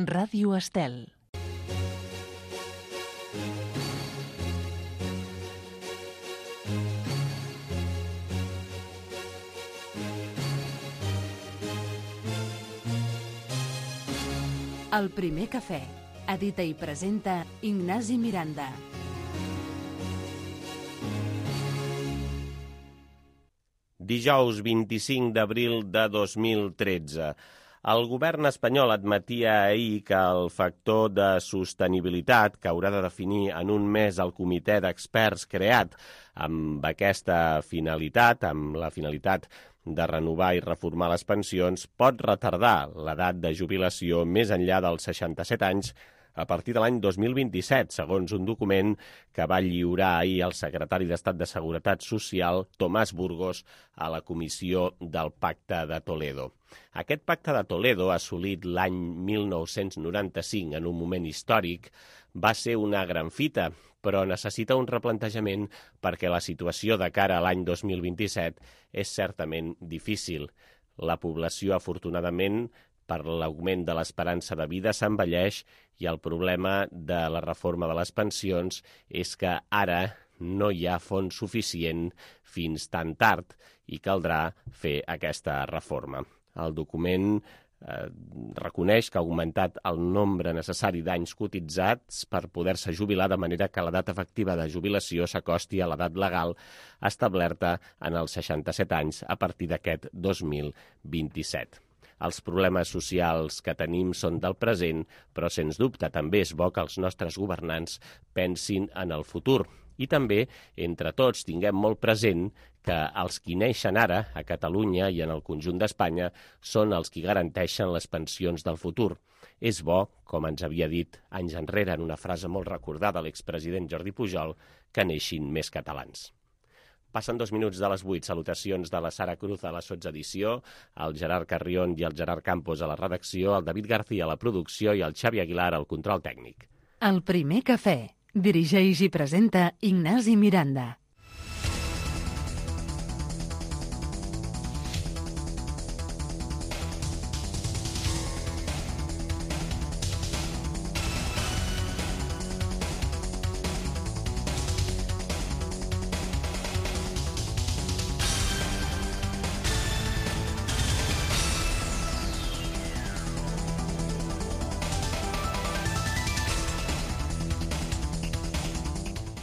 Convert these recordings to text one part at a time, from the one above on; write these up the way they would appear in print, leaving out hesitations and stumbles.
Ràdio Estel. El primer cafè. Edita i presenta Ignasi Miranda. Dijous 25 d'abril de 2013. El govern espanyol admetia ahir que el factor de sostenibilitat, que haurà de definir en un mes el comitè d'experts creat amb aquesta finalitat, amb la finalitat de renovar i reformar les pensions, pot retardar l'edat de jubilació més enllà dels 67 anys a partir de l'any 2027, segons un document que va lliurar ahir el secretari d'Estat de Seguretat Social, Tomàs Burgos, a la Comissió del Pacte de Toledo. Aquest Pacte de Toledo, assolit l'any 1995 en un moment històric, va ser una gran fita, però necessita un replantejament perquè la situació de cara a l'any 2027 és certament difícil. La població, afortunadament, per l'augment de l'esperança de vida s'envelleix i el problema de la reforma de les pensions és que ara no hi ha fons suficient fins tan tard i caldrà fer aquesta reforma. El document reconeix que ha augmentat el nombre necessari d'anys cotitzats per poder-se jubilar, de manera que l'edat efectiva de jubilació s'acosti a l'edat legal establerta en els 67 anys a partir d'aquest 2027. Els problemes socials que tenim són del present, però sens dubte també és bo que els nostres governants pensin en el futur. I també, entre tots, tinguem molt present que els qui neixen ara, a Catalunya i en el conjunt d'Espanya, són els qui garanteixen les pensions del futur. És bo, com ens havia dit anys enrere en una frase molt recordada l'expresident Jordi Pujol, que neixin més catalans. Passen 2 minuts de les 8. Salutacions de la Sara Cruz a la sotsedició, el Gerard Carrion i el Gerard Campos a la redacció, el David García a la producció i el Xavi Aguilar al control tècnic. El primer cafè. Dirigeix i presenta Ignasi Miranda.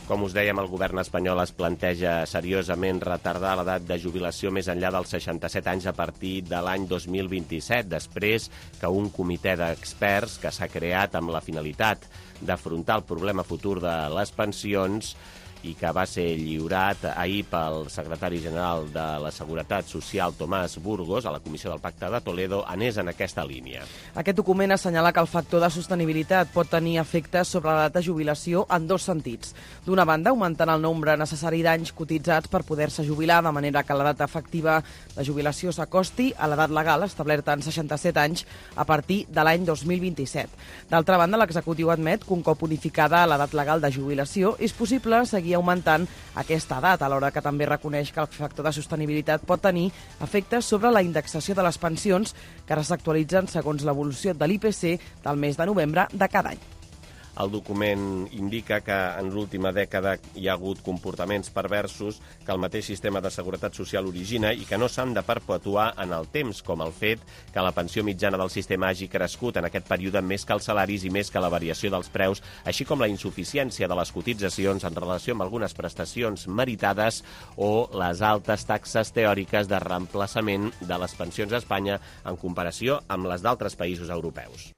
Com us dèiem, el govern espanyol es planteja seriosament retardar l'edat de jubilació més enllà dels 67 anys a partir de l'any 2027, després que un comitè d'experts que s'ha creat amb la finalitat d'afrontar el problema futur de les pensions i que va ser lliurat ahir pel secretari general de la Seguretat Social, Tomàs Burgos, a la Comissió del Pacte de Toledo, anés en aquesta línia. Aquest document assenyala que el factor de sostenibilitat pot tenir efectes sobre l'edat de jubilació en 2 sentits. D'una banda, augmentant el nombre necessari d'anys cotitzats per poder-se jubilar, de manera que l'edat efectiva de jubilació s'acosti a l'edat legal, establerta en 67 anys, a partir de l'any 2027. D'altra banda, l'executiu admet que un cop unificada l'edat legal de jubilació és possible seguir augmentant aquesta edat, alhora que també reconeix que el factor de sostenibilitat pot tenir efectes sobre la indexació de les pensions, que ara s'actualitzen segons l'evolució de l'IPC del mes de novembre de cada any. El document indica que en l'última dècada hi ha hagut comportaments perversos que el mateix sistema de seguretat social origina i que no s'han de perpetuar en el temps, com el fet que la pensió mitjana del sistema hagi crescut en aquest període més que els salaris i més que la variació dels preus, així com la insuficiència de les cotitzacions en relació amb algunes prestacions meritades o les altes taxes teòriques de reemplaçament de les pensions a Espanya en comparació amb les d'altres països europeus.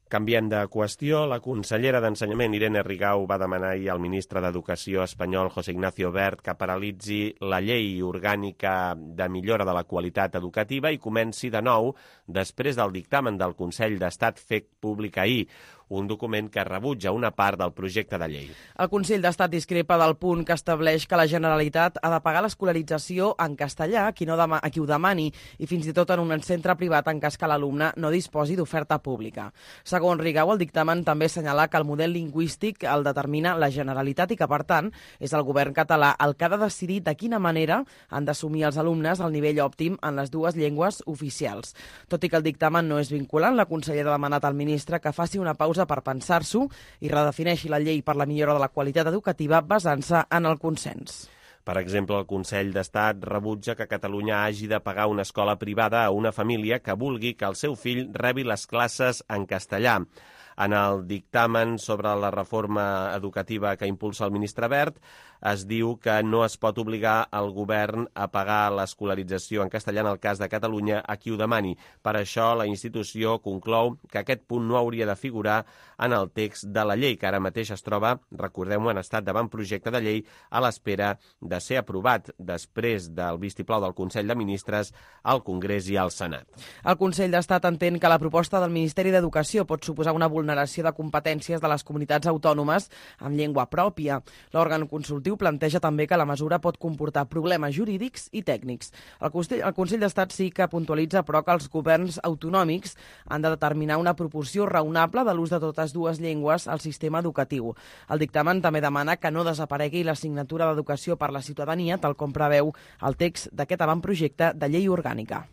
Canviant de qüestió, la consellera d'Ensenyament, Irene Rigau, va demanar ahir al ministre d'Educació espanyol, José Ignacio Wert, que paralitzi la llei orgànica de millora de la qualitat educativa i comenci de nou després del dictamen del Consell d'Estat fet públic ahir. un document que rebutja una part del projecte de llei. El Consell d'Estat discrepa del punt que estableix que la Generalitat ha de pagar l'escolarització en castellà a qui ho demani i fins i tot en un centre privat en cas que l'alumne no disposi d'oferta pública. Segons Rigau, el dictamen també assenyala que el model lingüístic el determina la Generalitat i que, per tant, és el govern català el que ha de decidir de quina manera han d'assumir els alumnes el nivell òptim en les dues llengües oficials. Tot i que el dictamen no és vinculant, la consellera ha demanat al ministre que faci una pausa per pensar-s'ho i redefineixi la llei per la millora de la qualitat educativa basant-se en el consens. Per exemple, el Consell d'Estat rebutja que Catalunya hagi de pagar una escola privada a una família que vulgui que el seu fill rebi les classes en castellà. En el dictamen sobre la reforma educativa que impulsa el ministre Wert, es diu que no es pot obligar el govern a pagar l'escolarització en castellà en el cas de Catalunya a qui ho demani. Per això, la institució conclou que aquest punt no hauria de figurar en el text de la llei, que ara mateix es troba, recordem-ho, en estat d'avantprojecte de llei a l'espera de ser aprovat després del vistiplau del Consell de Ministres al Congrés i al Senat. El Consell d'Estat entén que la proposta del Ministeri d'Educació pot suposar una vulneració de competències de les comunitats autònomes amb llengua pròpia. L'òrgan consultiu planteja també que la mesura pot comportar problemes jurídics i tècnics. El Consell d'Estat sí que puntualitza, però, que els governs autonòmics han de determinar una proporció raonable de l'ús de totes dues llengües al sistema educatiu. El dictamen també demana que no desaparegui l'assignatura d'Educació per la ciutadania, tal com preveu el text d'aquest avantprojecte de llei orgànica.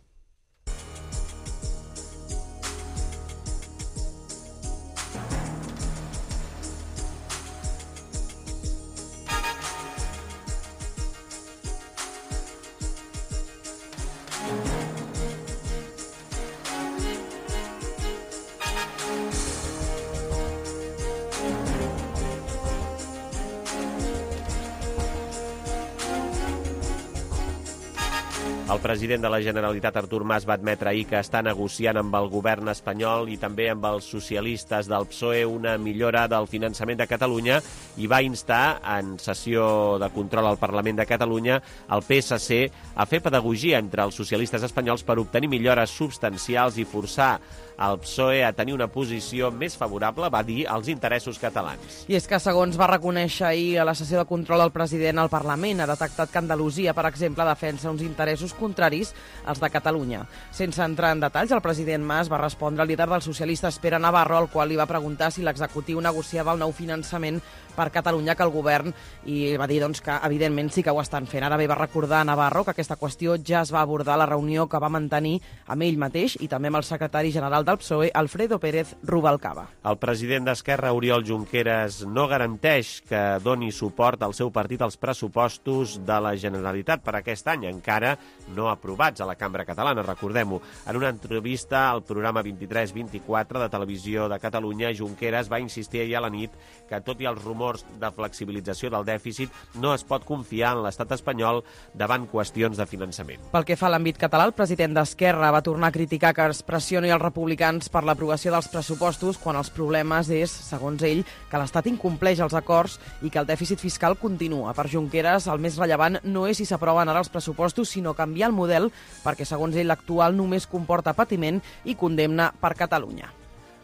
El president de la Generalitat, Artur Mas, va admetre ahir que està negociant amb el govern espanyol i també amb els socialistes del PSOE una millora del finançament de Catalunya i va instar, en sessió de control al Parlament de Catalunya, el PSC a fer pedagogia entre els socialistes espanyols per obtenir millores substancials i forçar el PSOE a tenir una posició més favorable, va dir, als interessos catalans. I és que, segons va reconèixer ahir a la sessió de control el president al Parlament, ha detectat que Andalusia, per exemple, defensa uns interessos contraris als de Catalunya. Sense entrar en detalls, el president Mas va respondre al líder dels socialistes, Pere Navarro, al qual li va preguntar si l'executiu negociava el nou finançament per Catalunya que el govern, i va dir doncs, que evidentment sí que ho estan fent. Ara bé, va recordar a Navarro que aquesta qüestió ja es va abordar a la reunió que va mantenir amb ell mateix i també amb el secretari general del PSOE, Alfredo Pérez Rubalcaba. El president d'Esquerra, Oriol Junqueras, no garanteix que doni suport al seu partit als pressupostos de la Generalitat per aquest any, encara no aprovats a la Cambra Catalana, recordem-ho. En una entrevista al programa 23-24 de Televisió de Catalunya, Junqueras va insistir ahir a la nit que, tot i els rumors de flexibilització del dèficit, no es pot confiar en l'estat espanyol davant qüestions de finançament. Pel que fa a l'àmbit català, el president d'Esquerra va tornar a criticar que es pressioni els republicans per l'aprovació dels pressupostos quan els problemes és, segons ell, que l'Estat incompleix els acords i que el dèficit fiscal continua. Per Junqueras, el més rellevant no és si s'aproven ara els pressupostos, sinó canviar el model, perquè, segons ell, l'actual només comporta patiment i condemna per Catalunya.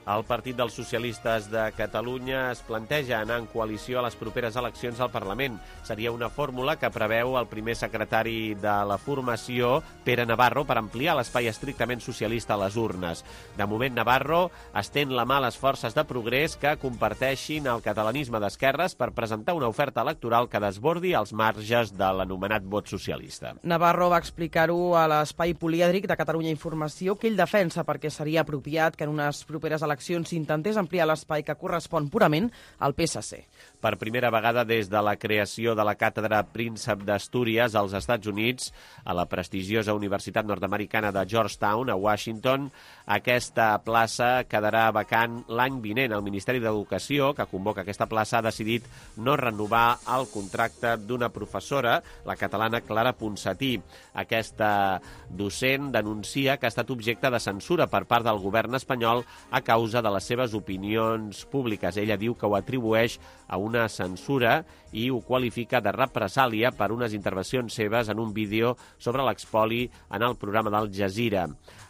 El Partit dels Socialistes de Catalunya es planteja anar en coalició a les properes eleccions al Parlament. Seria una fórmula que preveu el primer secretari de la formació, Pere Navarro, per ampliar l'espai estrictament socialista a les urnes. De moment, Navarro estén la mà a les forces de progrés que comparteixin el catalanisme d'esquerres per presentar una oferta electoral que desbordi els marges de l'anomenat vot socialista. Navarro va explicar-ho a l'espai polièdric de Catalunya Informació, que ell defensa perquè seria apropiat que en unes properes eleccions s'intentés ampliar l'espai que correspon purament al PSC. Per primera vegada des de la creació de la càtedra Príncep d'Astúries als Estats Units, a la prestigiosa Universitat Nord-Americana de Georgetown, a Washington, aquesta plaça quedarà vacant l'any vinent. El Ministeri d'Educació, que convoca aquesta plaça, ha decidit no renovar el contracte d'una professora, la catalana Clara Ponsatí. Aquesta docent denuncia que ha estat objecte de censura per part del govern espanyol a causa causa de les seves opinions públiques. Ella diu que ho atribueix a una censura i ho qualifica de represàlia per unes intervencions seves en un vídeo sobre l'expoli en el programa d'Al Jazeera.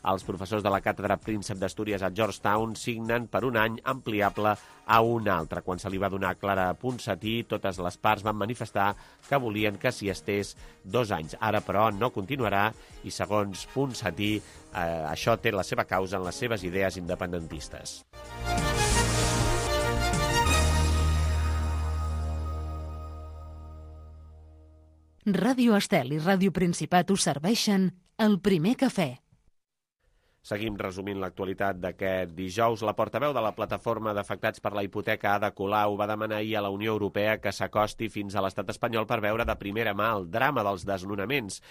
Els professors de la càtedra Príncep d'Astúries a Georgetown signen per un any ampliable a un altre. Quan se li va donar Clara Ponsatí, totes les parts van manifestar que volien que s'hi estés 2 anys. Ara, però, no continuarà i, segons Ponsatí, això té la seva causa en les seves idees independentistes. Ràdio Estel i Ràdio Principat us serveixen el primer cafè. Seguim resumint l'actualitat d'aquest dijous. La portaveu de la plataforma d'afectats per la hipoteca, Ada Colau, va demanar ahir a la Unió Europea que s'acosti fins a l'estat espanyol per veure de primera mà el drama dels desnonaments.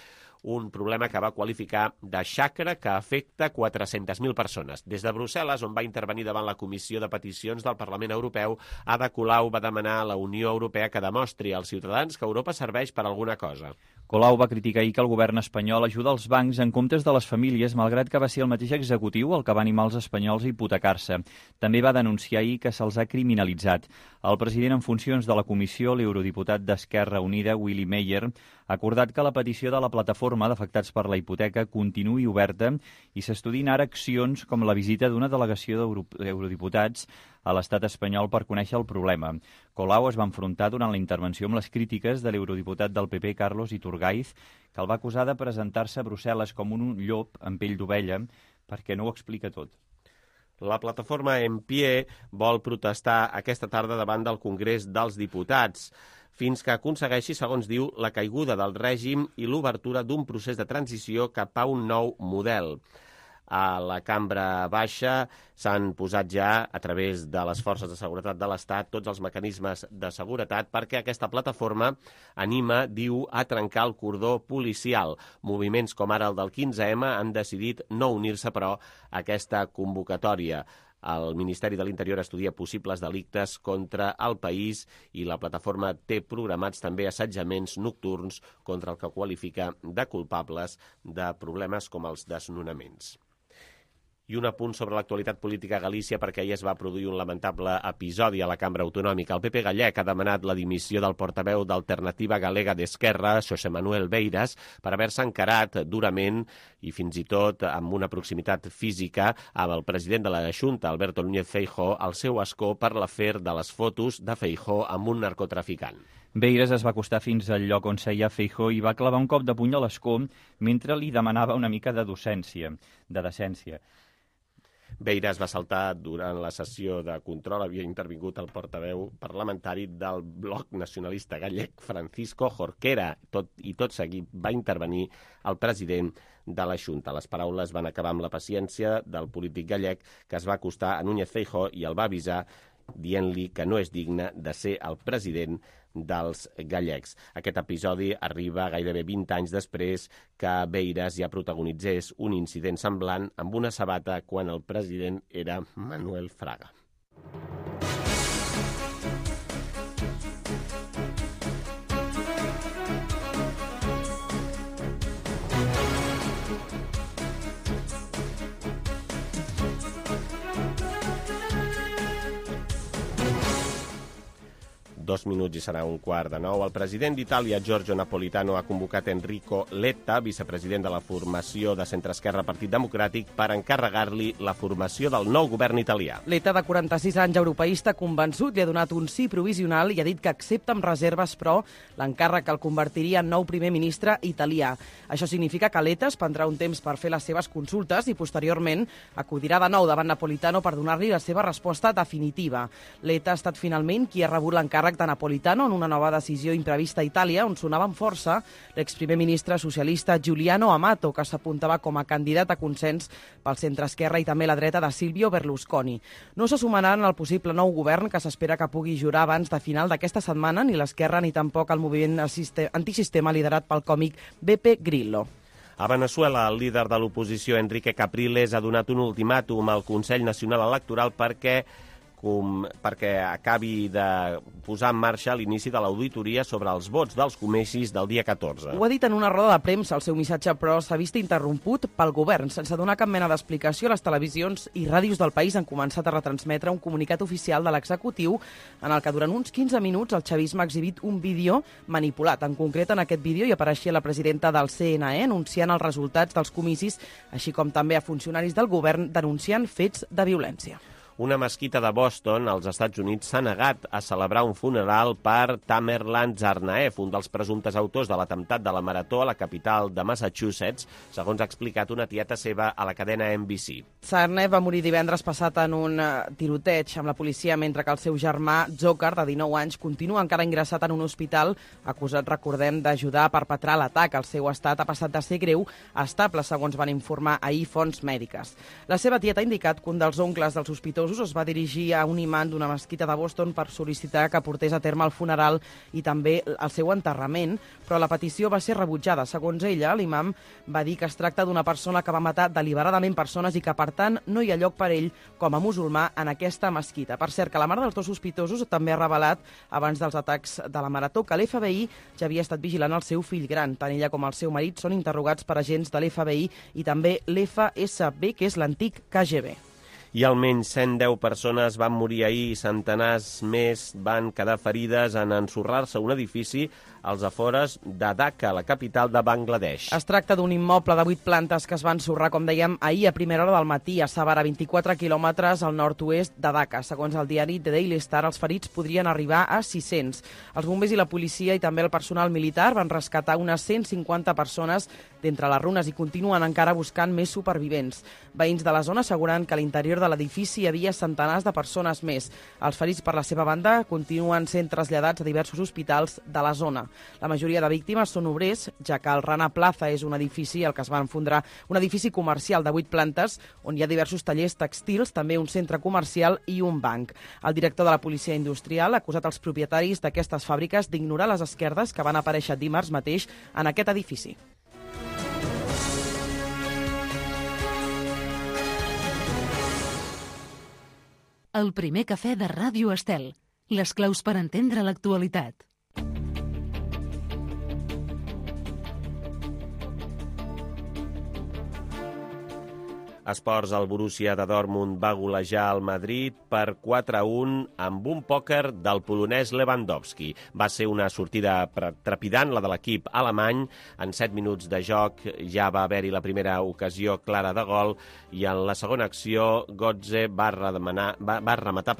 Un problema que va qualificar de xacra que afecta 400.000 persones. Des de Brussel·les, on va intervenir davant la Comissió de Peticions del Parlament Europeu, Ada Colau va demanar a la Unió Europea que demostri als ciutadans que Europa serveix per alguna cosa. Colau va criticar ahir que el govern espanyol ajuda els bancs en comptes de les famílies, malgrat que va ser el mateix executiu el que va animar els espanyols a hipotecar-se. També va denunciar ahir que se'ls ha criminalitzat. El president en funcions de la comissió, l'eurodiputat d'Esquerra Unida, Willy Meyer, ha acordat que la petició de la plataforma d'afectats per la hipoteca continuï oberta i s'estudin ara accions com la visita d'una delegació d'eurodiputats a l'estat espanyol per conèixer el problema. Colau es va enfrontar durant la intervenció amb les crítiques de l'eurodiputat del PP, Carlos Iturgaiz, que el va acusar de presentar-se a Brussel·les com un llop amb pell d'ovella perquè no ho explica tot. La plataforma En Pie vol protestar aquesta tarda davant del Congrés dels Diputats fins que aconsegueixi, segons diu, la caiguda del règim i l'obertura d'un procés de transició cap a un nou model. A la cambra baixa s'han posat ja, a través de les forces de seguretat de l'Estat, tots els mecanismes de seguretat perquè aquesta plataforma anima, diu, a trencar el cordó policial. Moviments com ara el del 15M han decidit no unir-se, però, a aquesta convocatòria. El Ministeri de l'Interior estudia possibles delictes contra el país i la plataforma té programats també assetjaments nocturns contra el que qualifica de culpables de problemes com els desnonaments. I un apunt sobre l'actualitat política a Galícia, perquè ahir es va produir un lamentable episodi a la Cambra Autonòmica. El PP gallec ha demanat la dimissió del portaveu d'Alternativa Galega d'Esquerra, Xosé Manuel Beiras, per haver-se encarat durament i fins i tot amb una proximitat física amb el president de la Xunta, Alberto Núñez Feijóo, al seu escó per l'afer de les fotos de Feijóo amb un narcotraficant. Beiras es va acostar fins al lloc on seia Feijóo i va clavar un cop de puny a l'escó mentre li demanava una mica de decència. Beiras va saltar durant la sessió de control. Havia intervingut el portaveu parlamentari del Bloc Nacionalista Gallec, Francisco Jorquera, i tot seguit va intervenir el president de la Xunta. Les paraules van acabar amb la paciència del polític gallec, que es va acostar a Núñez Feijóo i el va avisar dient-li que no és digne de ser el president dels gallecs. Aquest episodi arriba gairebé 20 anys després que Beiras ja protagonitzés un incident semblant amb una sabata quan el president era Manuel Fraga. Dos minuts i serà 8:45. El president d'Itàlia, Giorgio Napolitano, ha convocat Enrico Letta, vicepresident de la formació de centre-esquerra Partit Democràtic, per encarregar-li la formació del nou govern italià. Letta, de 46 anys, europeista convençut, li ha donat un sí provisional i ha dit que accepta amb reserves, però l'encàrrec el convertiria en nou primer ministre italià. Això significa que Letta es prendrà un temps per fer les seves consultes i posteriorment acudirà de nou davant Napolitano per donar-li la seva resposta definitiva. Letta ha estat finalment qui ha rebut l'encàrrec de Napolitano en una nova decisió imprevista a Itàlia, on sonava amb força l'exprimer ministre socialista Giuliano Amato, que s'apuntava com a candidat a consens pel centre-esquerra i també la dreta de Silvio Berlusconi. No se sumaran al possible nou govern que s'espera que pugui jurar abans de final d'aquesta setmana ni l'esquerra ni tampoc el moviment antisistema liderat pel còmic Beppe Grillo. A Veneçuela, el líder de l'oposició, Enrique Capriles, ha donat un ultimàtum al Consell Nacional Electoral perquè perquè acabi de posar en marxa l'inici de l'auditoria sobre els vots dels comicis del dia 14. Ho ha dit en una roda de premsa. El seu missatge, però, s'ha vist interromput pel govern. Sense donar cap mena d'explicació, les televisions i ràdios del país han començat a retransmetre un comunicat oficial de l'executiu en el que durant uns 15 minuts el xavisme ha exhibit un vídeo manipulat. En concret, en aquest vídeo hi apareixia la presidenta del CNE anunciant els resultats dels comicis, així com també a funcionaris del govern denunciant fets de violència. Una mesquita de Boston, als Estats Units, s'ha negat a celebrar un funeral per Tamerlan Tsarnaev, un dels presumptes autors de l'atemptat de la Marató a la capital de Massachusetts, segons ha explicat una tieta seva a la cadena NBC. Tsarnaev va morir divendres passat en un tiroteig amb la policia, mentre que el seu germà, Dzhokhar, de 19 anys, continua encara ingressat en un hospital, acusat, recordem, d'ajudar a perpetrar l'atac. El seu estat ha passat de ser greu a estable, segons van informar ahir fonts mèdiques. La seva tieta ha indicat que un dels oncles dels sospitosos es va dirigir a un imant d'una mesquita de Boston per sol·licitar que portés a terme el funeral i també el seu enterrament, però la petició va ser rebutjada. Segons ella, l'imam va dir que es tracta d'una persona que va matar deliberadament persones i que, per tant, no hi ha lloc per ell com a musulmà en aquesta mesquita. Per cert, que la mare dels dos sospitosos també ha revelat, abans dels atacs de la Marató, que l'FBI ja havia estat vigilant el seu fill gran. Tant ella com el seu marit són interrogats per agents de l'FBI i també l'FSB, que és l'antic KGB. I almenys 110 persones van morir ahir i centenars més van quedar ferides en ensorrar-se un edifici als afores de Dhaka, la capital de Bangladesh. Es tracta d'un immoble de 8 plantes que es va ensorrar, com dèiem, ahir a primera hora del matí a Savara, 24 quilòmetres al nord-oest de Dhaka. Segons el diari The Daily Star, els ferits podrien arribar a 600. Els bombers i la policia i també el personal militar van rescatar unes 150 persones d'entre les runes i continuen encara buscant més supervivents. Veïns de la zona asseguren que a l'interior de l'edifici hi havia centenars de persones més. Els ferits, per la seva banda, continuen sent traslladats a diversos hospitals de la zona. La majoria de víctimes són obrers, ja que el Rana Plaza és un edifici al que es va enfondrar, un edifici comercial de 8 plantes on hi ha diversos tallers tèxtils, també un centre comercial i un banc. El director de la Policia Industrial ha acusat els propietaris d'aquestes fàbriques d'ignorar les esquerdes que van aparèixer dimarts mateix en aquest edifici. El primer cafè de Ràdio Estel. Les claus per entendre l'actualitat. Esports, el Borussia de Dortmund va golejar el Madrid per 4-1 amb un pòquer del polonès Lewandowski. Va ser una sortida trepidant, la de l'equip alemany. En 7 minuts de joc ja va haver-hi la primera ocasió clara de gol i en la segona acció Götze va rematar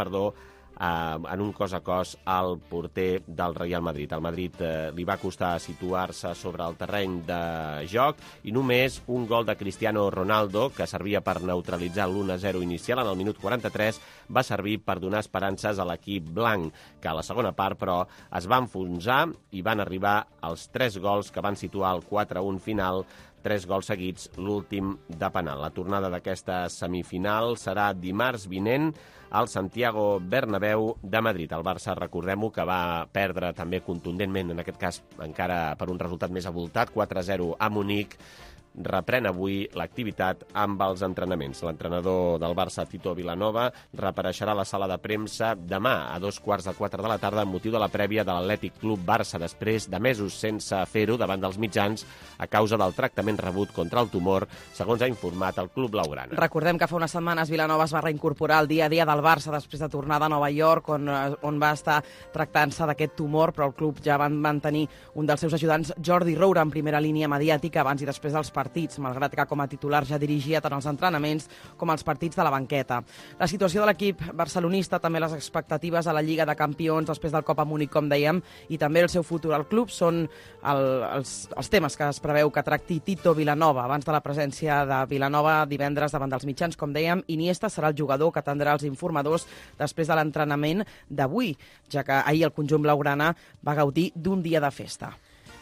en un cos a cos al porter del Real Madrid. Al Madrid li va costar situar-se sobre el terreny de joc i només un gol de Cristiano Ronaldo, que servia per neutralitzar l'1-0 inicial en el minut 43, va servir per donar esperances a l'equip blanc, que a la segona part, però, es va enfonsar i van arribar els 3 gols que van situar el 4-1 final, 3 gols seguits, l'últim de penal. La tornada d'aquesta semifinal serà dimarts vinent al Santiago Bernabéu de Madrid. El Barça, recordem-ho, que va perdre també contundentment, en aquest cas encara per un resultat més avoltat, 4-0 a Munic. Reprèn avui l'activitat amb els entrenaments. L'entrenador del Barça, Tito Vilanova, reapareixerà a la sala de premsa demà a 15:45 de la tarda amb motiu de la prèvia de l'Atlètic Club Barça, després de mesos sense fer-ho davant dels mitjans a causa del tractament rebut contra el tumor, segons ha informat el Club Blaugrana. Recordem que fa unes setmanes Vilanova es va reincorporar al dia a dia del Barça després de tornar de Nova York, on va estar tractant-se d'aquest tumor, però el club ja van mantenir un dels seus ajudants, Jordi Roura, en primera línia mediàtica abans i després dels partits, malgrat que com a titular ja dirigia tant els entrenaments com els partits de la banqueta. La situació de l'equip barcelonista, també les expectatives a la Lliga de Campions després del cop a Múnich, com dèiem, i també el seu futur al club són els temes que es preveu que tracti Tito Vilanova. Abans de la presència de Vilanova divendres davant dels mitjans, com dèiem, Iniesta serà el jugador que atendrà els informadors després de l'entrenament d'avui, ja que ahir el conjunt blaugrana va gaudir d'un dia de festa.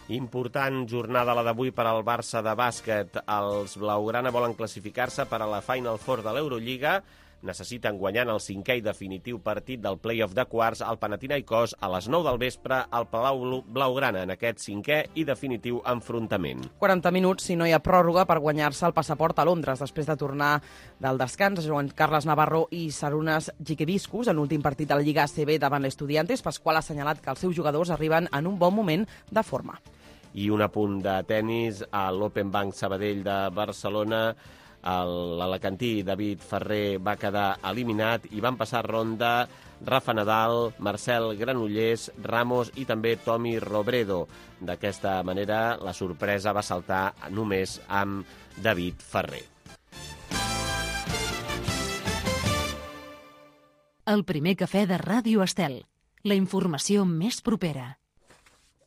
Important jornada la d'avui per al Barça de bàsquet. Els blaugrana volen classificar-se per a la Final Four de l'Eurolliga. necessiten guanyar el 5è i definitiu partit del play-off de quarts al Panathinaikos a les 9 del vespre al Palau Blaugrana en aquest 5è i definitiu enfrontament. 40 minuts si no hi ha pròrroga per guanyar-se el passaport a Londres després de tornar del descans. Joan Carles Navarro i Sarunas Giqueviscus en l'últim partit de la Lliga ACB davant l'Estudiantes. Pasqual ha assenyalat que els seus jugadors arriben en un bon moment de forma. I un apunt de tennis a l'Open Bank Sabadell de Barcelona. L'alacantí David Ferrer va quedar eliminat i van passar ronda Rafa Nadal, Marcel Granollers, Ramos i també Tommy Robredo. D'aquesta manera, la sorpresa va saltar només amb David Ferrer. El primer cafè de Ràdio Estel. La informació més propera.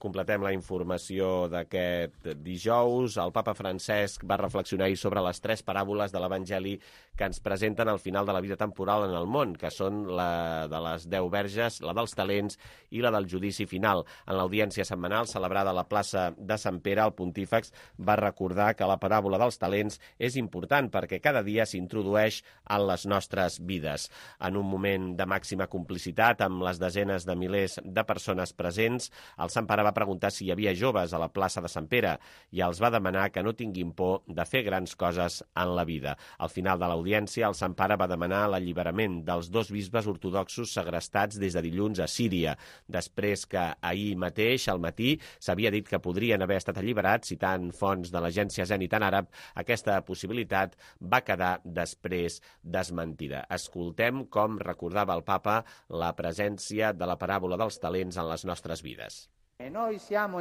Completem la informació d'aquest dijous. El papa Francesc va reflexionar sobre les 3 paràboles de l'Evangeli que ens presenten al final de la vida temporal en el món, que són la de les 10 verges, la dels talents i la del judici final. En l'audiència setmanal celebrada a la plaça de Sant Pere, el pontífex va recordar que la paràbola dels talents és important perquè cada dia s'introdueix en les nostres vides. En un moment de màxima complicitat amb les desenes de milers de persones presents, el Sant Pare va preguntar si hi havia joves a la plaça de Sant Pere i els va demanar que no tinguin por de fer grans coses en la vida. Al final de l'audiència, el Sant Pare va demanar l'alliberament dels 2 bisbes ortodoxos segrestats des de dilluns a Síria, després que ahir mateix, al matí, s'havia dit que podrien haver estat alliberats. Citant fonts de l'agència Zenit en àrab, aquesta possibilitat va quedar després desmentida. Escoltem com recordava el papa la presència de la paràbola dels talents en les nostres vides. Estem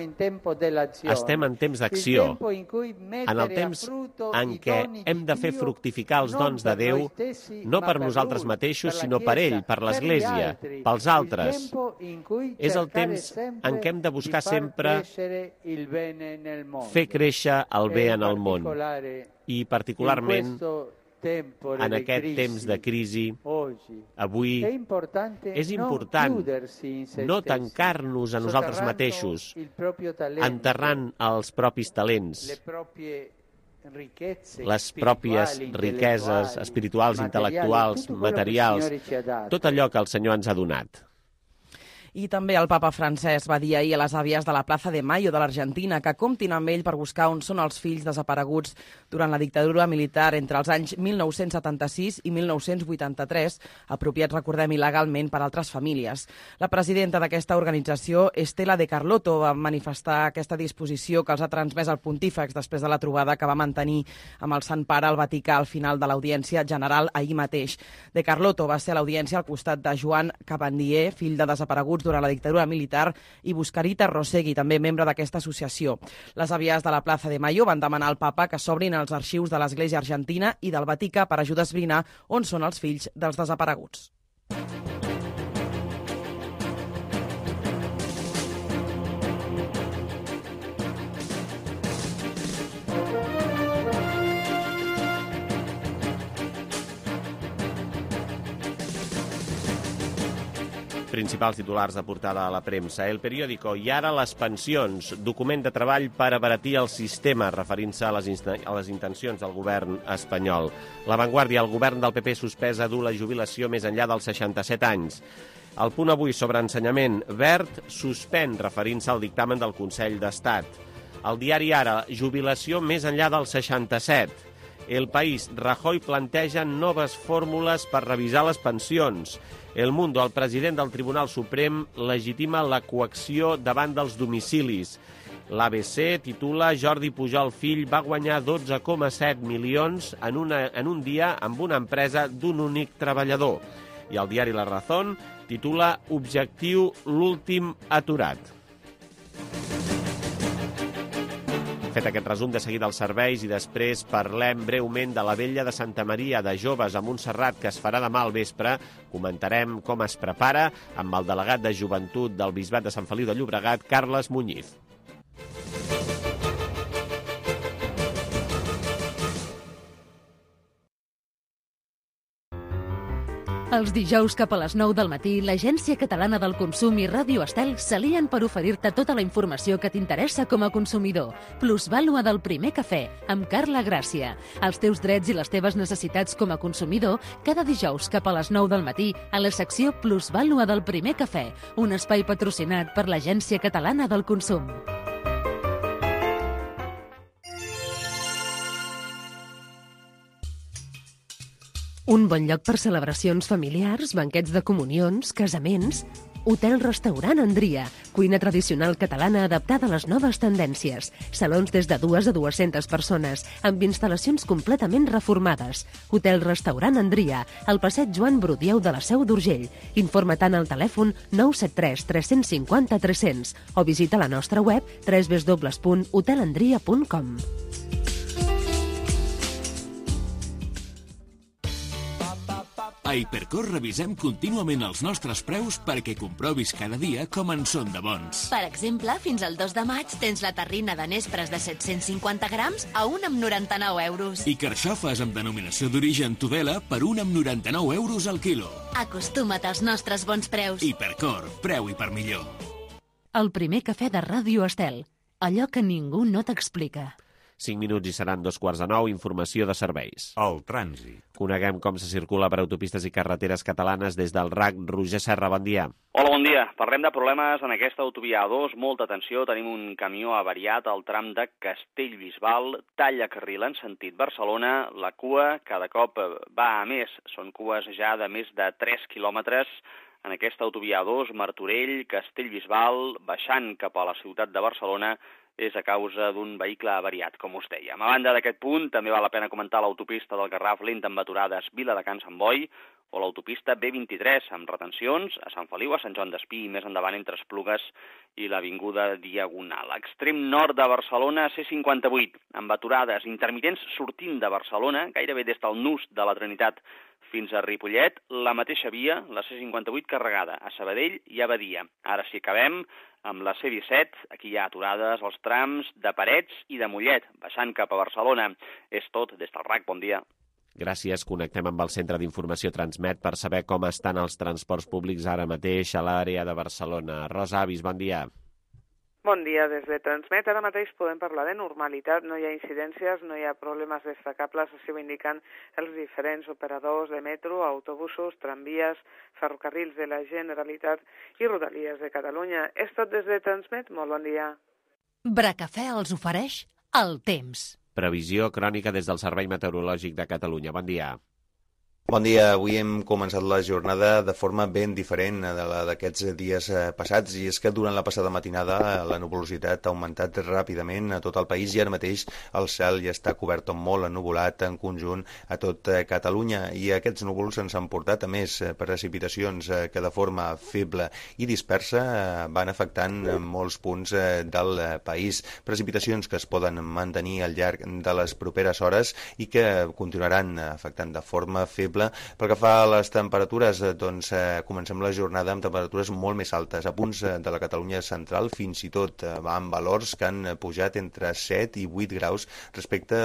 en temps d'acció, en el temps en què hem de fer fructificar els dons de Déu, no per nosaltres mateixos, sinó per ell, per l'Església, pels altres. És el temps en què hem de buscar sempre fer créixer el bé en el món. I particularment en aquest temps de crisi, avui és important no tancar-nos a nosaltres mateixos, enterrant els propis talents, les pròpies riqueses espirituals, intel·lectuals, materials, tot allò que el Senyor ens ha donat. I també el papa Francesc va dir ahir a les àvies de la Plaza de Mayo de l'Argentina que comptin amb ell per buscar on són els fills desapareguts durant la dictadura militar entre els anys 1976 i 1983, apropiats, recordem, il·legalment per altres famílies. La presidenta d'aquesta organització, Estela de Carlotto, va manifestar aquesta disposició que els ha transmès el pontífex després de la trobada que va mantenir amb el Sant Pare al Vaticà al final de l'audiència general ahir mateix. De Carlotto va ser a l'audiència al costat de Joan Cabandier, fill de desapareguts durant la dictadura militar, i Buscarita Rosegui, també membre d'aquesta associació. Les àvies de la Plaza de Mayo van demanar al papa que s'obrin els arxius de l'Església Argentina i del Vaticà per ajudar a esbrinar on són els fills dels desapareguts. Principals titulars de portada a la premsa. El Periódico. I ara les pensions. Document de treball per abaratir el sistema, referint-se a les intencions del govern espanyol. La Vanguardia. El govern del PP suspès a dur la jubilació més enllà dels 67 anys. El Punt Avui sobre ensenyament. Wert suspèn, referint-se al dictamen del Consell d'Estat. El diari Ara. Jubilació més enllà dels 67. El País. Rajoy planteja noves fórmules per revisar les pensions. El Mundo. El president del Tribunal Suprem legitima la coacció davant dels domicilis. L'ABC titula Jordi Pujol fill va guanyar 12,7 milions en un dia amb una empresa d'un únic treballador. I el diari La Razón titula Objectiu l'últim aturat. Fet aquest resum, de seguida els serveis i després parlem breument de la Vetlla de Santa Maria de Joves a Montserrat, que es farà demà al vespre. Comentarem com es prepara amb el delegat de Joventut del Bisbat de Sant Feliu de Llobregat, Carles Muñiz. Els dijous cap a les 9 del matí, l'Agència Catalana del Consum i Ràdio Estel s'alien per oferir-te tota la informació que t'interessa com a consumidor. Plusvàlua del primer cafè, amb Carla Gràcia. Els teus drets i les teves necessitats com a consumidor, cada dijous cap a les 9 del matí, a la secció Plusvàlua del primer cafè, un espai patrocinat per l'Agència Catalana del Consum. Un bon lloc per celebracions familiars, banquets de comunions, casaments... Hotel-restaurant Andria, cuina tradicional catalana adaptada a les noves tendències. Salons des de 2 a 200 persones, amb instal·lacions completament reformades. Hotel-restaurant Andria, al passeig Joan Brudieu de la Seu d'Urgell. Informa-te'n al telèfon 973 350 300 o visita la nostra web www.hotelandria.com. A Hipercor revisem contínuament els nostres preus perquè comprovis cada dia com en són de bons. Per exemple, fins al 2 de maig tens la terrina de nespres de 750 grams a 1,99 euros. I carxofes amb denominació d'origen Tudela per 1,99 euros al quilo. Acostuma't als nostres bons preus. Hipercor, preu i per millor. El primer cafè de Ràdio Estel, allò que ningú no t'explica. 5 minuts i seran 9:15, informació de serveis. El trànsit. Coneguem com se circula per autopistes i carreteres catalanes des del RAC. Roger Serra, bon dia. Hola, bon dia. Parlem de problemes en aquesta autovia A2. Molta atenció, tenim un camió avariat al tram de Castellbisbal, talla carril en sentit Barcelona. La cua cada cop va a més. Són cues ja de més de 3 quilòmetres en aquesta autovia A2, Martorell, Castellbisbal, baixant cap a la ciutat de Barcelona, és a causa d'un vehicle avariat, com us dèiem. A banda d'aquest punt, també val la pena comentar l'autopista del Garraf lenta amb aturades Viladecans Sant Boi o l'autopista B23 amb retencions a Sant Feliu, a Sant Joan d'Espí i més endavant entre Esplugues i l'Avinguda Diagonal. Extrem nord de Barcelona, C58, amb aturades intermitents sortint de Barcelona, gairebé des del nus de la Trinitat fins a Ripollet, la mateixa via, la C58 carregada a Sabadell i a Badia. Ara sí acabem amb la C17, aquí hi ha aturades als trams de Parets i de Mollet, baixant cap a Barcelona. És tot des del RAC, bon dia. Gràcies, connectem amb el Centre d'Informació Transmet per saber com estan els transports públics ara mateix a l'àrea de Barcelona. Rosa Avis, bon dia. Bon dia, des de Transmet. Ara mateix podem parlar de normalitat, no hi ha incidències, no hi ha problemes destacables, així ho indiquen els diferents operadors de metro, autobusos, tramvies, ferrocarrils de la Generalitat i Rodalies de Catalunya. És tot des de Transmet, molt bon dia. Bracafè els ofereix el temps. Previsió crònica des del Servei Meteorològic de Catalunya. Bon dia. Bon dia. Avui hem començat la jornada de forma ben diferent de la d'aquests dies passats, i és que durant la passada matinada la nuvolositat ha augmentat ràpidament a tot el país i ara mateix el cel ja està cobert o molt ennuvolat en conjunt a tot Catalunya, i aquests núvols ens han portat a més precipitacions que de forma feble i dispersa van afectant molts punts del país. Precipitacions que es poden mantenir al llarg de les properes hores i que continuaran afectant de forma feble. Pel que fa a les temperatures, doncs comencem la jornada amb temperatures molt més altes, a punts de la Catalunya central, fins i tot amb valors que han pujat entre 7 i 8 graus respecte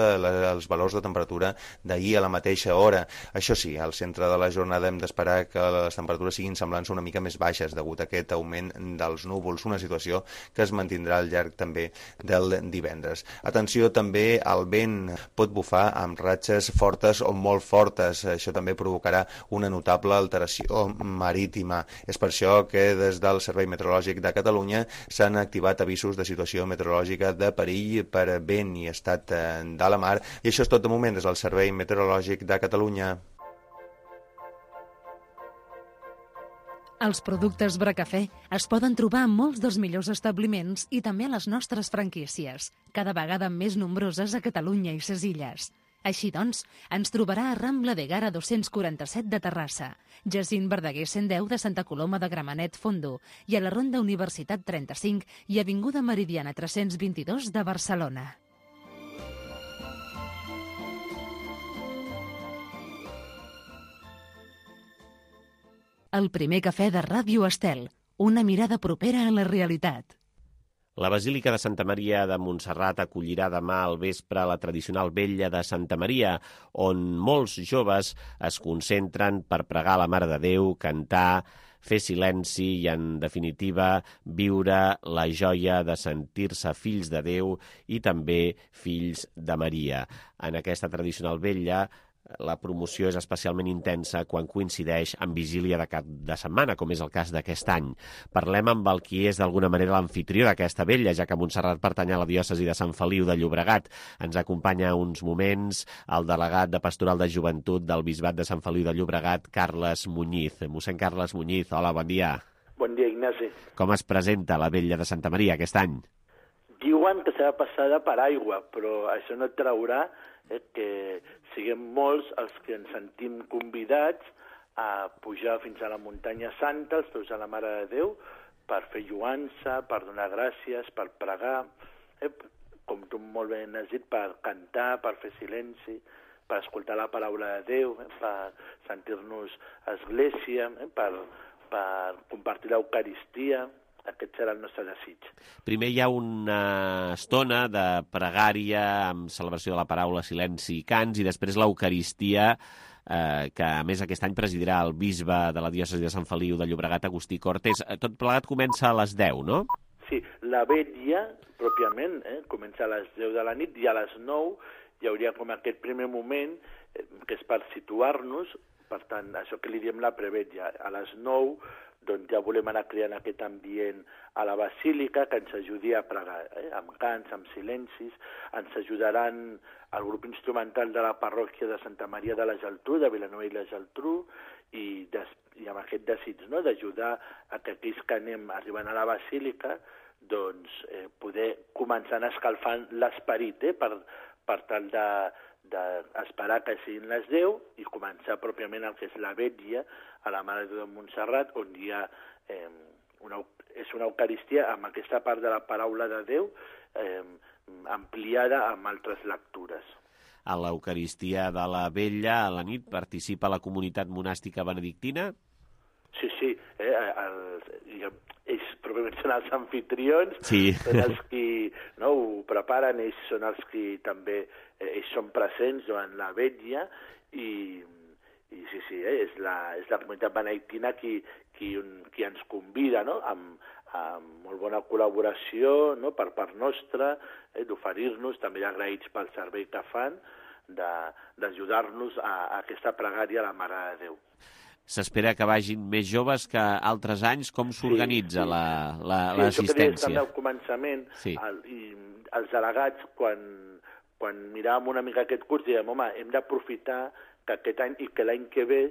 als valors de temperatura d'ahir a la mateixa hora. Això sí, al centre de la jornada hem d'esperar que les temperatures siguin semblants una mica més baixes degut a aquest augment dels núvols, una situació que es mantindrà al llarg també del divendres. Atenció també al vent, pot bufar amb ratxes fortes o molt fortes, això també provocarà una notable alteració marítima. És per això que des del Servei Meteorològic de Catalunya s'han activat avisos de situació meteorològica de perill per vent i estat de la mar. I això és tot de moment des del Servei Meteorològic de Catalunya. Els productes Bracafè es poden trobar en molts dels millors establiments i també a les nostres franquícies, cada vegada més nombroses a Catalunya i ses illes. Així doncs, ens trobarà a Rambla de Gara 247 de Terrassa, Jacint Verdaguer 110 de Santa Coloma de Gramenet Fondo i a la Ronda Universitat 35 i Avinguda Meridiana 322 de Barcelona. El primer cafè de Ràdio Estel, una mirada propera a la realitat. La Basílica de Santa Maria de Montserrat acollirà demà al vespre la tradicional vetlla de Santa Maria, on molts joves es concentren per pregar a la Mare de Déu, cantar, fer silenci i, en definitiva, viure la joia de sentir-se fills de Déu i també fills de Maria. En aquesta tradicional vetlla, la promoció és especialment intensa quan coincideix amb vigília de cap de setmana, com és el cas d'aquest any. Parlem amb el qui és d'alguna manera l'amfitrió d'aquesta vetlla, ja que Montserrat pertany a la diòcesi de Sant Feliu de Llobregat. Ens acompanya uns moments el delegat de Pastoral de Joventut del Bisbat de Sant Feliu de Llobregat, Carles Muñiz. Mossèn Carles Muñiz, hola, bon dia. Bon dia, Ignasi. Com es presenta la vetlla de Santa Maria aquest any? Diuen que serà passada per aigua, però això no traurà que siguem molts els que ens sentim convidats a pujar fins a la muntanya santa, als peus de la Mare de Déu, per fer lluança, per donar gràcies, per pregar, com tu molt bé has dit, per cantar, per fer silenci, per escoltar la paraula de Déu, per sentir-nos església, per compartir l'Eucaristia. Aquest serà el nostre desig. Primer hi ha una estona de pregària amb celebració de la paraula, silenci i cants, i després l'Eucaristia, que a més aquest any presidirà el bisbe de la diòcesi de Sant Feliu de Llobregat, Agustí Cortés. Tot plegat comença a les 10, no? Sí, la vetlla, pròpiament, comença a les 10 de la nit, i a les 9 hi hauria com aquest primer moment, que és per situar-nos, per tant, això que li diem la prevetlla. A les 9 doncs ja volem anar creant aquest ambient a la Basílica que ens ajudi a pregar, amb cants, amb silencis. Ens ajudaran el grup instrumental de la parròquia de Santa Maria de la Geltrú, de Vilanova i la Geltrú, i amb aquest desig, no?, d'ajudar a que aquells que anem arribant a la Basílica doncs, poder començar a escalfar l'esperit, per tal d'esperar que siguin les 10 i començar pròpiament el que és la vetlla a la Mare de Déu de Montserrat, on hi ha una Eucaristia amb aquesta part de la paraula de Déu ampliada amb altres lectures. A l'Eucaristia de la vetlla, a la nit, participa la comunitat monàstica benedictina? Sí, ells pròpiament són els anfitrions, sí. Són els qui ho preparen, ells són els qui també ells són presents durant la vetlla i sí, és la comunitat benedictina qui ens convida, no?, amb molt bona col·laboració, no?, per part nostra, d'oferir-nos, també agraïts pel servei que fan, d'ajudar-nos a aquesta pregària a la Mare de Déu. S'espera que vagin més joves que altres anys. Com s'organitza l'assistència? Sí, això que al començament, i els delegats, quan miràvem una mica aquest curs, dèiem, home, hem d'aprofitar que aquest any i que l'any que ve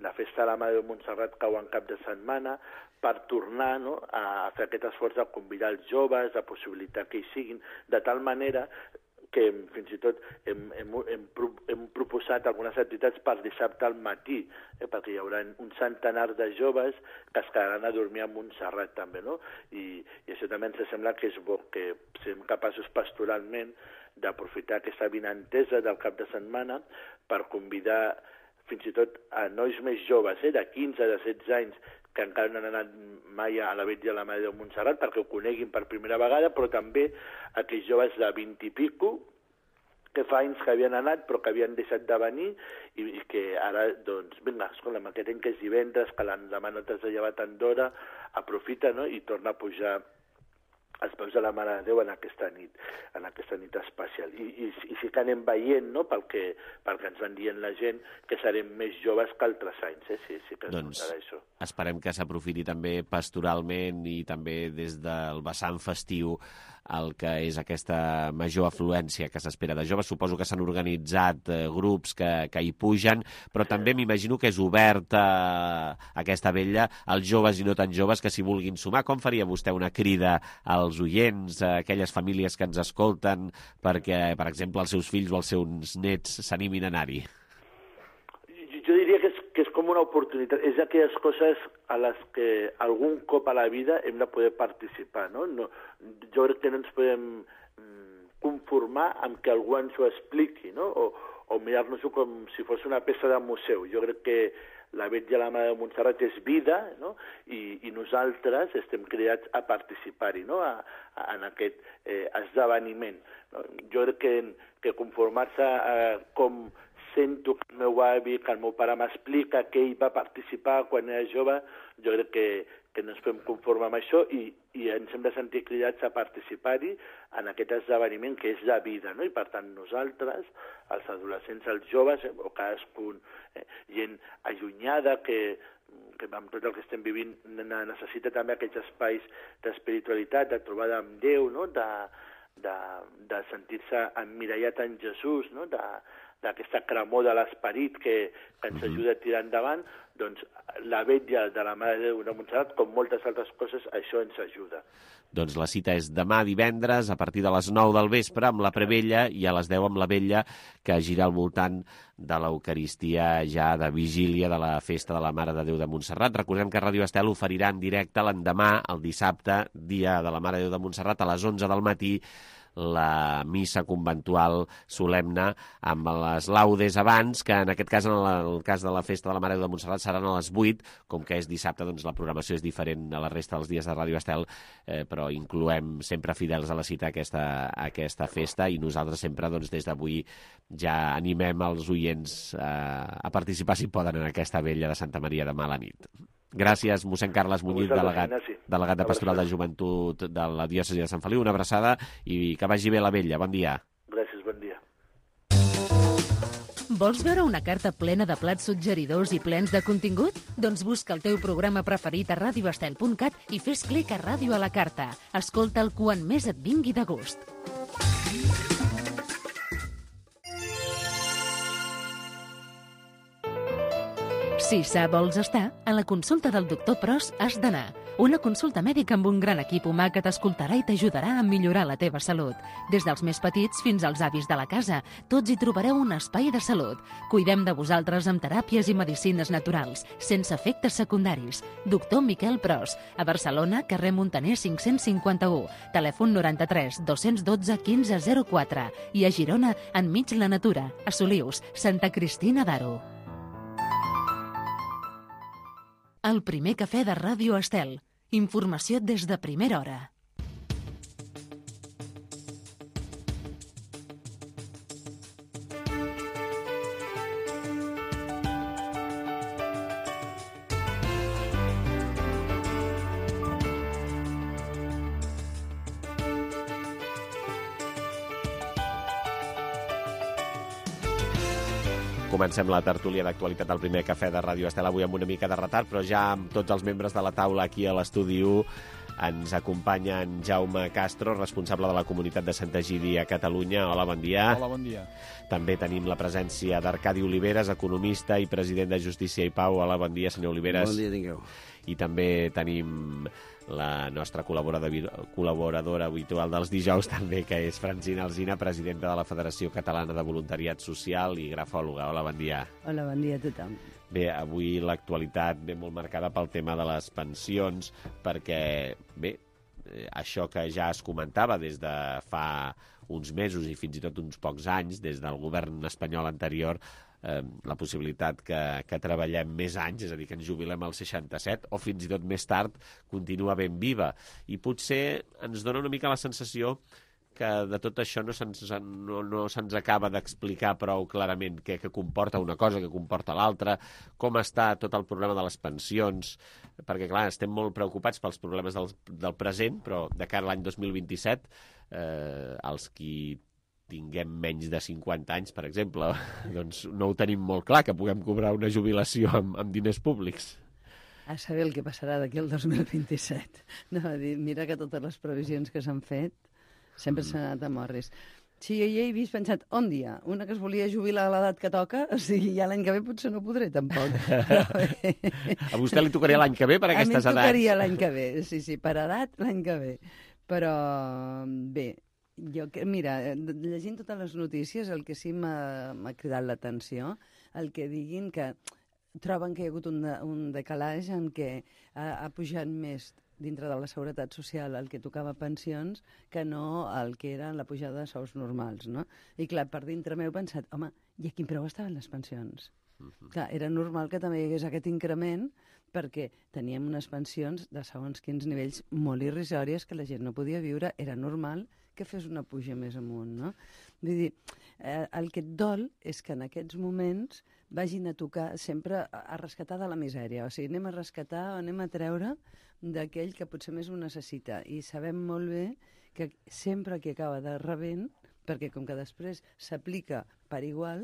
la festa de la Mare de Montserrat cau en cap de setmana per tornar, no?, a fer aquest esforç de convidar els joves, de possibilitar que hi siguin, de tal manera que fins i tot hem proposat algunes activitats per dissabte al matí, perquè hi haurà un centenar de joves que es quedaran a dormir a Montserrat també, no? I això també ens sembla que és bo, que siguem capaços pastoralment d'aprofitar aquesta vinentesa del cap de setmana per convidar fins i tot a nois més joves, de 15, de 16 anys, que encara no han anat mai a la vetlla de la Mare de Montserrat perquè ho coneguin per primera vegada, però també aquells joves de 20 i pico que fa anys que havien anat però que havien deixat de venir i que ara, doncs, vinga, escolta, aquest any que és divendres, que l'endemà no t'has de llevar tant d'hora, aprofita, no?, i torna a pujar als peus de la Mare de Déu en aquesta nit especial. I sí que anem veient, no?, pel que ens van dient la gent, que serem més joves que altres anys, sí que es notarà això. Esperem que s'aprofiti també pastoralment i també des del vessant festiu el que és aquesta major afluència que s'espera de joves. Suposo que s'han organitzat grups que hi pugen, però també m'imagino que és oberta aquesta vetlla als joves i no tan joves que s'hi vulguin sumar. Com faria vostè una crida als oients, a aquelles famílies que ens escolten, perquè, per exemple, els seus fills o els seus nets s'animin a anar-hi? Jo diria que és com una oportunitat. És aquelles coses a les que algun cop a la vida hem de poder participar, no? Jo crec que no ens podem conformar amb que algú ens ho expliqui, no? O mirar-nos-ho com si fos una peça de museu. Jo crec que la Vetlla de la Mare de Montserrat és vida, no? I nosaltres estem cridats a participar-hi, no? En aquest esdeveniment. No? Jo crec que conformar-se com sento que el meu avi, que el meu pare m'explica que ell va participar quan era jove, jo crec que no ens podem conformar amb això i ens hem de sentir cridats a participar-hi en aquest esdeveniment que és la vida, no? I per tant nosaltres, els adolescents, els joves, o cadascun, gent allunyada que amb tot el que estem vivint necessita també aquests espais d'espiritualitat, de trobada amb Déu, no? De sentir-se emmirallat en Jesús, no? D'aquesta cremor de l'esperit que ens ajuda a tirar endavant, doncs la vetlla de la Mare de Déu de Montserrat, com moltes altres coses, això ens ajuda. Doncs la cita és demà divendres a partir de les 9 del vespre amb la prevella i a les 10 amb la vetlla, que gira al voltant de l'Eucaristia ja de vigília de la festa de la Mare de Déu de Montserrat. Recordem que Ràdio Estel oferirà en directe l'endemà, el dissabte, dia de la Mare de Déu de Montserrat, a les 11 del matí, la missa conventual solemne amb les laudes abans, que en aquest cas, en el cas de la festa de la Mare de Déu de Montserrat, seran a les 8, com que és dissabte, doncs la programació és diferent a la resta dels dies de Ràdio Estel, però incloem sempre fidels a la cita aquesta festa, i nosaltres sempre, doncs, des d'avui ja animem els oients a participar, si poden, en aquesta vetlla de Santa Maria demà a la nit. Gràcies, mossèn Carles Muñiz, delegat de Pastoral de Joventut de la diòcesi de Sant Feliu. Una abraçada i que vagi bé la vetlla. Bon dia. Gràcies, bon dia. Vols veure una carta plena de plats suggeridors i plens de contingut? Doncs busca el teu programa preferit a radioestel.cat i fes clic a Ràdio a la carta. Escolta'l quan més et vingui de gust. Si sa vols estar, a la consulta del doctor Pros has d'anar. Una consulta mèdica amb un gran equip humà que t'escoltarà i t'ajudarà a millorar la teva salut. Des dels més petits fins als avis de la casa, tots hi trobareu un espai de salut. Cuidem de vosaltres amb teràpies i medicines naturals, sense efectes secundaris. Doctor Miquel Pros, a Barcelona, carrer Muntaner 551, telèfon 93 212 1504 i a Girona, enmig la natura, a Solius, Santa Cristina d'Aro. El primer cafè de Ràdio Estel. Informació des de primera hora. Comencem la tertúlia d'actualitat del primer cafè de Ràdio Estel, avui amb una mica de retard, però ja amb tots els membres de la taula aquí a l'estudi 1 ens acompanya en Jaume Castro, responsable de la comunitat de Sant Egidi a Catalunya. Hola, bon dia. Hola, bon dia. També tenim la presència d'Arcadi Oliveres, economista i president de Justícia i Pau. Hola, bon dia, senyor Oliveres. Bon dia, tingueu. I també tenim la nostra col·laboradora habitual dels dijous també, que és Francina Alsina, presidenta de la Federació Catalana de Voluntariat Social i grafòloga. Hola, bon dia. Hola, bon dia a tothom. Bé, avui l'actualitat ve molt marcada pel tema de les pensions, perquè, bé, això que ja es comentava des de fa uns mesos i fins i tot uns pocs anys, des del govern espanyol anterior, la possibilitat que treballem més anys, és a dir, que ens jubilem als 67 o fins i tot més tard, continua ben viva. I potser ens dona una mica la sensació que de tot això no se'ns acaba d'explicar prou clarament què comporta una cosa, què comporta l'altra, com està tot el problema de les pensions, perquè, clar, estem molt preocupats pels problemes del present, però de cara a l'any 2027, els qui tinguem menys de 50 anys, per exemple, doncs no ho tenim molt clar, que puguem cobrar una jubilació amb diners públics. A saber el que passarà d'aquí al 2027. No, mira que totes les previsions que s'han fet sempre s'han anat a morris. Sí, jo ja he vist pensat, on dia? Una que es volia jubilar a l'edat que toca, o sigui, ja l'any que ve potser no podré, tampoc. A vostè li tocaria l'any que ve per aquestes edats? A mi tocaria l'any que ve, sí, per edat l'any que ve. Però, bé, mira, llegint totes les notícies, el que sí m'ha cridat l'atenció, el que diguin que troben que hi ha hagut un decalatge en què ha pujat més dintre de la Seguretat Social el que tocava pensions que no el que era la pujada de sous normals, no? I clar, per dintre meu he pensat, home, i a quin preu estaven les pensions? Clar, era normal que també hi hagués aquest increment perquè teníem unes pensions de segons quins nivells molt irrisòries que la gent no podia viure. Era normal que fes una puja més amunt, no? Vull dir, el que et dol és que en aquests moments vagin a tocar sempre a rescatar de la misèria. O sigui, anem a rescatar o anem a treure d'aquell que potser més ho necessita. I sabem molt bé que sempre qui acaba de rebent, perquè com que després s'aplica per igual,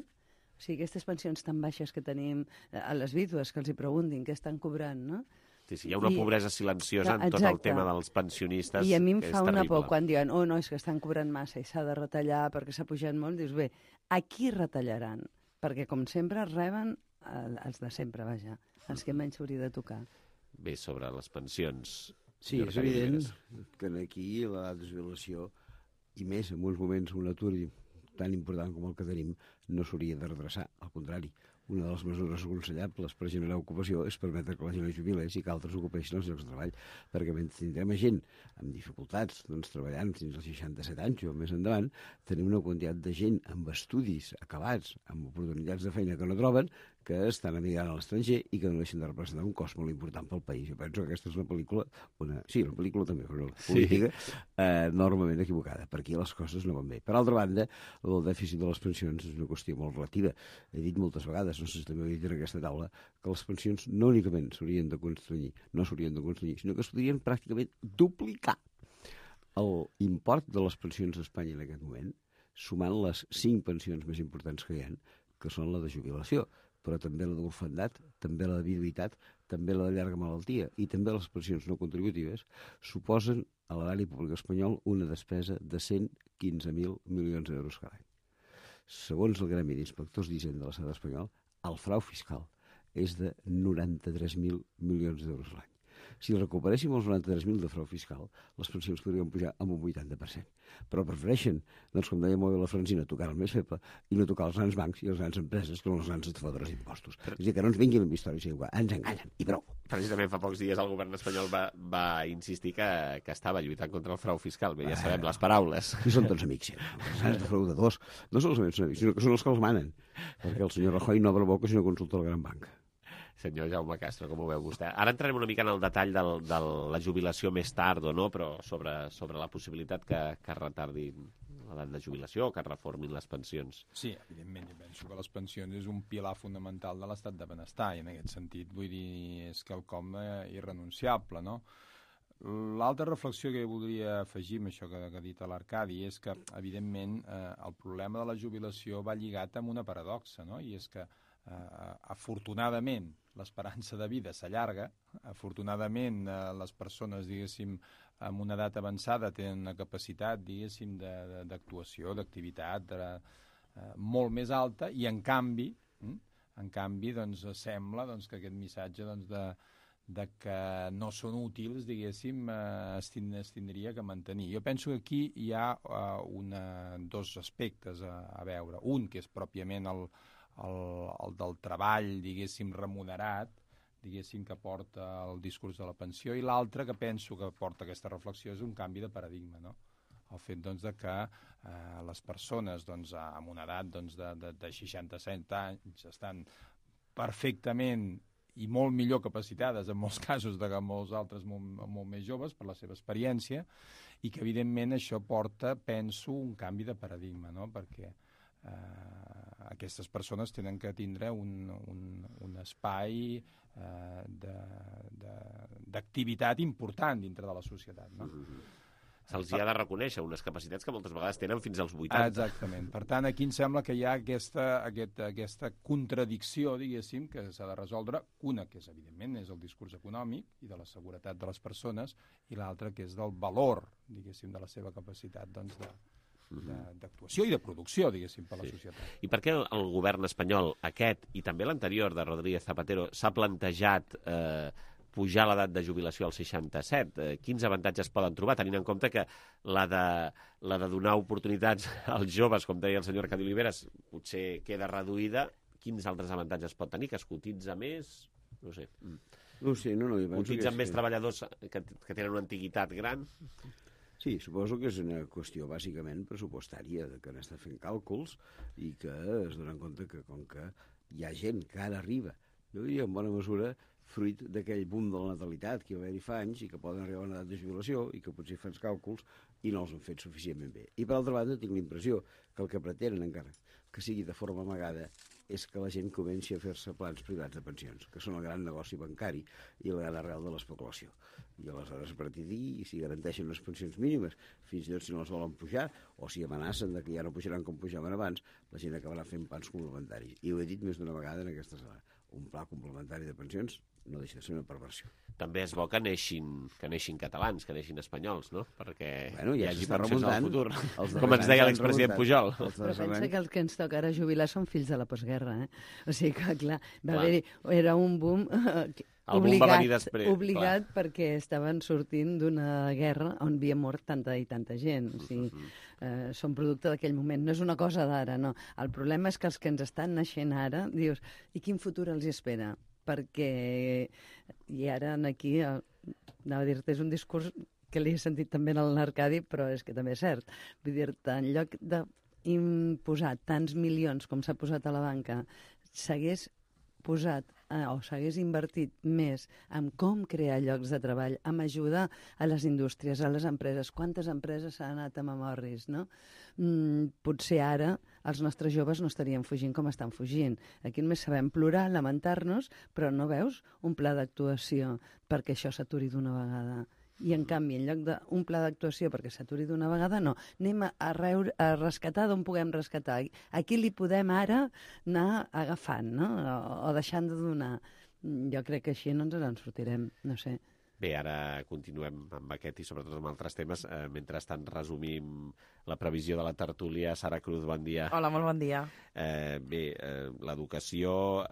o sigui, aquestes pensions tan baixes que tenim a les vídues, que els hi preguntin què estan cobrant, no? Sí, hi ha una pobresa silenciosa en tot el tema dels pensionistes. I a mi em fa una por quan diuen no, és que estan cobrant massa i s'ha de retallar perquè s'ha pujat molt. Dius, bé, a qui retallaran? Perquè, com sempre, reben els de sempre, vaja, els que menys hauria de tocar. Bé, sobre les pensions... Sí, és evident que aquí l'edat de jubilació, i més en uns moments un atur tan important com el que tenim, no s'hauria de redreçar, al contrari. Una de les mesures aconsellables per generar ocupació és permetre que la gent es jubilés i que altres ocupeixin els llocs de treball, perquè mentre tindrem gent amb dificultats treballant fins als 67 anys o més endavant, tenim una quantitat de gent amb estudis acabats, amb oportunitats de feina que no troben, que estan emigrant a l'estranger i que no deixen de representar un cost molt important pel país. Jo penso que aquesta és una pel·lícula, una pel·lícula també, però una política enormement equivocada, perquè les coses no van bé. Per altra banda, el dèficit de les pensions és una qüestió molt relativa. He dit moltes vegades, no sé si també ho he dit en aquesta taula, que les pensions no únicament s'haurien de construir, sinó que es podrien pràcticament duplicar. L'import de les pensions a Espanya en aquest moment, sumant les 5 pensions més importants que hi ha, que són la de jubilació, però també la d'orfandat, també la de viduïtat, també la de llarga malaltia i també les pensions no contributives, suposen a l'erari públic espanyol una despesa de 115.000 milions d'euros cada any. Segons el Gremi d'Inspectors d'Hisenda de l'estat espanyol, el frau fiscal és de 93.000 milions d'euros l'any. Si recuperéssim els 93.000 de frau fiscal, les pensions podrien pujar amb un 80%. Però prefereixen, doncs, com deia molt bé la Francina, tocar el més feble i no tocar els grans bancs i les grans empreses que són els grans estafadors d'impostos. És a dir, que no ens vinguin amb històries igual, ens enganyen, i prou. Precisament fa pocs dies el govern espanyol va insistir que estava lluitant contra el frau fiscal. Bé, ja sabem les paraules. I són tots amics, els grans defraudadors. No solament són amics, sinó que són els que els manen. Perquè el senyor Rajoy no obre boca si no consulta la gran banca. Senyor Jaume Castro, com ho veu vostè? Ara entrarem una mica en el detall de la jubilació més tard o no, però sobre la possibilitat que retardin l'edat de jubilació o que reformin les pensions. Sí, evidentment, jo penso que les pensions és un pilar fonamental de l'estat de benestar i en aquest sentit, vull dir, és quelcom irrenunciable, no? L'altra reflexió que voldria afegir amb això que ha dit l'Arcadi és que, evidentment, el problema de la jubilació va lligat amb una paradoxa, no? I és que afortunadament l'esperança de vida s'allarga, afortunadament les persones, diguéssim, amb una edat avançada tenen una capacitat, diguéssim, d'actuació, d'activitat molt més alta i en canvi doncs, sembla doncs, que aquest missatge doncs, de que no són útils, diguéssim, es tindria que mantenir. Jo penso que aquí hi ha dos aspectes a veure. Un, que és pròpiament el del treball, diguéssim, remunerat, diguéssim, que porta el discurs de la pensió, i l'altre que penso que porta aquesta reflexió és un canvi de paradigma, no? El fet doncs, de que les persones doncs, amb una edat doncs, de 67 anys estan perfectament i molt millor capacitades en molts casos que molts altres molt més joves per la seva experiència i que evidentment això porta, penso, un canvi de paradigma, no? Perquè aquestes persones tenen que tindre un espai d'activitat important dintre de la societat, no? Se'ls hi ha de reconèixer unes capacitats que moltes vegades tenen fins als 80. Exactament. Per tant, aquí em sembla que hi ha aquesta contradicció, diguéssim, que s'ha de resoldre. Una, que és, evidentment, és el discurs econòmic i de la seguretat de les persones, i l'altra, que és del valor, diguéssim, de la seva capacitat, doncs, d'actuació i de producció, diguéssim, per la societat. I per què el govern espanyol, aquest i també l'anterior de Rodríguez Zapatero, s'ha plantejat pujar l'edat de jubilació als 67? Quins avantatges poden trobar, tenint en compte que la de donar oportunitats als joves, com deia el senyor Arcadi Oliveres, potser queda reduïda? Quins altres avantatges pot tenir? Que es cotitza més? No sé. No sé, no. Cotitzen més treballadors que tenen una antiguitat gran? Sí, suposo que és una qüestió bàsicament pressupostària, que han estat fent càlculs i que es donen compte que com que hi ha gent que ara arriba, jo diria en bona mesura, fruit d'aquell boom de la natalitat que va haver-hi fa anys i que poden arribar a una edat de jubilació i que potser fan els càlculs i no els han fet suficientment bé. I per altra banda tinc la impressió que el que pretenen encara que sigui de forma amagada és que la gent comenci a fer-se plans privats de pensions, que són el gran negoci bancari i la gran arrel de l'especulació. I aleshores a partir d'ahir, si garanteixen unes pensions mínimes, fins i tot si no les volen pujar, o si amenacen de que ja no pujaran com pujaven abans, la gent acabarà fent plans complementaris. I ho he dit més d'una vegada en aquesta sala. Un pla complementari de pensions no deixa de ser una perversió. També és bo que neixin catalans, que neixin espanyols, no? Perquè hi hagi pensions al futur. Com ens deia l'expresident Pujol. Però pensa que els que ens toca ara jubilar són fills de la postguerra, O sigui que, clar, era un boom obligat perquè estaven sortint d'una guerra on havia mort tanta i tanta gent. O sigui, són producte d'aquell moment. No és una cosa d'ara, no. El problema és que els que ens estan naixent ara, dius, i quin futur els espera? Perquè, i ara aquí, anava a dir-te, és un discurs que l'he sentit també en l'Arcadi, però és que també és cert. Vull dir-te, en lloc d'imposar tants milions com s'ha posat a la banca, s'hagués posat o s'hagués invertit més en com crear llocs de treball, en ajudar a les indústries, a les empreses. Quantes empreses s'han anat a Mamorris, no? Potser ara els nostres joves no estarien fugint com estan fugint. Aquí només sabem plorar, lamentar-nos, però no veus un pla d'actuació perquè això s'aturi d'una vegada. I, en canvi, en lloc d'un pla d'actuació perquè s'aturi d'una vegada, no. Anem a rescatar d'on puguem rescatar. Aquí li podem ara anar agafant, no? O deixant de donar. Jo crec que així no ens en sortirem, no sé. Bé, ara continuem amb aquest i sobretot amb altres temes. Mentrestant resumim la previsió de la tertúlia. Sara Cruz, bon dia. Hola, molt bon dia. Bé, l'educació,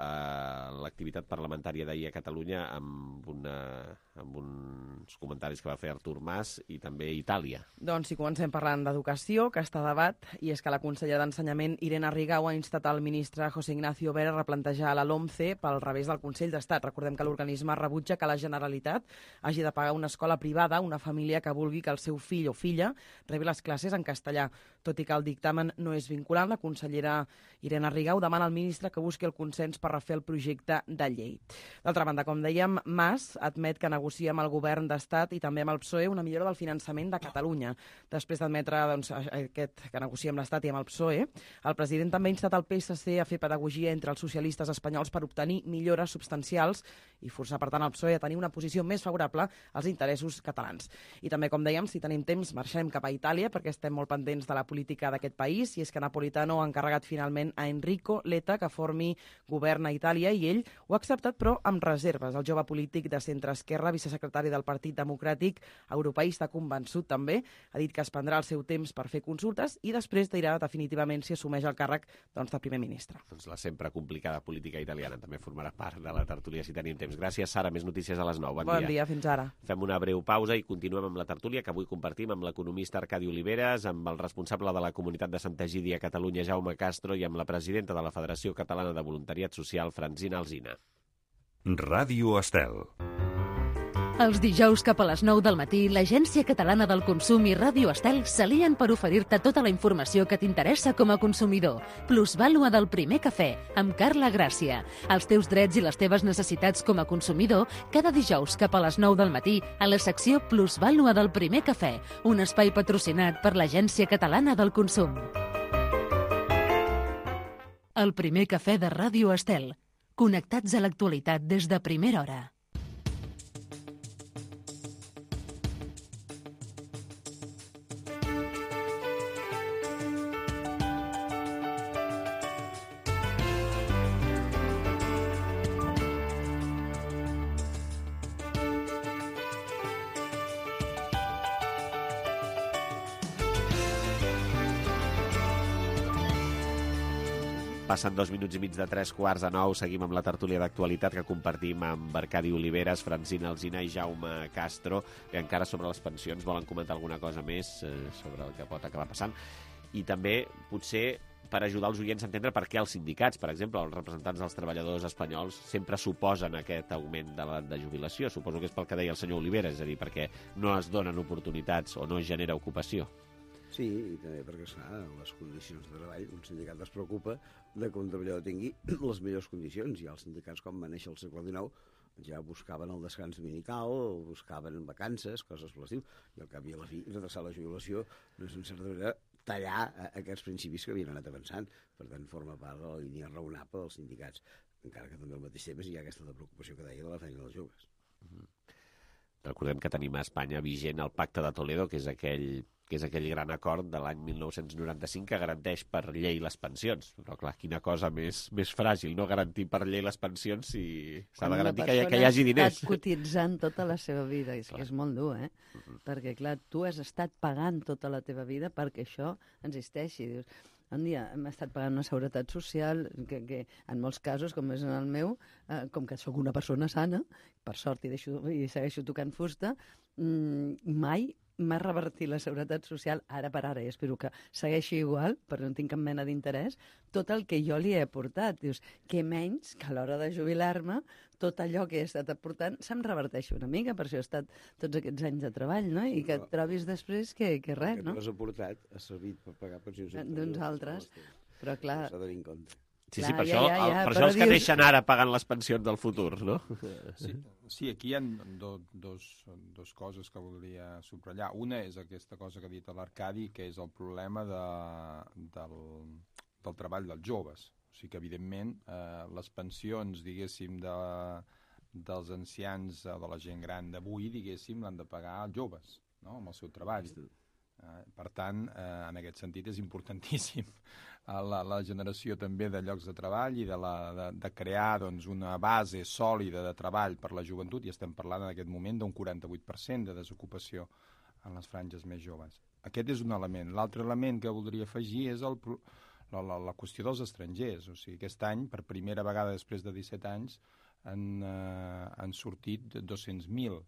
l'activitat parlamentària d'ahir a Catalunya amb uns comentaris que va fer Artur Mas i també Itàlia. Doncs si comencem parlant d'educació, que està a debat, i és que la consellera d'Ensenyament, Irene Rigau, ha instat el ministre José Ignacio Vera a replantejar la LOMCE pel revés del Consell d'Estat. Recordem que l'organisme rebutja que la Generalitat hagi de pagar una escola privada a una família que vulgui que el seu fill o filla rebi les classes en castellà. Tot i que el dictamen no és vinculant, la consellera Irene Rigau demana al ministre que busqui el consens per refer el projecte de llei. D'altra banda, com dèiem, Mas admet que negocia amb el govern d'Estat i també amb el PSOE una millora del finançament de Catalunya. Després d'admetre que negocia amb l'Estat i amb el PSOE, el president també ha instat el PSC a fer pedagogia entre els socialistes espanyols per obtenir millores substancials i forçar, per tant, el PSOE a tenir una posició més favorable als interessos catalans. I també, com dèiem, si tenim temps, marxem cap a Itàlia, perquè estem molt pendents de la política d'aquest país, i és que Napolitano ha encarregat finalment a Enrico Letta que formi govern a Itàlia, i ell ho ha acceptat, però amb reserves. El jove polític de centre-esquerra, vicesecretari del Partit Democràtic, europeista convençut també, ha dit que es prendrà el seu temps per fer consultes i després dirà definitivament si assumeix el càrrec de primer ministre. Doncs la sempre complicada política italiana també formarà part de la tertúlia si tenim temps. Gràcies, Sara. Més notícies a les 9. Bon dia, fins ara. Fem una breu pausa i continuem amb la tertúlia que avui compartim amb l'economista Arcadi Oliveres, amb el responsable de la comunitat de Santa Egídia a Catalunya, Jaume Castro, i amb la presidenta de la Federació Catalana de Voluntariat Social, Francina Alsina. Ràdio Estel. Els dijous cap a les 9 del matí, l'Agència Catalana del Consum i Ràdio Estel s'alien per oferir-te tota la informació que t'interessa com a consumidor. Plusvàlua del primer cafè, amb Carla Gràcia. Els teus drets i les teves necessitats com a consumidor, cada dijous cap a les 9 del matí, a la secció Plusvàlua del primer cafè, un espai patrocinat per l'Agència Catalana del Consum. El primer cafè de Ràdio Estel. Connectats a l'actualitat des de primera hora. Passen 2 minuts i mig de 3:45. Seguim amb la tertúlia d'actualitat que compartim amb Arcadi Oliveres, Francina Alsina i Jaume Castro, que encara sobre les pensions volen comentar alguna cosa més sobre el que pot acabar passant. I també, potser, per ajudar els oients a entendre per què els sindicats, per exemple, els representants dels treballadors espanyols, sempre suposen aquest augment de l'edat de jubilació. Suposo que és pel que deia el senyor Oliveres, és a dir, perquè no es donen oportunitats o no es genera ocupació. Sí, i també perquè, esclar, les condicions de treball, un sindicat es preocupa de que un treballador tingui les millors condicions, i els sindicats, com va néixer al segle XIX, ja buscaven el descans dominical, buscaven vacances, coses per l'estiu, i al cap i a la fi, retrasar la jubilació no és, en certa manera, tallar aquests principis que havien anat avançant. Per tant, forma part de la línia raonable dels sindicats, encara que també al mateix temps hi ha aquesta preocupació que deia de la feina dels joves. Recordem que tenim a Espanya vigent el Pacte de Toledo, que és aquell gran acord de l'any 1995 que garanteix per llei les pensions. Però, clar, quina cosa més fràgil, no garantir per llei les pensions si s'ha de garantir que hi hagi diners. Has estat cotitzant tota la seva vida, és que és molt dur, eh? Perquè, clar, tu has estat pagant tota la teva vida perquè això existeixi. Dius, un dia hem estat pagant una seguretat social que en molts casos, com és en el meu, com que sóc una persona sana, per sort i segueixo tocant fusta, mai m'ha revertit la seguretat social, ara per ara, i espero que segueixi igual, perquè no tinc cap mena d'interès, tot el que jo li he aportat. Dius, què menys que a l'hora de jubilar-me, tot allò que he estat aportant se'm reverteixi una mica, per això he estat tots aquests anys de treball, no? I que et trobis després que res, no? El que tu has aportat ha servit per pagar pensions d'uns altres, però clar... S'ha de tenir en compte. Sí, per això els que neixen ara pagant les pensions del futur, no? Sí, aquí hi ha dos coses que voldria subratllar. Una és aquesta cosa que ha dit l'Arcadi, que és el problema del treball dels joves. O sigui que, evidentment, les pensions, diguéssim, dels ancians o de la gent gran d'avui, diguéssim, l'han de pagar els joves, no?, amb el seu treball. Per tant, en aquest sentit és importantíssim la generació també de llocs de treball i de crear doncs, una base sòlida de treball per la joventut, i estem parlant en aquest moment d'un 48% de desocupació en les franges més joves. Aquest és un element. L'altre element que voldria afegir és la qüestió dels estrangers. O sigui, aquest any, per primera vegada després de 17 anys, han sortit 200.000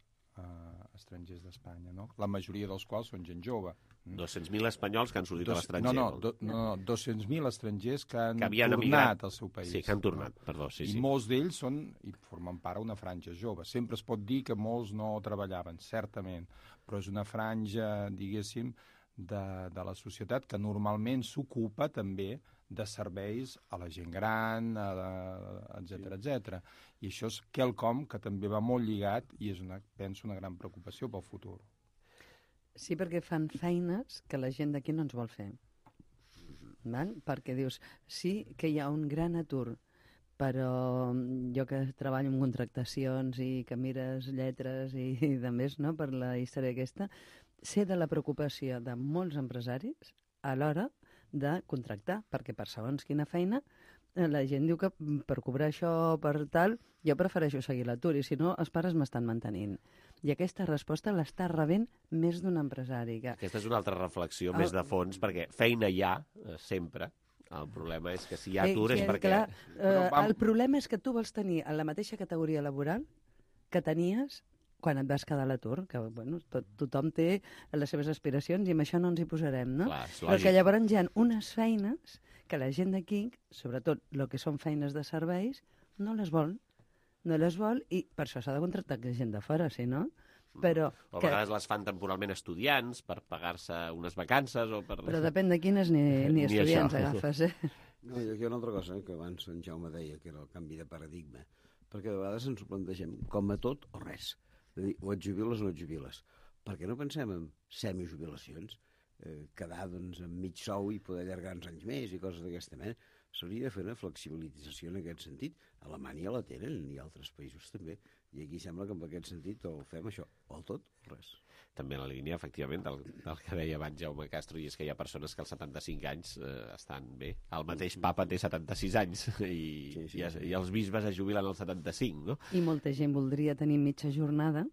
estrangers d'Espanya, no? La majoria dels quals són gent jove. 200.000 espanyols que han sortit a l'estranger. No, 200.000 estrangers que han tornat al seu país. Sí, que han tornat, perdó. I molts d'ells formen part d'una franja jove. Sempre es pot dir que molts no treballaven, certament, però és una franja, diguéssim, de la societat que normalment s'ocupa també de serveis a la gent gran, etc. I això és quelcom que també va molt lligat i és, penso, una gran preocupació pel futur. Sí, perquè fan feines que la gent d'aquí no ens vol fer. Perquè dius, sí que hi ha un gran atur, però jo que treballo en contractacions i que mires lletres i de més, no?, per la història aquesta, sé de la preocupació de molts empresaris a l'hora de contractar, perquè per segons quina feina la gent diu que per cobrar això, per tal, jo prefereixo seguir l'atur, i si no, els pares m'estan mantenint. I aquesta resposta l'està rebent més d'un empresari. Aquesta és una altra reflexió més de fons, perquè feina hi ha, sempre. El problema és que si hi ha atur és perquè... El problema és que tu vols tenir en la mateixa categoria laboral que tenies quan et vas quedar a l'atur, que bueno, tothom té les seves aspiracions i amb això no ens hi posarem, no? Clar, però que llavors hi ha unes feines que la gent d'aquí, sobretot el que són feines de serveis, no les vol i per això s'ha de contractar gent de fora, si no? Però a vegades les fan temporalment estudiants per pagar-se unes vacances o per... Però depèn de quines ni estudiants agafes, No, hi ha una altra cosa que abans en Jaume deia, que era el canvi de paradigma, perquè de vegades ens ho plantegem com a tot o res. És a dir, o et jubiles o no et jubiles. Per què no pensem en semijubilacions? Quedar doncs, amb mig sou i poder allargar uns anys més i coses d'aquesta mena. S'hauria de fer una flexibilització en aquest sentit. A Alemanya la tenen i altres països també. I aquí sembla que en aquest sentit o fem això, o el tot o res. També en la línia, efectivament, del que deia abans Jaume Castro, i és que hi ha persones que als 75 anys estan bé. El mateix papa té 76 anys i els bisbes es jubilen als 75, no? I molta gent voldria tenir mitja jornada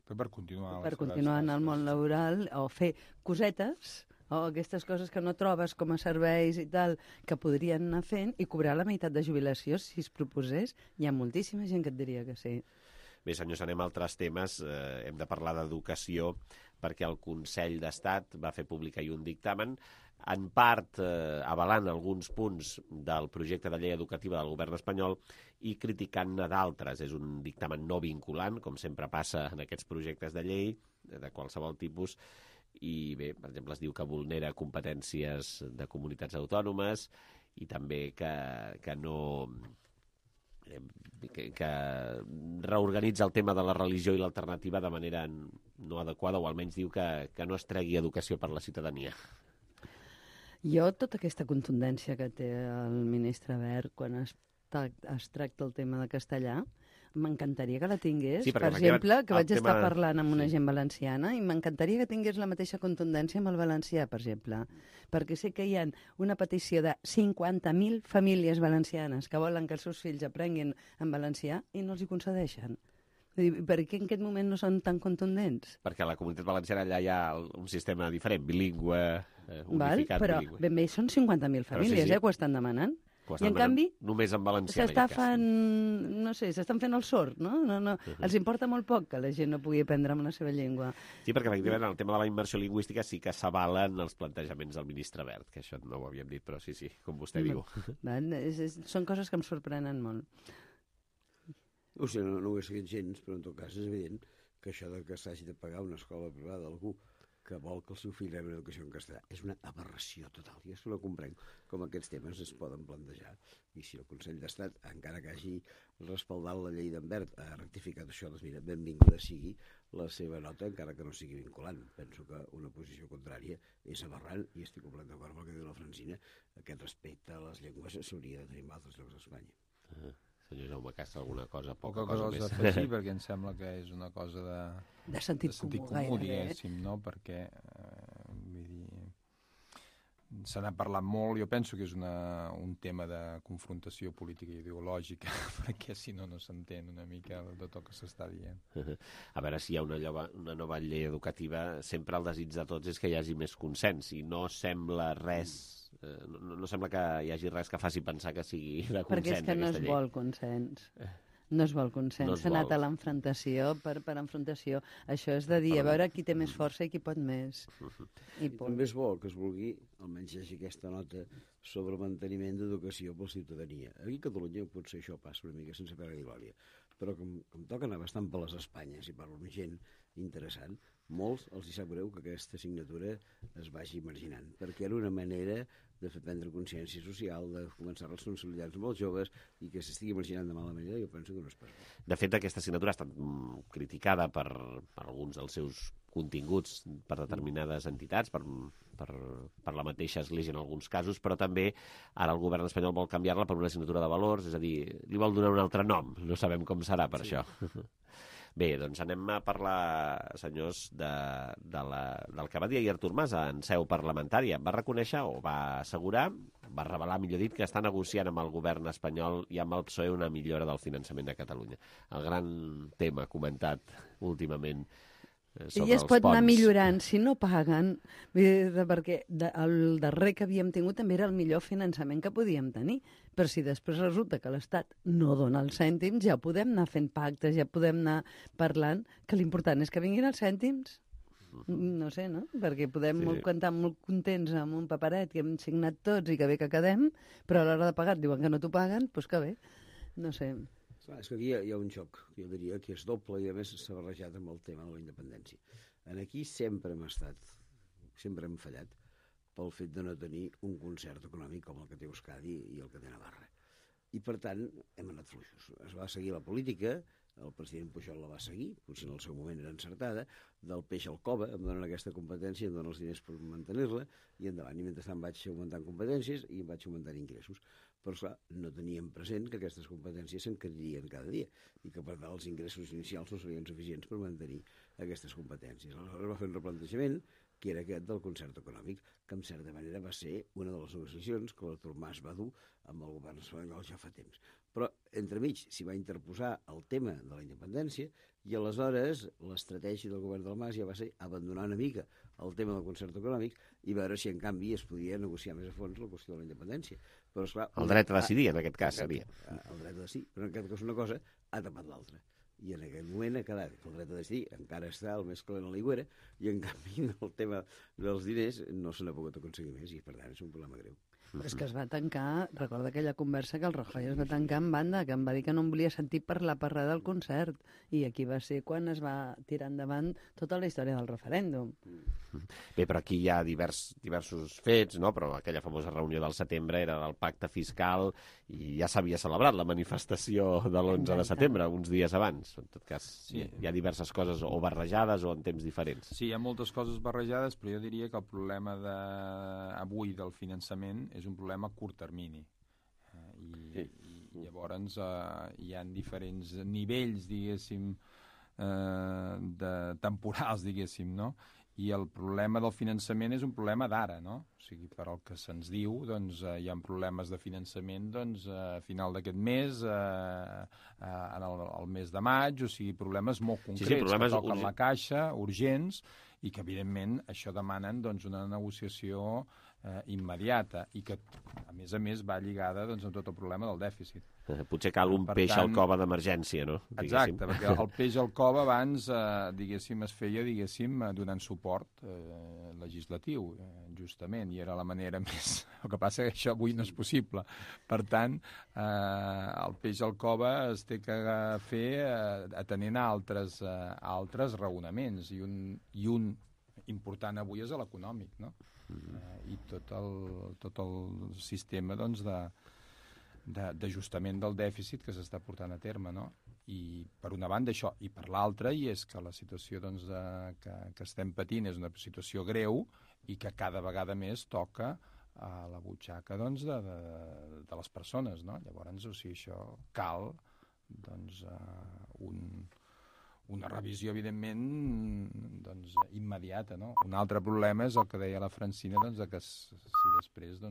per continuar en el món laboral o fer cosetes o aquestes coses que no trobes com a serveis i tal, que podrien anar fent i cobrar la meitat de jubilació si es proposés. Hi ha moltíssima gent que et diria que sí. Bé, senyors, anem a altres temes. Hem de parlar d'educació perquè el Consell d'Estat va fer públic ahir un dictamen, en part avalant alguns punts del projecte de llei educativa del govern espanyol i criticant-ne d'altres. És un dictamen no vinculant, com sempre passa en aquests projectes de llei, de qualsevol tipus, i bé, per exemple, es diu que vulnera competències de comunitats autònomes i també que no... que reorganitza el tema de la religió i l'alternativa de manera no adequada, o almenys diu que no es tregui educació per la ciutadania. Jo, tota aquesta contundència que té el ministre Wert quan es tracta el tema de castellà, m'encantaria que la tingués. Sí, per exemple, que vaig estar parlant amb una gent valenciana i m'encantaria que tingués la mateixa contundència amb el valencià, per exemple. Perquè sé que hi ha una petició de 50.000 famílies valencianes que volen que els seus fills aprenguin en valencià i no els hi concedeixen. Per què en aquest moment no són tan contundents? Perquè a la comunitat valenciana allà hi ha un sistema diferent, bilingüe, unificat. Però ben bé són 50.000 famílies que ho estan demanant. I en canvi, només en valencià, s'estan fent el sord, no? Els importa molt poc que la gent no pugui aprendre amb la seva llengua. Sí, perquè efectivament el tema de la immersió lingüística sí que s'avalen els plantejaments del ministre Wert, que això no ho havíem dit, però sí, com vostè diu. Són coses que em sorprenen molt. No sé, no ho he seguit gens, però en tot cas és evident que això que s'hagi de pagar una escola privada d'algú que vol que el seu fill rebi una educació en castellà és una aberració total. I és que no comprenc com aquests temes es poden plantejar. I si el Consell d'Estat, encara que hagi respaldat la llei d'en Wert, ha rectificat això, doncs mira, benvinguda sigui la seva nota, encara que no sigui vinculant. Penso que una posició contrària és aberrant i estic completament d'acord amb el que diu la Francina. Aquest respecte a les llengües s'hauria de tenir en altres llocs d'Espanya. Senyor Jaume Castro, alguna cosa, poca cosa més d'afegir, perquè em sembla que és una cosa de sentit comú, diguéssim, no? Perquè vull dir, se n'ha parlat molt, jo penso que és un tema de confrontació política i ideològica, perquè si no s'entén una mica de tot el que s'està dient. A veure, si hi ha una nova llei educativa, sempre el desig de tots és que hi hagi més consens, i no sembla res... No sembla que hi hagi res que faci pensar que sigui de consens. Perquè és que no es vol consens. No es vol consens. S'ha anat a l'enfrontació per enfrontació. Això és de dir, a veure qui té més força i qui pot més. I també és bo que es vulgui, almenys hi hagi aquesta nota sobre manteniment d'educació per la ciutadania. Aquí a Catalunya potser això passa una mica sense pena ni glòria, però com toca anar bastant per les Espanyes i parlo amb gent interessant, molts els hi sap greu que aquesta assignatura es vagi marginant, perquè era una manera de fer prendre consciència social, de començar a responsabilitats amb els joves i que s'estigui marginant de mala manera, jo penso que no és pas bo. De fet, aquesta assignatura ha estat criticada per alguns dels seus continguts per determinades entitats, per la mateixa Església en alguns casos, però també ara el govern espanyol vol canviar-la per una assignatura de valors, és a dir, li vol donar un altre nom, no sabem com serà per això. Bé, doncs anem a parlar, senyors, del que va dir ahir Artur Mas en seu parlamentària. Va reconèixer, o va assegurar, va revelar, millor dit, que està negociant amb el govern espanyol i amb el PSOE una millora del finançament de Catalunya. El gran tema comentat últimament sobre i es pot anar millorant si no paguen, perquè el darrer que havíem tingut també era el millor finançament que podíem tenir, però si després resulta que l'Estat no dona els cèntims, ja podem anar fent pactes, ja podem anar parlant, que l'important és que vinguin els cèntims. No sé, no? Perquè podem cantar molt contents amb un paperet que hem signat tots i que bé que quedem, però a l'hora de pagar diuen que no t'ho paguen, doncs que bé, no sé. És que aquí hi ha un xoc, jo diria, que és doble i a més s'ha barrejat amb el tema de la independència. Aquí sempre hem fallat pel fet de no tenir un concert econòmic com el que té Euskadi i el que té Navarra. I per tant hem anat fluixos. Es va seguir la política, el president Pujol la va seguir, potser en el seu moment era encertada, del peix al cova, em donen aquesta competència, em donen els diners per mantenir-la, i endavant. I mentrestant vaig augmentant competències i vaig augmentant ingressos. Però, esclar, no teníem present que aquestes competències s'encaririen cada dia i que, per tant, els ingressos inicials no serien suficients per mantenir aquestes competències. Aleshores va fer un replantejament, que era aquest del concert econòmic, que en certa manera va ser una de les negociacions que l'Artur Mas va dur amb el govern espanyol ja fa temps. Però, entremig, s'hi va interposar el tema de la independència i aleshores l'estratègia del govern del Mas ja va ser abandonar una mica el tema del concert econòmic i veure si, en canvi, es podia negociar més a fons la qüestió de la independència. Però, esclar, el dret a decidir, en aquest cas, seria. El dret a decidir, però en aquest cas una cosa ha tapat l'altra. I en aquest moment ha quedat que el dret a decidir encara està el més calent a l'aigüera i, en canvi, el tema dels diners no se n'ha pogut aconseguir més i, per tant, és un problema greu. Però és que es va tancar, recorda aquella conversa que el Rajoy es va tancar en banda, que em va dir que no em volia sentir parlar del concert, i aquí va ser quan es va tirar endavant tota la història del referèndum. Bé, però aquí hi ha diversos fets, no? Però aquella famosa reunió del setembre era del pacte fiscal i ja s'havia celebrat la manifestació de l'11 de setembre, uns dies abans. En tot cas, sí, hi ha diverses coses o barrejades o en temps diferents. Sí, hi ha moltes coses barrejades, però jo diria que el problema avui del finançament és un problema a curt termini. I llavors hi ha diferents nivells, diguéssim, temporals, diguéssim, no? I el problema del finançament és un problema d'ara, no? O sigui, per al que se'ns diu, doncs, hi ha problemes de finançament a final d'aquest mes, al mes de maig, o sigui, problemes molt concrets que toquen la caixa, urgents, i que, evidentment, això demanen una negociació immediata i que, a més, va lligada amb tot el problema del dèficit. Potser cal un peix al cova d'emergència, no? Exacte, perquè el peix al cova abans, es feia, donant suport legislatiu, justament, i era la manera més... El que passa que això avui no és possible. Per tant, el peix al cova es té que fer atenent a altres raonaments, i un important avui és l'econòmic, no? I tot el sistema d'ajustament del dèficit que s'està portant a terme, no? I per una banda això, i per l'altra, i és que la situació que estem patint és una situació greu i que cada vegada més toca a la butxaca de les persones, no? Llavors, o sigui, això cal una revisió, evidentment, immediata, no? Un altre problema és el que deia la Francina, que si després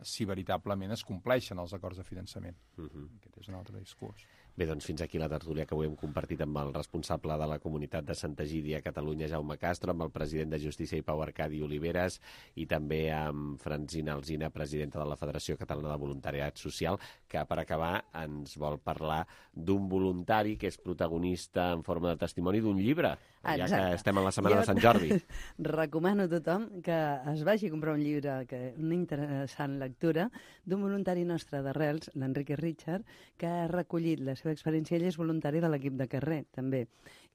si veritablement es compleixen els acords de finançament. Aquest és un altre discurs. Bé, doncs fins aquí la tertúlia que avui hem compartit amb el responsable de la comunitat de Santa Egídia a Catalunya, Jaume Castro, amb el president de Justícia i Pau, Arcadi Oliveres, i també amb Francina Alsina, presidenta de la Federació Catalana de Voluntariat Social, que per acabar ens vol parlar d'un voluntari que és protagonista en forma de testimoni d'un llibre, ja que estem a la setmana de Sant Jordi. Recomano a tothom que es vagi a comprar un llibre, una interessant lectura, d'un voluntari nostre d'Arrels, l'Enrique Richard, que ha recollit la seva experiència. Ell és voluntari de l'equip de carrer, també.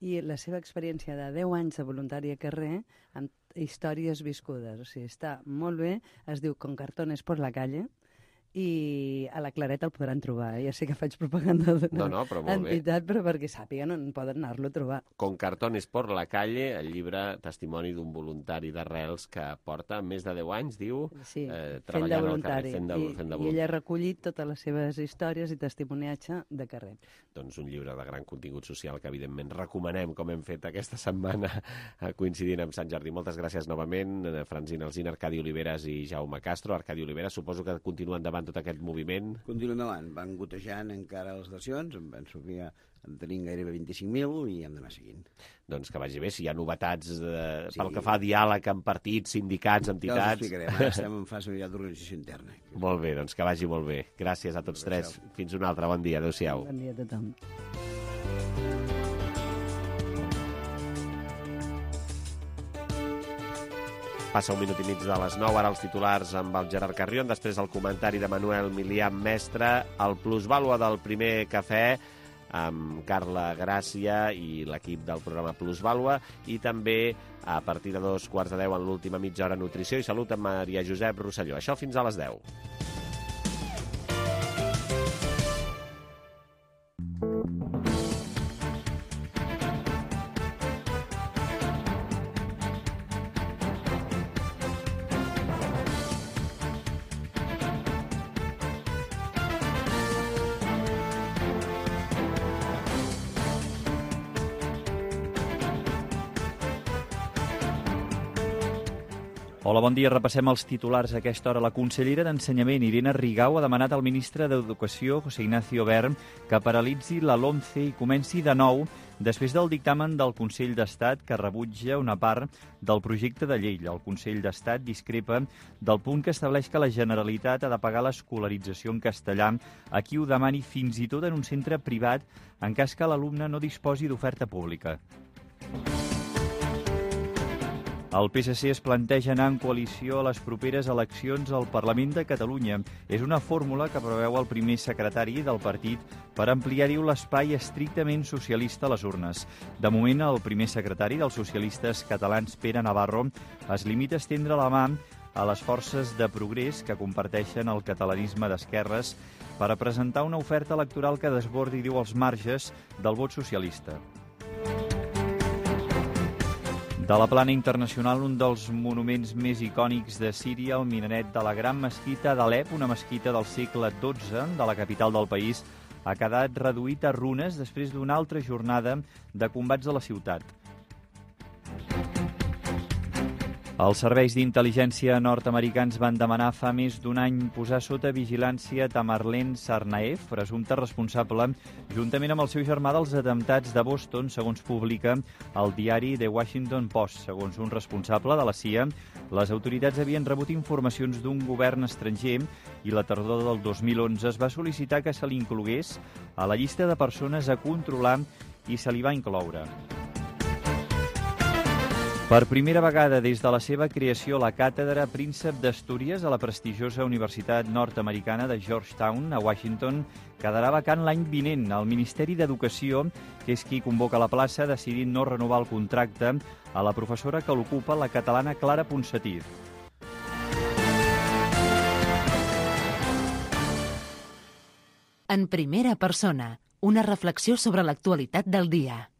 I la seva experiència de 10 anys de voluntari a carrer, amb històries viscudes. O sigui, està molt bé, es diu Con cartones por la calle, i a la Claret el podran trobar. Ja sé que faig propaganda d'una entitat, però perquè sàpiguen on poden anar-lo a trobar. Con cartones por la calle, el llibre testimoni d'un voluntari d'Arrels que porta més de 10 anys, diu, treballant al carrer, fent de voluntari. I ella ha recollit totes les seves històries i testimoniatge de carrer. Doncs un llibre de gran contingut social que, evidentment, recomanem, com hem fet aquesta setmana, coincidint amb Sant Jordi. Moltes gràcies novament, Francina Alsina, Arcadi Oliveres i Jaume Castro. Arcadi Oliveres, suposo que continua endavant tot aquest moviment. Continua endavant, van gotejant encara les estacions, en Sofia en tenim gairebé 25.000 i hem d'anar seguint. Doncs que vagi bé, si hi ha novetats pel que fa a diàleg amb partits, sindicats, entitats... Ja us explicarem, ara estem en fase d'organització interna. Molt bé, doncs que vagi molt bé. Gràcies a tots tres. Fins un altre, bon dia, adéu-siau. Bon dia a tothom. Passa un minut i mig de les 9, ara els titulars amb el Gerard Carrion, després el comentari de Manuel Milián Mestre, el plusvàlua del primer cafè amb Carla Gràcia i l'equip del programa Plusvàlua, i també a partir de 2:15 en l'última mitja hora Nutrició i Salut amb Maria Josep Rosselló. Això fins a les 10. Hola, bon dia. Repassem els titulars a aquesta hora. La consellera d'Ensenyament, Irene Rigau, ha demanat al ministre d'Educació, José Ignacio Wert, que paralitzi la LOMCE i comenci de nou després del dictamen del Consell d'Estat que rebutja una part del projecte de llei. El Consell d'Estat discrepa del punt que estableix que la Generalitat ha de pagar l'escolarització en castellà a qui ho demani fins i tot en un centre privat en cas que l'alumne no disposi d'oferta pública. El PSC es planteja anar en coalició a les properes eleccions al Parlament de Catalunya. És una fórmula que preveu el primer secretari del partit per ampliar-hi l'espai estrictament socialista a les urnes. De moment, el primer secretari dels socialistes catalans, Pere Navarro, es limita a estendre la mà a les forces de progrés que comparteixen el catalanisme d'esquerres per a presentar una oferta electoral que desbordi, diu, els marges del vot socialista. De la plana internacional, un dels monuments més icònics de Síria, el minaret de la Gran Mesquita d'Alep, una mesquita del segle XII de la capital del país, ha quedat reduït a runes després d'una altra jornada de combats a la ciutat. Els serveis d'intel·ligència nord-americans van demanar fa més d'un any posar sota vigilància Tamerlan Tsarnaev, presumpte responsable, juntament amb el seu germà, dels atemptats de Boston, segons publica el diari The Washington Post. Segons un responsable de la CIA, les autoritats havien rebut informacions d'un govern estranger i la tardor del 2011 es va sol·licitar que se li inclogués a la llista de persones a controlar i se li va incloure. Per primera vegada des de la seva creació, la càtedra Príncep d'Astúries a la prestigiosa Universitat Nord-americana de Georgetown, a Washington, quedarà vacant l'any vinent. El Ministeri d'Educació, que és qui convoca la plaça, ha decidit no renovar el contracte a la professora que l'ocupa, la catalana Clara Ponsatí. En primera persona, una reflexió sobre l'actualitat del dia.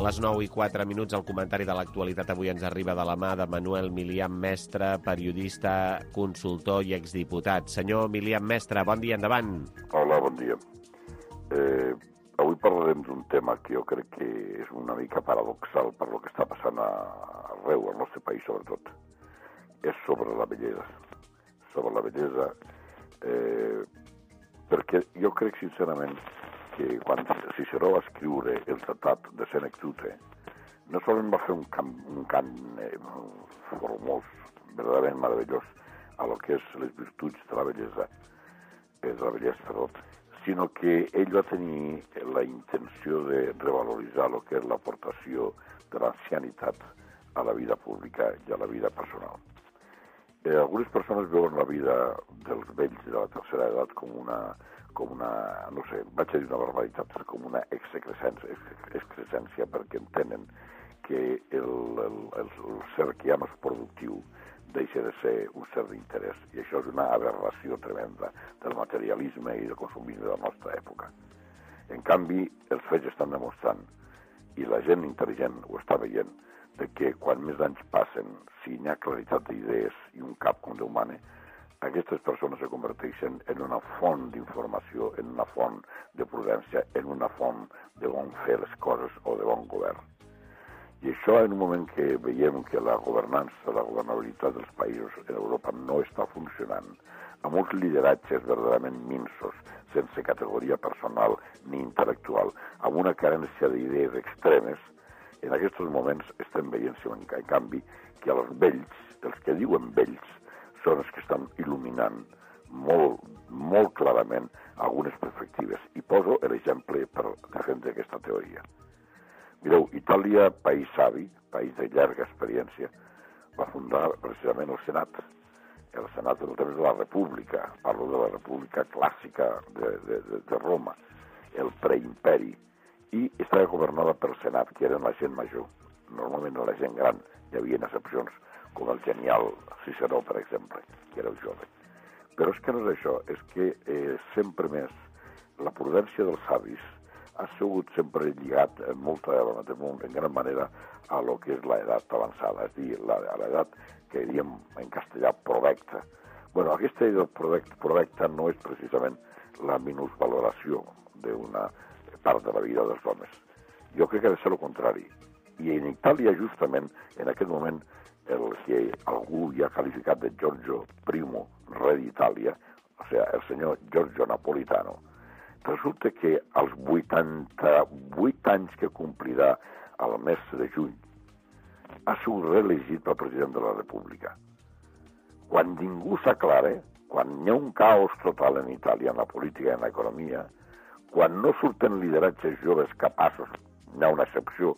A les 9:04, el comentari de l'actualitat avui ens arriba de la mà de Manuel Milian Mestre, periodista, consultor i exdiputat. Senyor Milian Mestre, bon dia, endavant. Hola, bon dia. Avui parlarem d'un tema que jo crec que és una mica paradoxal per lo que està passant arreu, al nostre país sobretot. És sobre la bellesa. Sobre la bellesa, perquè jo crec sincerament que quan Ciceró va escriure el Tractat de Senectute, no solament va fer un cant formós, verdaderament meravellós, a lo que és les virtuts de la bellesa, sinó que ell va tenir la intenció de revaloritzar el que és l'aportació de l'ancianitat a la vida pública i a la vida personal. Algunes persones veuen la vida dels vells de la tercera edat com una, no sé, vaig a dir una barbaritat, com una excrescència, perquè entenen que el ser que ja no és productiu deixa de ser un ser d'interès. I això és una aberració tremenda del materialisme i del consumisme de la nostra època. En canvi, els fets estan demostrant, i la gent intel·ligent ho està veient, de que quan més anys passen, si hi ha claritat d'idees i un cap com Déu mana, aquestes persones se converteixen en una font d'informació, en una font de prudència, en una font de bon fer les coses o de bon govern. I això en un moment que veiem que la governança, la governabilitat dels països en Europa no està funcionant, amb uns lideratges verdaderament minsos, sense categoria personal ni intel·lectual, amb una carència d'idees extremes, en aquests moments estem veient, en canvi, que els vells, els que diuen vells, són els que estan il·luminant molt clarament algunes perspectives. I poso l'exemple per defendre aquesta teoria. Mireu, Itàlia, país savi, país de llarga experiència, va fundar precisament el Senat. El Senat del temps de la República, parlo de la República clàssica de Roma, el preimperi, i estava governada pel Senat, que eren la gent major. Normalment la gent gran, hi havia excepcions, com el genial Ciceró, per exemple, que era el jove. Però és que no és això, és que sempre més la prudència dels savis ha sigut sempre lligat en gran manera a lo que és l'edat avançada, és a dir, a l'edat que diríem en castellà provecta. Bueno, aquesta edat provecta no és precisament la minusvaloració d'una part de la vida dels homes. Jo crec que ha de ser el contrari. I en Itàlia, justament, en aquest moment, el que algú ja ha qualificat de Giorgio I, rei d'Itàlia, o sigui, el senyor Giorgio Napolitano, resulta que als 88 anys que complirà el mes de juny ha sigut reelegit pel president de la República. Quan ningú s'aclara, quan hi ha un caos total en Itàlia, en la política i en l'economia, quan no surten lideratges joves capaços, n'hi ha una excepció,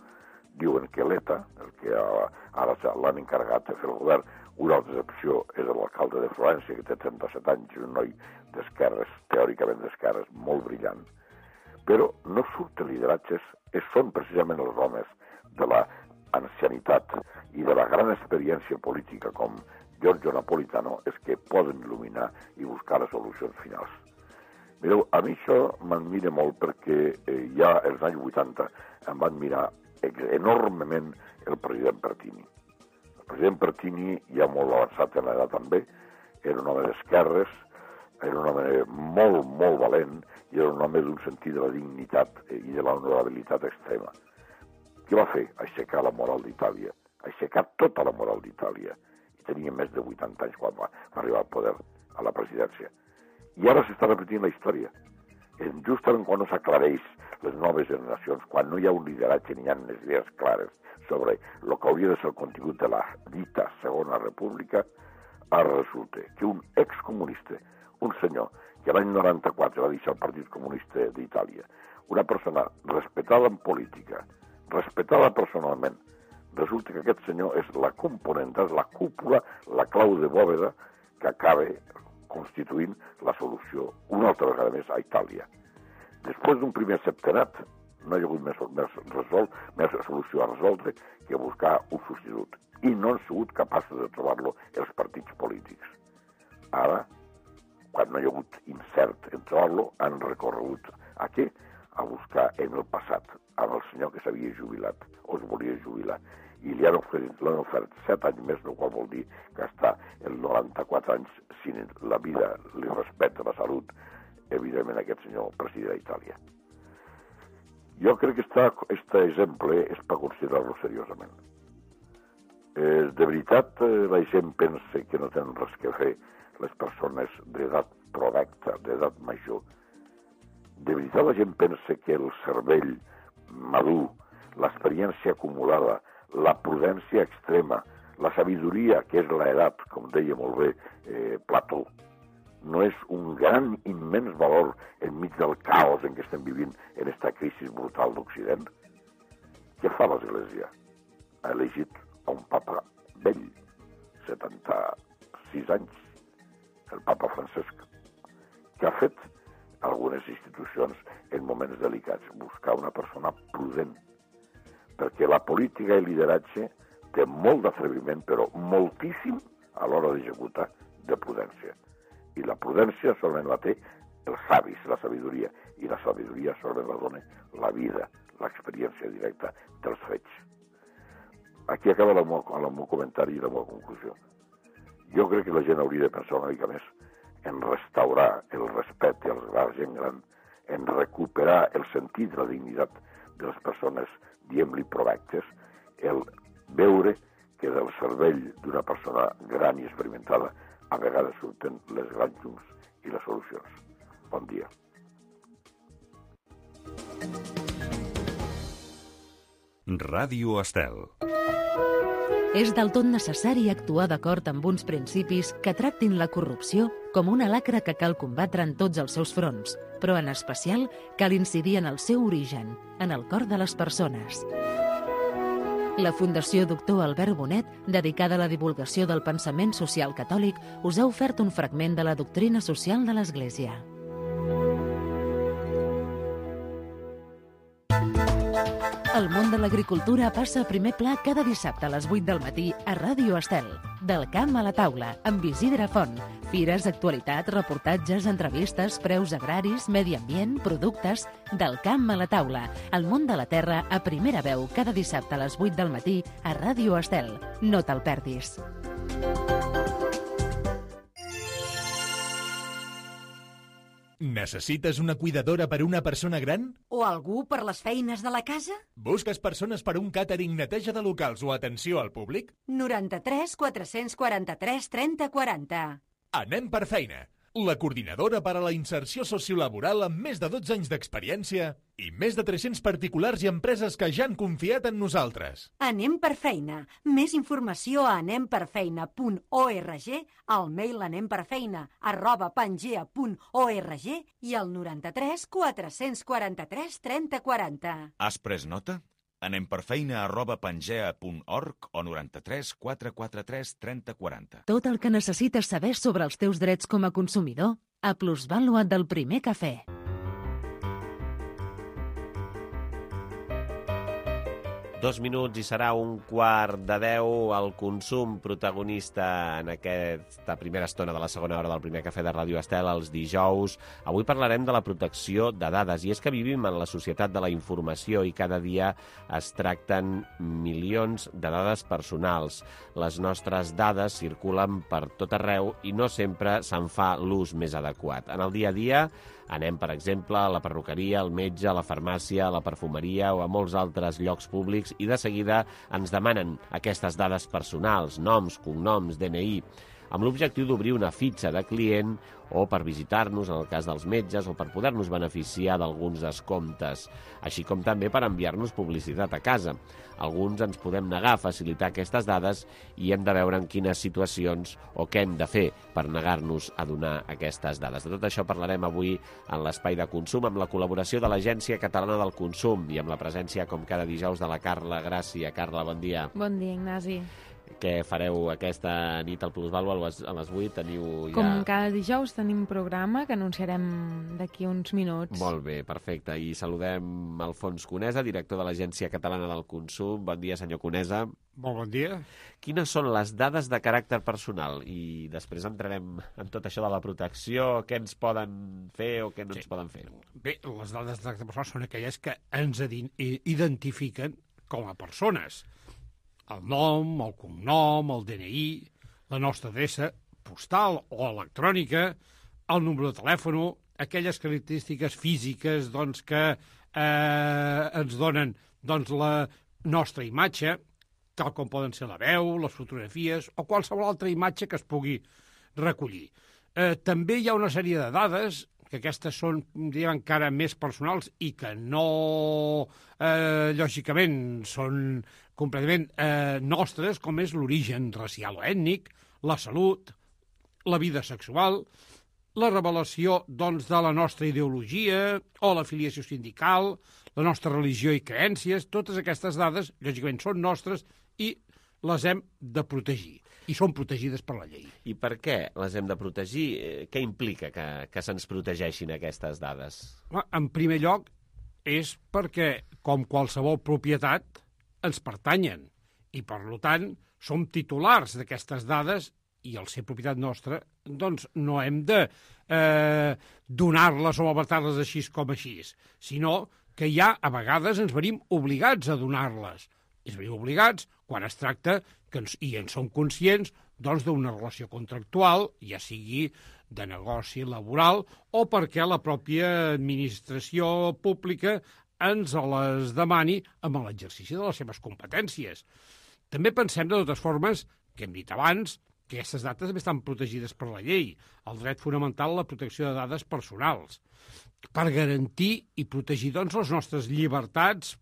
diuen que l'ETA, el que ara l'han encarregat de fer el govern, una altra excepció és l'alcalde de Florència, que té 37 anys, un noi d'esquerres, teòricament d'esquerres, molt brillant. Però no surten lideratges, són precisament els homes de l'ancianitat i de la gran experiència política com Giorgio Napolitano és que poden il·luminar i buscar les solucions finals. Mireu, a mi això m'admira molt perquè ja als anys 80 em va admirar enormement el president Pertini. El president Pertini, ja molt avançat en l'edat també, era un home d'esquerres, era un home molt, molt valent i era un home d'un sentit de la dignitat i de la honorabilitat extrema. Què va fer? Aixecar la moral d'Itàlia, aixecar tota la moral d'Itàlia. I tenia més de 80 anys quan va arribar al poder, a la presidència. I ara s'està repetint la història. Justament quan no s'aclareix les noves generacions, quan no hi ha un lideratge ni hi ha les idees clares sobre el que hauria de ser el contingut de la dita Segona República, ara resulta que un excomunista, un senyor que l'any 94 va deixar el Partit Comunista d'Itàlia, una persona respectada en política, respectada personalment, resulta que aquest senyor és la componenta, és la cúpula, la clau de bòveda que acaba constituint la solució una altra vegada més a Itàlia. Després d'un primer septenat no hi ha hagut més solució a resoldre que buscar un substitut i no han sigut capaços de trobar-lo els partits polítics. Ara, quan no hi ha hagut incert en trobar-lo, han recorregut a què? A buscar en el passat, amb el senyor que s'havia jubilat o es volia jubilar i li han ofert 7 anys més, el qual vol dir que està en 94 anys si la vida li respecta la salut, evidentment aquest senyor president d'Itàlia. Jo crec que aquest exemple és per considerar-lo seriosament. De veritat, la gent pensa que no tenen res que fer les persones d'edat provecta, d'edat major. De veritat la gent pensa que el cervell madur, l'experiència acumulada, la prudència extrema, la sabidoria, que és l'edat, com deia molt bé Plató, no és un gran, immens valor enmig del caos en què estem vivint en aquesta crisi brutal d'Occident? Què fa l'Església? Ha elegit a un papa vell, 76 anys, el papa Francesc, que ha fet algunes institucions en moments delicats, buscar una persona prudent, perquè la política i el lideratge té molt d'atreviment, però moltíssim a l'hora d'executar de prudència. I la prudència solament la té els savis, la sabidoria, i la sabidoria solament la dona la vida, l'experiència directa dels fets. Aquí acaba el meu comentari i la meva conclusió. Jo crec que la gent hauria de pensar una mica més en restaurar el respecte als grans gent gran, en recuperar el sentit de la dignitat de les persones, diem-li provectes, el veure que del cervell d'una persona gran i experimentada a vegades surten les grans llums i les solucions. Bon dia. Ràdio Estel. És del tot necessari actuar d'acord amb uns principis que tractin la corrupció com una lacra que cal combatre en tots els seus fronts, però en especial cal incidir en el seu origen, en el cor de les persones. La Fundació Doctor Albert Bonet, dedicada a la divulgació del pensament social catòlic, us ha ofert un fragment de la doctrina social de l'Església. El món de l'agricultura passa a primer pla cada dissabte a les 8 del matí a Ràdio Estel. Del camp a la taula, amb Isidre Font. Fires, actualitat, reportatges, entrevistes, preus agraris, medi ambient, productes... Del camp a la taula. El món de la terra a primera veu cada dissabte a les 8 del matí a Ràdio Estel. No te'l perdis. Necessites una cuidadora per a una persona gran? O algú per les feines de la casa? Busques persones per a un càtering, neteja de locals o atenció al públic? 93 443 30 40. Anem per feina. la coordinadora per a la inserció sociolaboral amb més de 12 anys d'experiència i més de 300 particulars i empreses que ja han confiat en nosaltres. Anem per feina. Més informació a anemperfeina.org, al mail anemperfeina@pangea.org i al 93 443 3040. Has pres nota? anemperfeina@pangea.org o 93 443 3040. Tot el que necessites saber sobre els teus drets com a consumidor a Plusvàlua del Primer Cafè. 2 minuts i serà 9:45 el consum protagonista en aquesta primera estona de la segona hora del Primer Cafè de Ràdio Estel els dijous. Avui parlarem de la protecció de dades i és que vivim en la societat de la informació i cada dia es tracten milions de dades personals. Les nostres dades circulen per tot arreu i no sempre se'n fa l'ús més adequat. En el dia a dia anem, per exemple, a la perruqueria, al metge, a la farmàcia, a la perfumeria o a molts altres llocs públics i de seguida ens demanen aquestes dades personals, noms, cognoms, DNI, amb l'objectiu d'obrir una fitxa de client o per visitar-nos, en el cas dels metges, o per poder-nos beneficiar d'alguns descomptes, així com també per enviar-nos publicitat a casa. Alguns ens podem negar a facilitar aquestes dades i hem de veure en quines situacions o què hem de fer per negar-nos a donar aquestes dades. De tot això parlarem avui en l'Espai de Consum amb la col·laboració de l'Agència Catalana del Consum i amb la presència, com cada dijous, de la Carla Gràcia. Carla, bon dia. Bon dia, Ignasi. Què fareu aquesta nit al Plusvàlua? A les 8 teniu ja... Com cada dijous tenim programa que anunciarem d'aquí uns minuts. Molt bé, perfecte. I saludem Alfons Conesa, director de l'Agència Catalana del Consum. Bon dia, senyor Conesa. Molt bon dia. Quines són les dades de caràcter personal? I després entrarem en tot això de la protecció, què ens poden fer o què no ens poden fer. Bé, les dades de caràcter personal són aquelles que ens identifiquen com a persones. El nom, el cognom, el DNI, la nostra adreça postal o electrònica, el número de telèfon, aquelles característiques físiques que ens donen la nostra imatge, tal com poden ser la veu, les fotografies o qualsevol altra imatge que es pugui recollir. També hi ha una sèrie de dades que aquestes són, diríem, encara més personals i que no, lògicament, són completament nostres, com és l'origen racial o ètnic, la salut, la vida sexual, la revelació, de la nostra ideologia o l'afiliació sindical, la nostra religió i creences. Totes aquestes dades, lògicament, són nostres i les hem de protegir. I són protegides per la llei. I per què les hem de protegir? Què implica que se'ns protegeixin aquestes dades? En primer lloc, és perquè, com qualsevol propietat, ens pertanyen. I, per tant, som titulars d'aquestes dades i, al ser propietat nostra, no hem de donar-les o malbaratar-les així com així, sinó que ja, a vegades, ens venim obligats a donar-les. Ens venim obligats quan es tracta, i en som conscients, d'una relació contractual, ja sigui de negoci laboral, o perquè la pròpia administració pública ens les demani amb l'exercici de les seves competències. També pensem, de totes formes, que hem dit abans, que aquestes dades també estan protegides per la llei, el dret fonamental a la protecció de dades personals, per garantir i protegir les nostres llibertats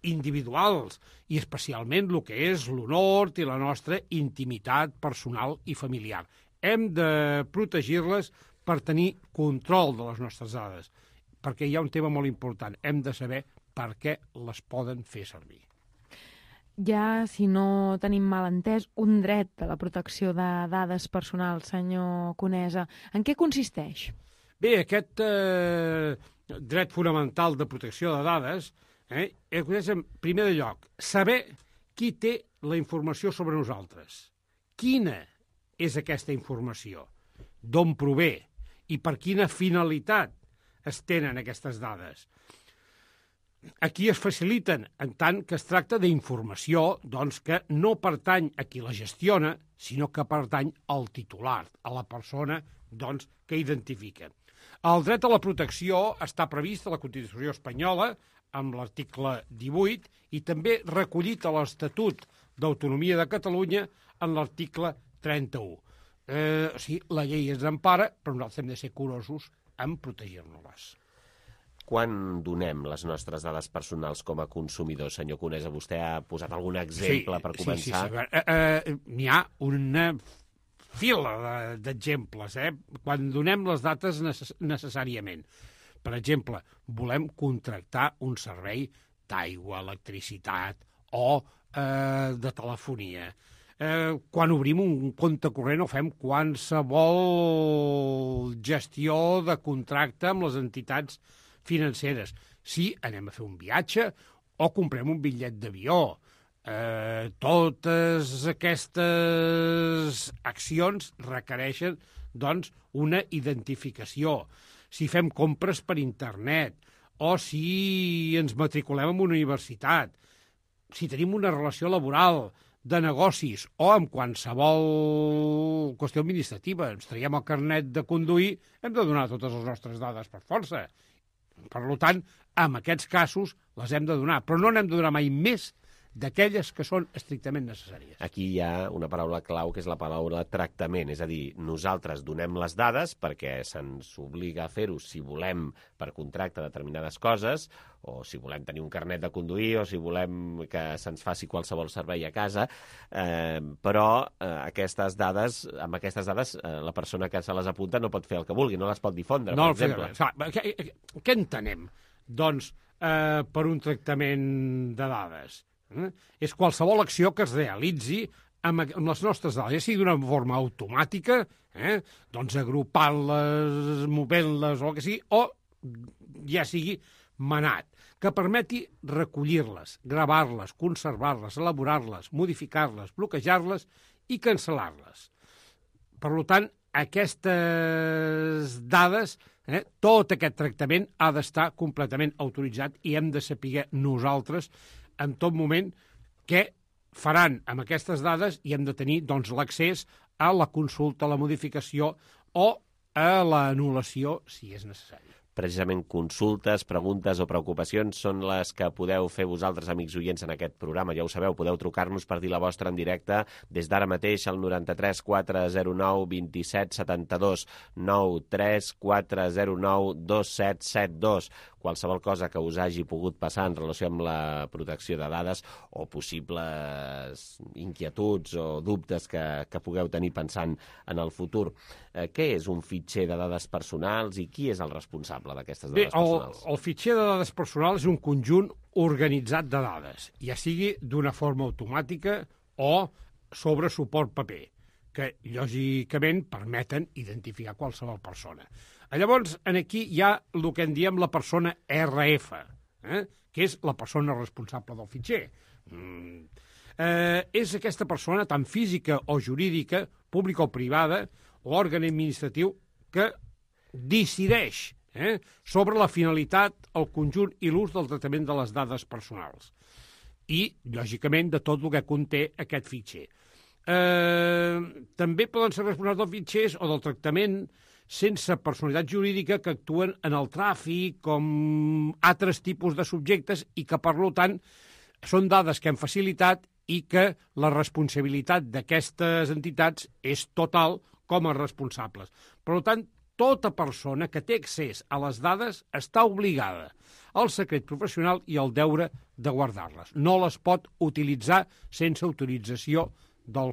individuals i especialment el que és l'honor i la nostra intimitat personal i familiar. Hem de protegir-les per tenir control de les nostres dades, perquè hi ha un tema molt important. Hem de saber per què les poden fer servir. Ja, si no tenim mal entès, un dret de la protecció de dades personals, senyor Conesa. En què consisteix? Bé, aquest dret fonamental de protecció de dades és, en primer lloc, saber qui té la informació sobre nosaltres. Quina és aquesta informació? D'on prové? I per quina finalitat es tenen aquestes dades? Aquí es faciliten, en tant que es tracta d'informació que no pertany a qui la gestiona, sinó que pertany al titular, a la persona que identifica. El dret a la protecció està previst a la Constitució espanyola, amb l'article 18, i també recollit a l'Estatut d'Autonomia de Catalunya en l'article 31. la llei ens empara, però nosaltres hem de ser curosos en protegir-nos-les. Quan donem les nostres dades personals com a consumidors, senyor Conesa? Vostè ha posat algun exemple per començar? Sí. N'hi ha una fila d'exemples, quan donem les dates necessàriament. Per exemple, volem contractar un servei d'aigua, electricitat o de telefonia. Quan obrim un compte corrent o fem qualsevol gestió de contracte amb les entitats financeres. Si anem a fer un viatge o comprem un bitllet d'avió. Totes aquestes accions requereixen, doncs, una identificació. Si fem compres per internet o si ens matriculem en una universitat, si tenim una relació laboral, de negocis o amb qualsevol qüestió administrativa, ens traiem el carnet de conduir, hem de donar totes les nostres dades per força. Per tant, en aquests casos les hem de donar, però no n'hem de donar mai més d'aquelles que són estrictament necessàries. Aquí hi ha una paraula clau, que és la paraula tractament, és a dir, nosaltres donem les dades perquè se'ns obliga a fer-ho si volem per contracte determinades coses, o si volem tenir un carnet de conduir, o si volem que se'ns faci qualsevol servei a casa, però amb aquestes dades la persona que se les apunta no pot fer el que vulgui, no les pot difondre, per exemple. Què entenem, doncs, per un tractament de dades? És qualsevol acció que es realitzi amb les nostres dades, ja sigui d'una forma automàtica, doncs agrupant-les, movent-les o el que sigui, o ja sigui manat, que permeti recollir-les, gravar-les, conservar-les, elaborar-les, modificar-les, bloquejar-les i cancel·lar-les. Per tant, aquestes dades, tot aquest tractament ha d'estar completament autoritzat i hem de saber nosaltres en tot moment què faran amb aquestes dades i hem de tenir doncs, l'accés a la consulta, a la modificació o a l'anul·lació si és necessari. Precisament consultes, preguntes o preocupacions són les que podeu fer vosaltres, amics oients, en aquest programa. Ja ho sabeu, podeu trucar-nos per dir la vostra en directe des d'ara mateix al 93 409 27 72, 93 409 2772. Qualsevol cosa que us hagi pogut passar en relació amb la protecció de dades o possibles inquietuds o dubtes que pugueu tenir pensant en el futur. Què és un fitxer de dades personals i qui és el responsable d'aquestes dades personals? El fitxer de dades personals és un conjunt organitzat de dades, ja sigui d'una forma automàtica o sobre suport paper, que lògicament permeten identificar qualsevol persona. Llavors, aquí hi ha el que en diem la persona RF, que és la persona responsable del fitxer. És aquesta persona, tant física o jurídica, pública o privada, l'òrgan administratiu que decideix sobre la finalitat, el conjunt i l'ús del tractament de les dades personals. I, lògicament, de tot el que conté aquest fitxer. També poden ser responsables dels fitxers o del tractament sense personalitat jurídica que actuen en el tràfic com altres tipus de subjectes i que, per tant, són dades que han facilitat i que la responsabilitat d'aquestes entitats és total com a responsables. Per tant, tota persona que té accés a les dades està obligada al secret professional i al deure de guardar-les. No les pot utilitzar sense autorització de la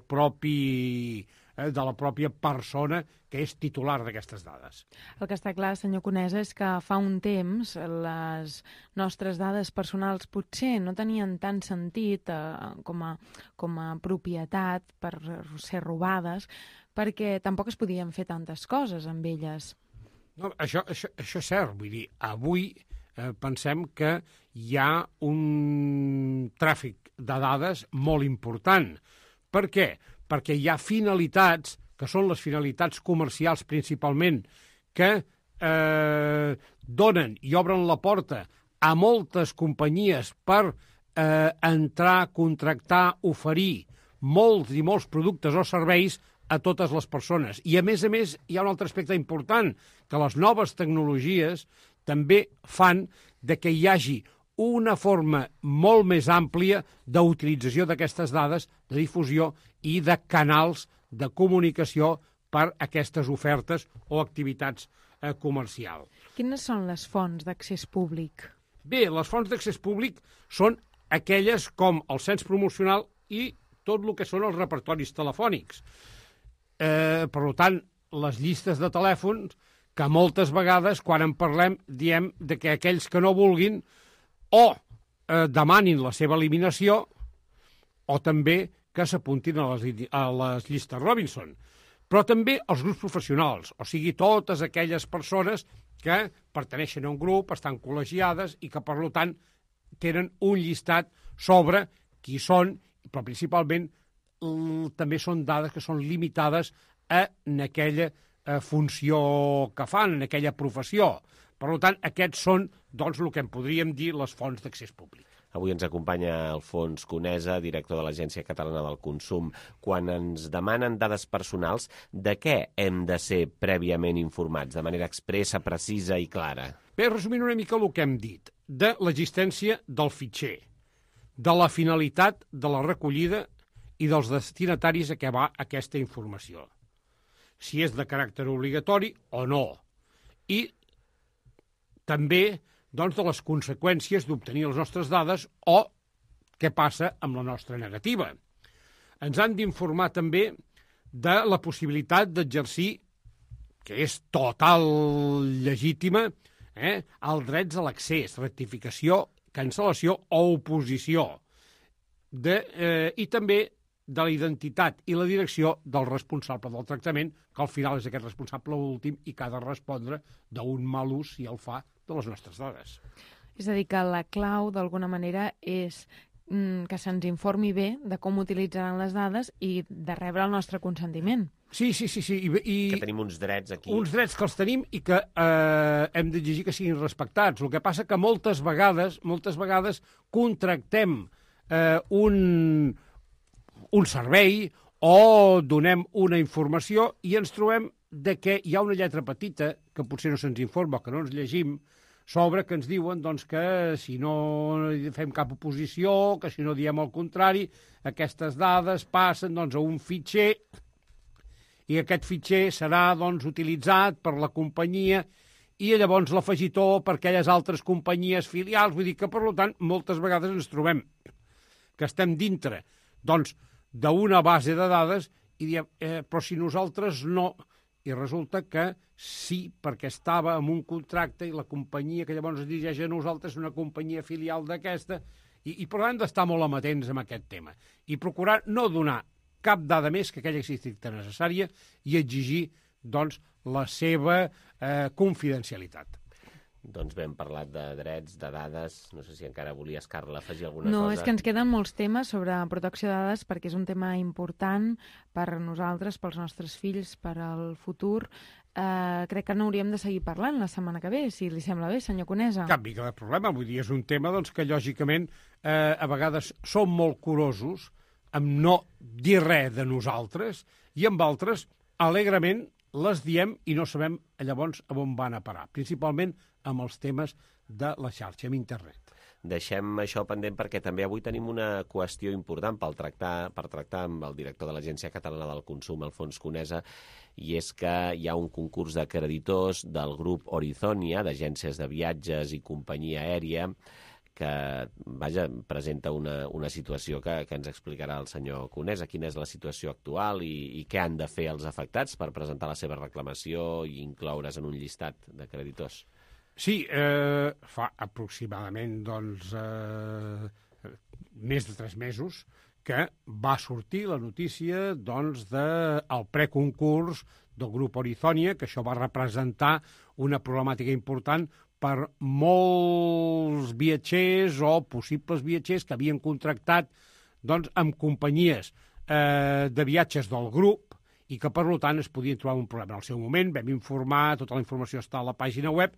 pròpia persona que és titular d'aquestes dades. El que està clar, senyor Conesa, és que fa un temps les nostres dades personals potser no tenien tant sentit com a propietat per ser robades, perquè tampoc es podien fer tantes coses amb elles. No, això és cert. Vull dir, avui pensem que hi ha un tràfic de dades molt important. Per què? Perquè hi ha finalitats, que són les finalitats comercials principalment, que donen i obren la porta a moltes companyies per entrar, contractar, oferir molts i molts productes o serveis a totes les persones. I, a més, hi ha un altre aspecte important, que les noves tecnologies també fan que hi hagi una forma molt més àmplia d'utilització d'aquestes dades, de difusió i de canals de comunicació per aquestes ofertes o activitats comercials. Quines són les fonts d'accés públic? Bé, les fonts d'accés públic són aquelles com el cens promocional i tot el que són els repertoris telefònics. Per tant, les llistes de telèfons, que moltes vegades, quan en parlem, diem que aquells que no vulguin o demanin la seva eliminació o també que s'apuntin a les llistes Robinson. Però també els grups professionals, o sigui, totes aquelles persones que perteneixen a un grup, estan col·legiades i que, per tant, tenen un llistat sobre qui són, però principalment també són dades que són limitades en aquella funció que fan, en aquella professió. Per tant, aquests són, doncs, el que en podríem dir les fonts d'accés públic. Avui ens acompanya Alfons Conesa, director de l'Agència Catalana del Consum. Quan ens demanen dades personals, de què hem de ser prèviament informats, de manera expressa, precisa i clara? Bé, resumint una mica el que hem dit, de l'existència del fitxer, de la finalitat de la recollida i dels destinataris a què va aquesta informació, si és de caràcter obligatori o no, i també doncs, de les conseqüències d'obtenir les nostres dades o què passa amb la nostra negativa. Ens han d'informar també de la possibilitat d'exercir, que és total legítima, els drets a l'accés, rectificació, cancel·lació o oposició, i també de la identitat i la direcció del responsable del tractament, que al final és aquest responsable últim i que ha de respondre d'un mal ús, si el fa, de les nostres dades. És a dir, que la clau, d'alguna manera, és que se'ns informi bé de com utilitzaran les dades i de rebre el nostre consentiment. Sí. Que tenim uns drets aquí. Uns drets que els tenim i que hem d'exigir que siguin respectats. El que passa que moltes vegades contractem un servei o donem una informació i ens trobem que hi ha una lletra petita que potser no se'ns informa o que no ens llegim sobre que ens diuen doncs, que si no fem cap oposició, que si no diem el contrari, aquestes dades passen doncs, a un fitxer i aquest fitxer serà doncs, utilitzat per la companyia i llavors l'afegitó per aquelles altres companyies filials. Vull dir que, per tant, moltes vegades ens trobem que estem dintre doncs, d'una base de dades i diem, però si nosaltres no... I resulta que sí, perquè estava en un contracte i la companyia que llavors es dirigeix a nosaltres és una companyia filial d'aquesta i per tant hem d'estar molt amatents amb aquest tema i procurar no donar cap dada més que aquella estricta necessària i exigir doncs, la seva confidencialitat. Doncs bé, hem parlat de drets, de dades. No sé si encara volies, Carla, afegir alguna cosa. No, és que ens queden molts temes sobre protecció de dades perquè és un tema important per nosaltres, pels nostres fills, per al futur. Crec que n'hauríem de seguir parlant la setmana que ve, si li sembla bé, senyor Conesa. Cap mica de problema. Vull dir, és un tema doncs, que, lògicament, a vegades som molt curosos amb no dir res de nosaltres i amb altres, alegrement, les diem i no sabem llavors on van a parar, principalment amb els temes de la xarxa, amb internet. Deixem això pendent perquè també avui tenim una qüestió important per tractar amb el director de l'Agència Catalana del Consum, Alfons Conesa, i és que hi ha un concurs de creditors del grup Horizonia, d'agències de viatges i companyia aèria, que presenta una situació que ens explicarà el senyor Conesa, quina és la situació actual i què han de fer els afectats per presentar la seva reclamació i incloure's en un llistat de creditors. Sí, fa aproximadament més de 3 mesos que va sortir la notícia del preconcurs del grup Horizonia, que això va representar una problemàtica important per molts viatgers o possibles viatgers que havien contractat amb companyies de viatges del grup i que, per tant, es podien trobar un problema. En el seu moment vam informar, tota la informació està a la pàgina web,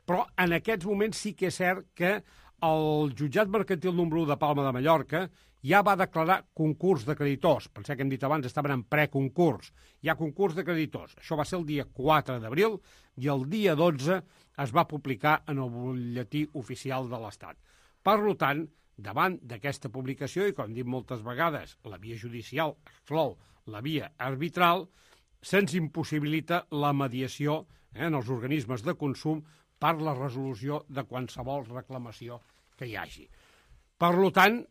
però en aquests moments sí que és cert que el jutjat mercantil número 1 de Palma de Mallorca ja va declarar concurs de creditors. Penseu que hem dit abans, estaven en preconcurs. Hi ha concurs de creditors. Això va ser el dia 4 d'abril i el dia 12 es va publicar en el butlletí oficial de l'Estat. Per tant, davant d'aquesta publicació, i com hem dit moltes vegades, la via judicial exclou la via arbitral, se'ns impossibilita la mediació en els organismes de consum per la resolució de qualsevol reclamació que hi hagi. Per tant,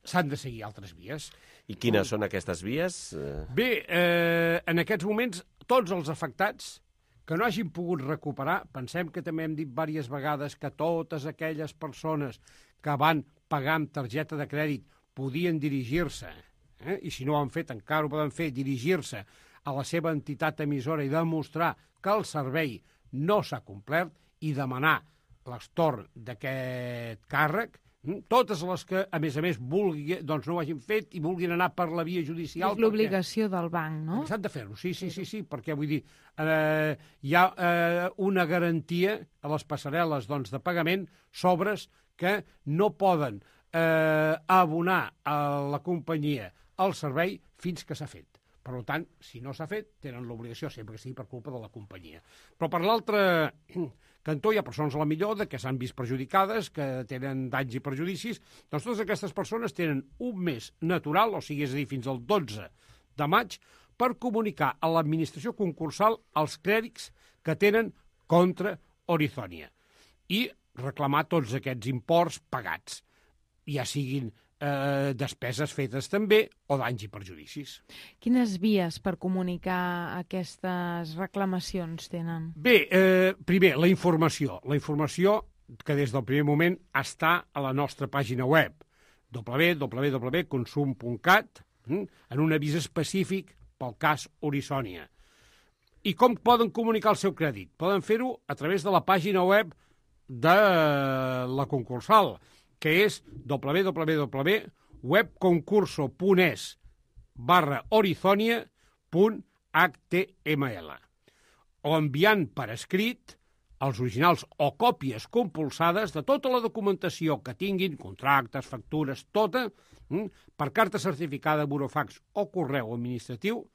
s'han de seguir altres vies. I quines són aquestes vies? Bé, en aquests moments, tots els afectats que no hagin pogut recuperar, pensem que també hem dit diverses vegades que totes aquelles persones que van pagar amb targeta de crèdit podien dirigir-se, i si no ho han fet encara ho poden fer, dirigir-se a la seva entitat emissora i demostrar que el servei no s'ha complert i demanar l'estorn d'aquest càrrec, totes les que, a més, vulguin, doncs no ho hagin fet i vulguin anar per la via judicial. És l'obligació del banc, no? S'han de fer-ho, sí, perquè vull dir, hi ha una garantia a les passarel·les de pagament sobres que no poden abonar a la companyia el servei fins que s'ha fet. Per tant, si no s'ha fet, tenen l'obligació, sempre que sigui per culpa de la companyia. Però per l'altre cantó hi ha persones a la millor que s'han vist perjudicades, que tenen danys i perjudicis. Doncs totes aquestes persones tenen un mes natural, o sigui, és a dir, fins al 12 de maig, per comunicar a l'administració concursal els crèdits que tenen contra Orizonia i reclamar tots aquests imports pagats, ja siguin despeses fetes també o danys i perjudicis. Quines vies per comunicar aquestes reclamacions tenen? Bé, primer, la informació. La informació que des del primer moment està a la nostra pàgina web, www.consum.cat, en un avís específic pel cas Orizonia. I com poden comunicar el seu crèdit? Poden fer-ho a través de la pàgina web de la concursal, que és www.webconcurso.es/Orizonia.html, o enviant per escrit els originals o còpies compulsades de tota la documentació que tinguin, contractes, factures, tota, per carta certificada, burofax o correu administratiu,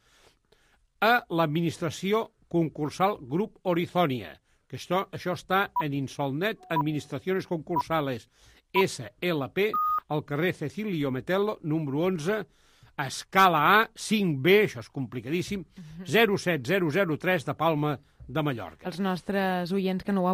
a l'administració concursal Grup Orizonia, que això està en Insolnet Administraciones Concursales SLP, al carrer Cecilio Metello, número 11, escala A, 5B, això és complicadíssim, 07003 de Palma de Mallorca. Els nostres oients que no ho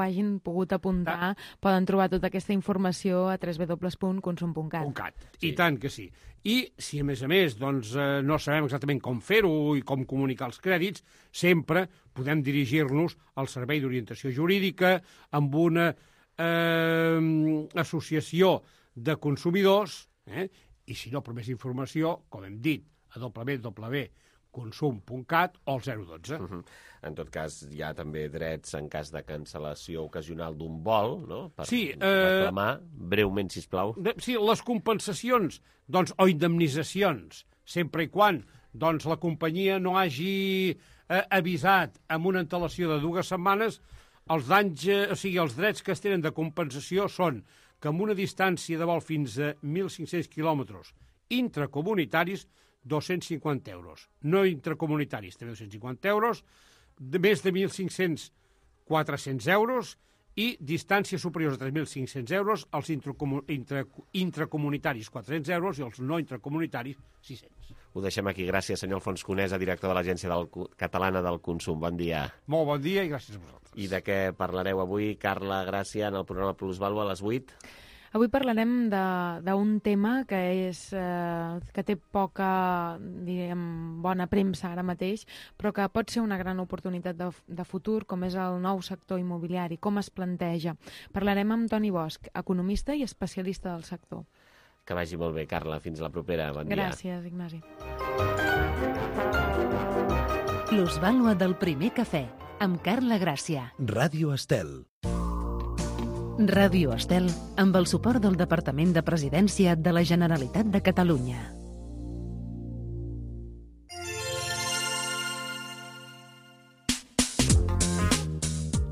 hagin pogut apuntar poden trobar tota aquesta informació a www.consum.cat. I tant que sí. I si, a més, no sabem exactament com fer-ho i com comunicar els crèdits, sempre podem dirigir-nos al Servei d'Orientació Jurídica amb una associació de consumidors, i si no, per més informació, com hem dit, a www.consum.cat o al 012. En tot cas, hi ha també drets en cas de cancel·lació ocasional d'un vol, no? Per reclamar, breument, sisplau. Sí, les compensacions, o indemnitzacions, sempre i quan la companyia no hagi avisat amb una antelació de 2 setmanes, els danys, els drets que es tenen de compensació són que amb una distància de vol fins a 1.500 quilòmetres intracomunitaris, 250 euros. No intracomunitaris, també 250 euros, de més de 1.500, 400 euros, i distàncies superiors a 3.500 euros, els intracomunitaris 400 euros i els no intracomunitaris 600. Ho deixem aquí. Gràcies, senyor Alfons Conesa, director de l'Agència Catalana del Consum. Bon dia. Molt bon dia i gràcies a vosaltres. I de què parlareu avui, Carla Gràcia, en el programa Plusvàlua a les 8? Avui parlarem d'un tema que té poca, bona premsa ara mateix, però que pot ser una gran oportunitat de futur, com és el nou sector immobiliari, com es planteja. Parlarem amb Toni Bosch, economista i especialista del sector. Que vagi molt bé, Carla. Fins la propera. Bon dia. Gràcies, Ignasi. Plusvàlua del primer cafè, amb Carla Gràcia. Ràdio Estel. Ràdio Estel, amb el suport del Departament de Presidència de la Generalitat de Catalunya.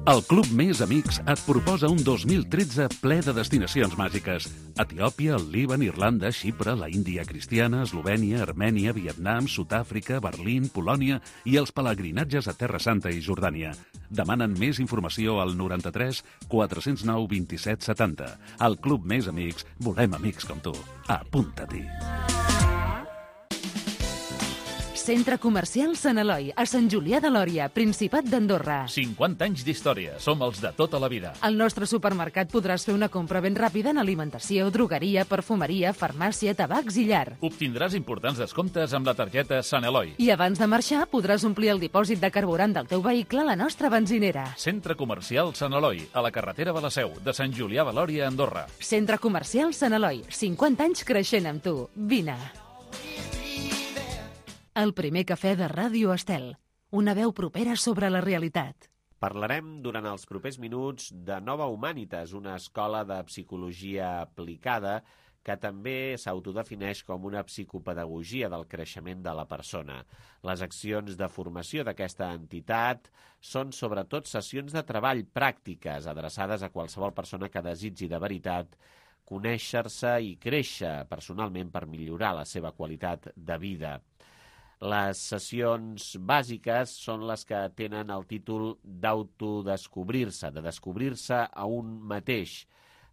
El Club Més Amics et proposa un 2013 ple de destinacions màgiques. Etiòpia, el Líban, Irlanda, Xipre, la Índia cristiana, Eslovènia, Armènia, Vietnam, Sud-àfrica, Berlín, Polònia i els pelegrinatges a Terra Santa i Jordània. Demanen més informació al 93 409 27 70. Al Club Més Amics volem amics com tu. Apunta-t'hi. Centre Comercial Sant Eloi, a Sant Julià de Lòria, Principat d'Andorra. 50 anys d'història. Som els de tota la vida. Al nostre supermercat podràs fer una compra ben ràpida en alimentació, drogueria, perfumeria, farmàcia, tabacs i llar. Obtindràs importants descomptes amb la targeta Sant Eloi. I abans de marxar podràs omplir el dipòsit de carburant del teu vehicle a la nostra benzinera. Centre Comercial Sant Eloi, a la carretera de la Seu, de Sant Julià de Lòria, Andorra. Centre Comercial Sant Eloi, 50 anys creixent amb tu. Vine. El primer cafè de Ràdio Estel. Una veu propera sobre la realitat. Parlarem durant els propers minuts de Nova Humanitas, una escola de psicologia aplicada que també s'autodefineix com una psicopedagogia del creixement de la persona. Les accions de formació d'aquesta entitat són sobretot sessions de treball pràctiques adreçades a qualsevol persona que desitgi de veritat conèixer-se i créixer personalment per millorar la seva qualitat de vida. Les sessions bàsiques són les que tenen el títol d'autodescobrir-se, de descobrir-se a un mateix.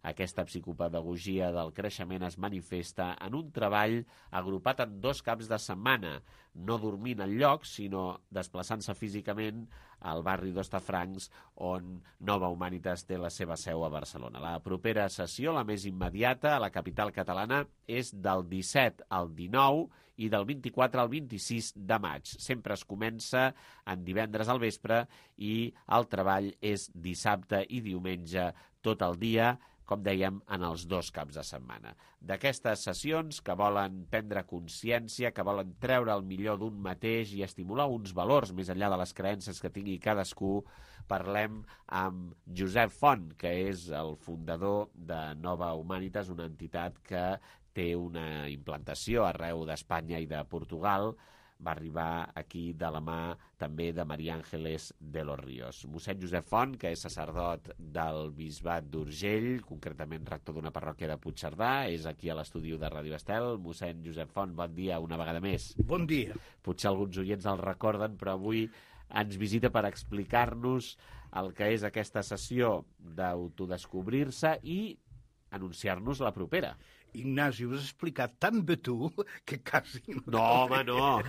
Aquesta psicopedagogia del creixement es manifesta en un treball agrupat en 2 caps de setmana, no dormint enlloc, sinó desplaçant-se físicament al barri d'Hostafrancs, on Nova Humanitas té la seva seu a Barcelona. La propera sessió, la més immediata, a la capital catalana, és del 17 al 19 i del 24 al 26 de maig. Sempre es comença en divendres al vespre i el treball és dissabte i diumenge tot el dia, com dèiem, en els 2 caps de setmana. D'aquestes sessions que volen prendre consciència, que volen treure el millor d'un mateix i estimular uns valors més enllà de les creences que tingui cadascú, parlem amb Josep Font, que és el fundador de Nova Humanitas, una entitat que té una implantació arreu d'Espanya i de Portugal. Va arribar aquí de la mà també de María Ángeles de los Ríos. Mossèn Josep Font, que és sacerdot del Bisbat d'Urgell, concretament rector d'una parròquia de Puigcerdà, és aquí a l'estudi de Ràdio Estel. Mossèn Josep Font, bon dia una vegada més. Bon dia. Potser alguns oients el recorden, però avui ens visita per explicar-nos el que és aquesta sessió d'autodescobrir-se i anunciar-nos la propera. Ignasi, ho has explicat tan bé tu que quasi... No, home, no.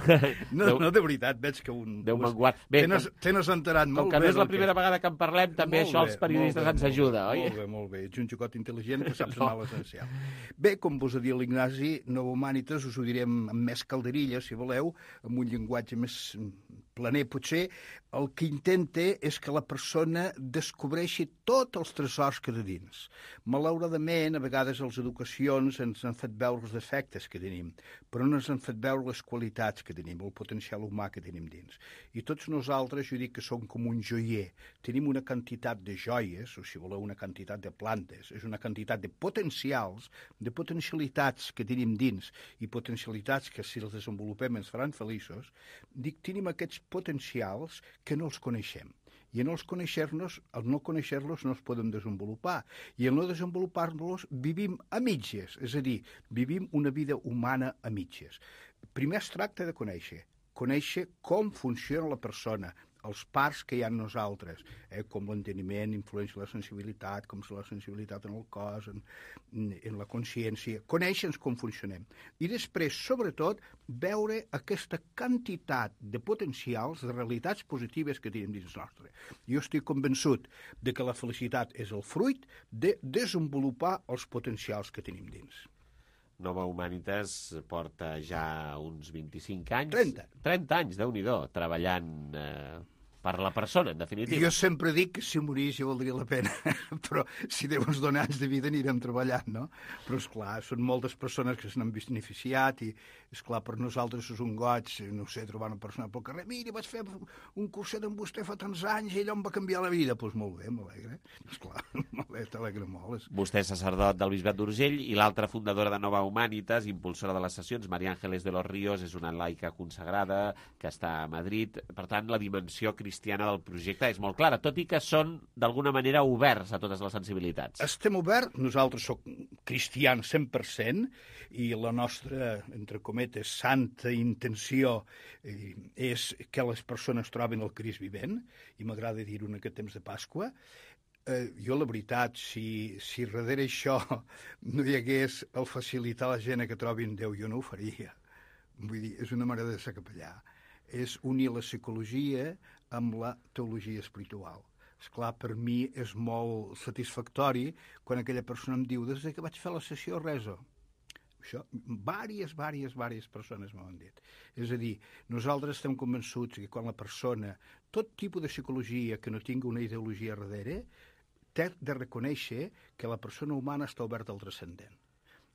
No, de veritat, veig que un... Déu me'n guard. Bé, te n'has enterat molt bé. Com que no és la primera vegada que en parlem, també això als periodistes ens ajuda, oi? Molt bé. Ets un xicot intel·ligent que saps anar a l'essencial. Bé, com vos ha dit l'Ignasi, Nova Humanitas, us ho direm amb més calderilla, si voleu, amb un llenguatge més planer, potser. El que intenta és que la persona descobreixi tots els tresors que té dins. Malauradament, a vegades les educacions ens han fet veure els defectes que tenim, però no ens han fet veure les qualitats que tenim, el potencial humà que tenim dins. I tots nosaltres, jo dic que som com un joier. Tenim una quantitat de joies, o si voleu una quantitat de plantes, és una quantitat de potencials, de potencialitats que tenim dins, i potencialitats que si les desenvolupem ens faran feliços. Dic, tenim aquests potencials que no els coneixem. I en el no conèixer-los no els podem desenvolupar. I en no desenvolupar-los vivim a mitges, és a dir, vivim una vida humana a mitges. Primer es tracta de conèixer com funciona la persona, els parts que hi ha en nosaltres, com l'enteniment influència la sensibilitat, com és la sensibilitat en el cos, en la consciència, conèixer com funcionem. I després, sobretot, veure aquesta quantitat de potencials, de realitats positives que tenim dins nostre. Jo estic convençut de que la felicitat és el fruit de desenvolupar els potencials que tenim dins. Nova Humanitas porta ja uns 25 anys... 30 anys, Déu-n'hi-do, treballant per la persona, en definitiva. Jo sempre dic que si morís ja valdria la pena, però si Déu ens dona anys de vida anirem treballant, no? Però, esclar, són moltes persones que se n'han beneficiat i, esclar, per nosaltres és un goig, no sé, trobar una persona pel carrer, mira, vaig fer un curset amb vostè fa tants anys i allò em va canviar la vida. Doncs molt bé, m'alegre. Esclar, t'alegra molt. Vostè és sacerdot del Bisbat d'Urgell i l'altra fundadora de Nova Humanitas, impulsora de les sessions, María Ángeles de los Ríos, és una laica consagrada que està a Madrid. Per tant, la dimensió cristiana del projecte és molt clara, tot i que són, d'alguna manera, oberts a totes les sensibilitats. Estem oberts, nosaltres som cristians 100%, i la nostra, entre cometes, santa intenció és que les persones trobin el Crist vivent, i m'agrada dir-ho en aquest temps de Pasqua. Jo, la veritat, si darrere això no hi hagués el facilitar a la gent que trobin Déu, jo no ho faria. Vull dir, és una manera de ser capellà. és unir la psicologia amb la teologia espiritual. Esclar, per mi és molt satisfactori quan aquella persona em diu des que vaig fer la sessió rezo. Això, vàries persones m'ho han dit. És a dir, nosaltres estem convençuts que quan la persona, tot tipus de psicologia que no tingui una ideologia darrere, té de reconèixer que la persona humana està oberta al transcendent.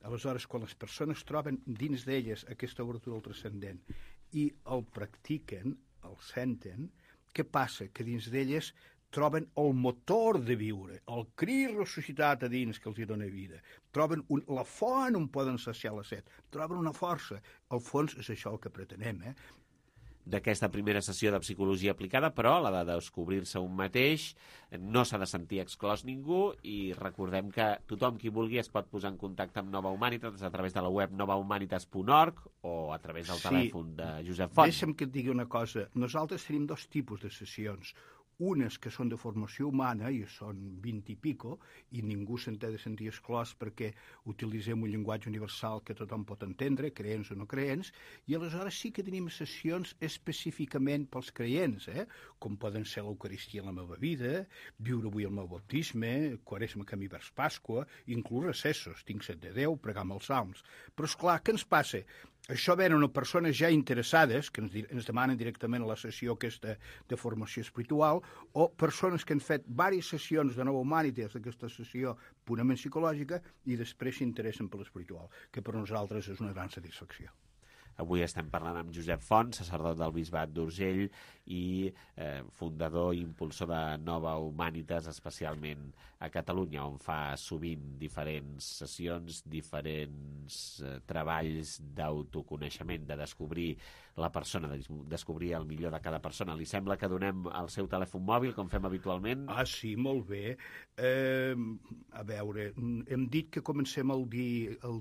Aleshores, quan les persones troben dins d'elles aquesta obertura al transcendent i el practiquen, el senten, què passa? Que dins d'elles troben el motor de viure, el crit ressuscitat a dins que els hi dona vida. Troben la font on poden saciar la set. Troben una força. Al fons és això el que pretenem, d'aquesta primera sessió de psicologia aplicada, però la de descobrir-se un mateix, no s'ha de sentir exclòs ningú i recordem que tothom qui vulgui es pot posar en contacte amb Nova Humanitas a través de la web novahumanitas.org o a través del telèfon de Josep Font. Deixa'm que et digui una cosa. Nosaltres tenim 2 tipus de sessions. Unes que són de formació humana, i són 20 i pico, i ningú se'n té de sentir exclòs perquè utilitzem un llenguatge universal que tothom pot entendre, creents o no creents, i aleshores sí que tenim sessions específicament pels creients, com poden ser l'Eucaristia en la meva vida, viure avui el meu baptisme, Quaresma camí vers Pasqua, inclús recessos, tinc set de Déu, pregar amb els salms. Però, esclar, què ens passa? Això venen persones ja interessades, que ens demanen directament a la sessió aquesta de formació espiritual, o persones que han fet diverses sessions de Nova Humanitas, d'aquesta sessió purament psicològica, i després s'interessen per l'espiritual, que per nosaltres és una gran satisfacció. Avui estem parlant amb Josep Font, sacerdot del Bisbat d'Urgell i fundador i impulsor de Nova Humanitas, especialment a Catalunya, on fa sovint diferents sessions, diferents treballs d'autoconeixement, de descobrir la persona, de descobrir el millor de cada persona. Li sembla que donem el seu telèfon mòbil, com fem habitualment? Ah, sí, molt bé. A veure, hem dit que comencem el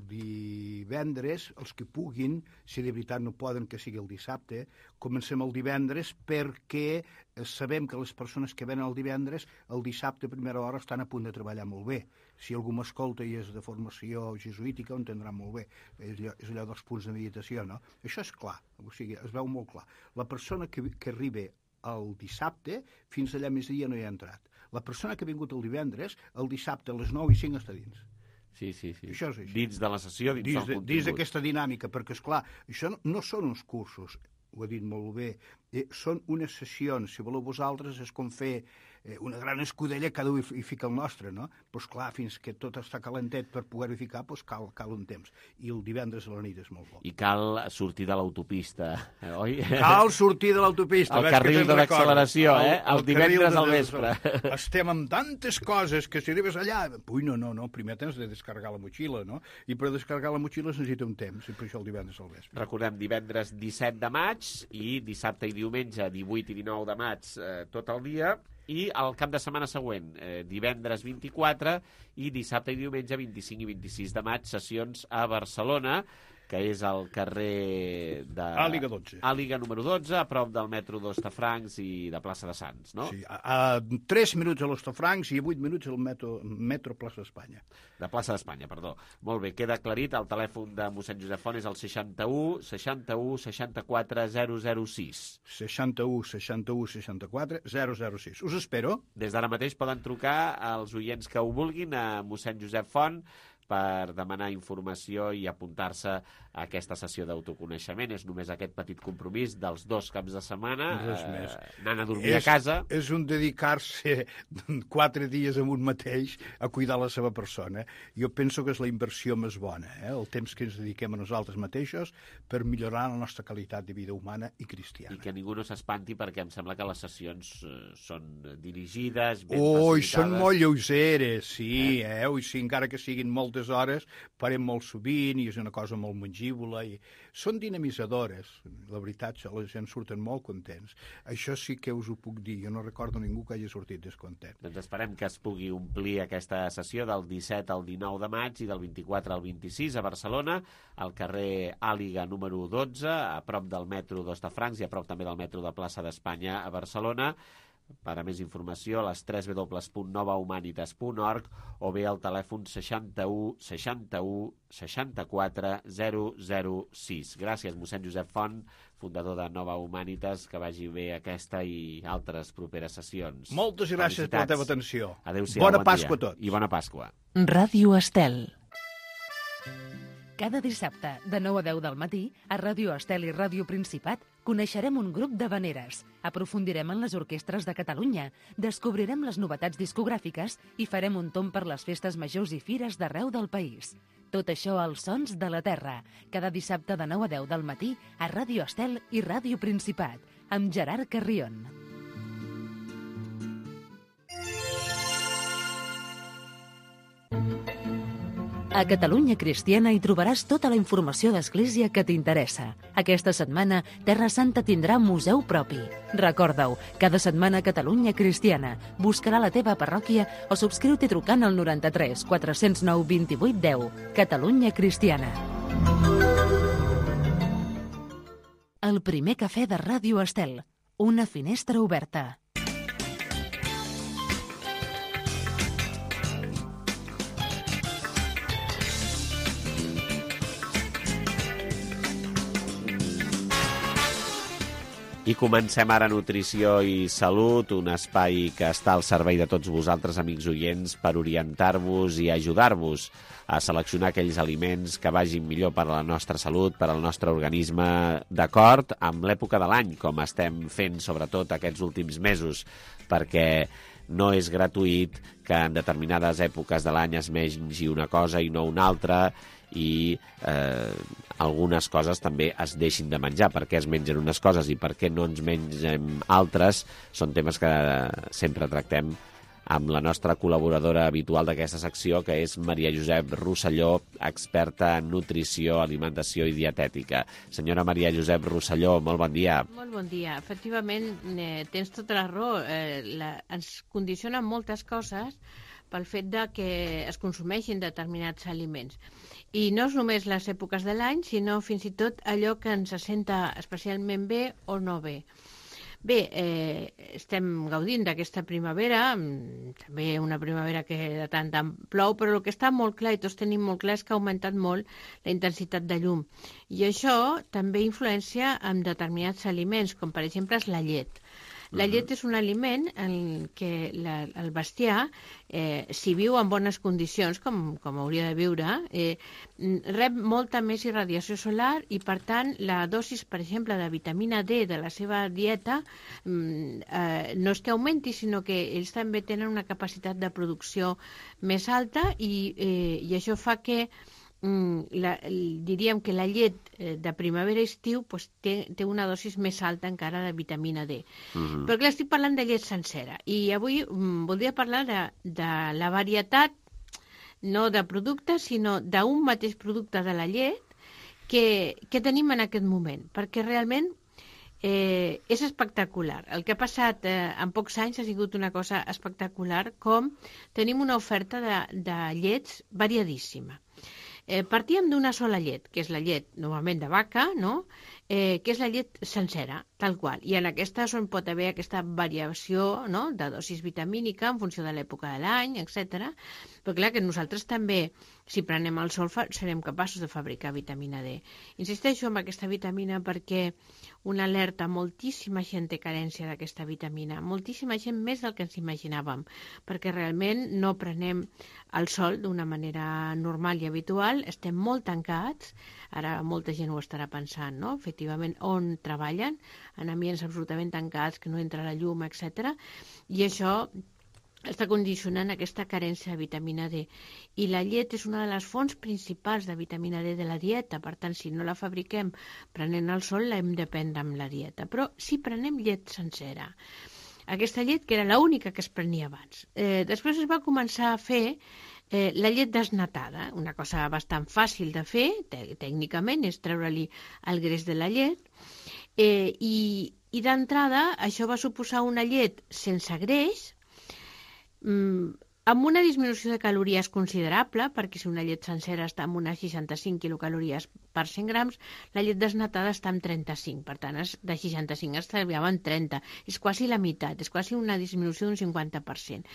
divendres, els que puguin, si de veritat no poden que sigui el dissabte, comencem el divendres perquè sabem que les persones que venen el divendres, el dissabte a primera hora estan a punt de treballar molt bé. Si algú m'escolta i és de formació jesuítica, ho entendrà molt bé. És allò dels punts de meditació, no? Això és clar, o sigui, es veu molt clar. La persona que arriba el dissabte, fins allà migdia no hi ha entrat. La persona que ha vingut el divendres, el dissabte a les 9:05 està dins. Sí. Això és així. Dins de la sessió, dins del contingut. Dins d'aquesta dinàmica, perquè, esclar, això no són uns cursos, ho ha dit molt bé, són unes sessions, si voleu vosaltres, és com fer una gran escudella, cada un hi fica el nostre, no? Doncs clar, fins que tot està calentet per poder-hi ficar, doncs cal un temps. I el divendres a la nit és molt bo. I cal sortir de l'autopista, oi? Cal sortir de l'autopista. El carril de l'acceleració, el divendres al vespre. Estem amb tantes coses que si arribes allà... Ui, no, primer tens de descarregar la motxilla, no? I per descarregar la motxilla es necessita un temps, i per això el divendres al vespre. Recordem, divendres 17 de maig i dissabte i diumenge 18 i 19 de maig tot el dia, i el cap de setmana següent, divendres 24 i dissabte i diumenge 25 i 26 de maig, sessions a Barcelona, que és al carrer de... Àliga 12. Àliga número 12, a prop del metro d'Hostafrancs i de plaça de Sants, no? Sí, a 3 minuts a l'Hostafrancs i a 8 minuts al metro plaça d'Espanya. De plaça d'Espanya, perdó. Molt bé, queda aclarit, el telèfon de mossèn Josep Font és el 61 61 64 006. 61 61 64 006. Us espero. Des d'ara mateix poden trucar als oients que ho vulguin a mossèn Josep Font per demanar informació i apuntar-se a aquesta sessió d'autoconeixement. És només aquest petit compromís dels 2 caps de setmana, anant a dormir a casa. És un dedicar-se 4 dies amb un mateix a cuidar la seva persona. Jo penso que és la inversió més bona, el temps que ens dediquem a nosaltres mateixos per millorar la nostra qualitat de vida humana i cristiana. I que ningú no s'espanti perquè em sembla que les sessions són dirigides, ben facilitades. Són molt lleugeres, sí, sí, encara que siguin moltes hores, farem molt sovint i és una cosa molt mengívola i són dinamitzadores, la veritat, la gent surten molt contents. Això sí que us ho puc dir, jo no recordo ningú que hagi sortit descontent. Doncs esperem que es pugui omplir aquesta sessió del 17 al 19 de maig i del 24 al 26 a Barcelona, al carrer Àliga número 12, a prop del metro d'Hostafrancs i a prop també del metro de plaça d'Espanya a Barcelona, per a més informació, a les www.novahumanitas.org o bé al telèfon 61 61 64 006. Gràcies, mossèn Josep Font, fundador de Nova Humanitas, que vagi bé aquesta i altres properes sessions. Moltes gràcies per la teva atenció. Adéu-siau, Bona bon Pasqua dia. a tots. I bona Pasqua. Ràdio Estel. Cada dissabte, de 9 a 10 del matí, a Ràdio Estel i Ràdio Principat, coneixerem un grup d'havaneres, aprofundirem en les orquestres de Catalunya, descobrirem les novetats discogràfiques i farem un tomb per les festes majors i fires d'arreu del país. Tot això als Sons de la Terra, cada dissabte de 9 a 10 del matí a Ràdio Estel i Ràdio Principat, amb Gerard Carrion. A Catalunya Cristiana hi trobaràs tota la informació d'Església que t'interessa. Aquesta setmana, Terra Santa tindrà museu propi. Recorda-ho, cada setmana Catalunya Cristiana. Buscarà la teva parròquia o subscriu-t'hi trucant al 93 409 28 10. Catalunya Cristiana. El primer cafè de Ràdio Estel. Una finestra oberta. I comencem ara Nutrició i Salut, un espai que està al servei de tots vosaltres, amics oients, per orientar-vos i ajudar-vos a seleccionar aquells aliments que vagin millor per a la nostra salut, per al nostre organisme, d'acord amb l'època de l'any, com estem fent sobretot aquests últims mesos, perquè no és gratuït que en determinades èpoques de l'any es mengi una cosa i no una altra, i algunes coses també es deixin de menjar. Per què es mengen unes coses i per què no ens mengem altres són temes que sempre tractem amb la nostra col·laboradora habitual d'aquesta secció, que és Maria Josep Rosselló, experta en nutrició, alimentació i dietètica. Senyora Maria Josep Rosselló, molt bon dia. Molt bon dia. Efectivament, tens tota la raó. Ens condicionen moltes coses pel fet de que es consumeixin determinats aliments. I no és només les èpoques de l'any, sinó fins i tot allò que ens senta especialment bé o no bé. Bé, estem gaudint d'aquesta primavera, també una primavera que de tant en plou, però el que està molt clar, i tots tenim molt clar, és que ha augmentat molt la intensitat de llum. I això també influencia en determinats aliments, com per exemple és la llet. La llet és un aliment en què el bestiar, si viu en bones condicions, com hauria de viure, rep molta més irradiació solar i, per tant, la dosis, per exemple, de vitamina D de la seva dieta no és que augmenti, sinó que ells també tenen una capacitat de producció més alta i això fa que diríem que la llet de primavera-estiu té una dosis més alta encara de vitamina D. Però clar, estic parlant de llet sencera i avui voldria parlar de la varietat, no de productes, sinó d'un mateix producte de la llet que tenim en aquest moment, perquè realment és espectacular. El que ha passat en pocs anys ha sigut una cosa espectacular, com tenim una oferta de llets variadíssima. Partíem d'una sola llet, que és la llet normalment de vaca, no? Que és la llet sencera, tal qual. I en aquesta pot haver aquesta variació, no?, de dosis vitamínica en funció de l'època de l'any, etc. Però clar que nosaltres també, si prenem el sol, serem capaços de fabricar vitamina D. Insisteixo en aquesta vitamina perquè una alerta, moltíssima gent té carència d'aquesta vitamina, moltíssima gent més del que ens imaginàvem, perquè realment no prenem el sol d'una manera normal i habitual, estem molt tancats, ara molta gent ho estarà pensant, no?, efectivament, on treballen, en ambients absolutament tancats, que no entra la llum, etc. I això està condicionant aquesta carència de vitamina D. I la llet és una de les fonts principals de vitamina D de la dieta, per tant, si no la fabriquem prenent el sol, l'hem de prendre amb la dieta. Però si prenem llet sencera, aquesta llet que era l'única que es prenia abans, després es va començar a fer la llet desnatada, una cosa bastant fàcil de fer, tècnicament, és treure-li el greix de la llet, i d'entrada això va suposar una llet sense greix, amb una disminució de calories considerable, perquè si una llet sencera està amb unes 65 quilocalories per 100 grams, la llet desnatada està amb 35, per tant, de 65 estalviava en 30. És quasi la meitat, és quasi una disminució d'un 50%.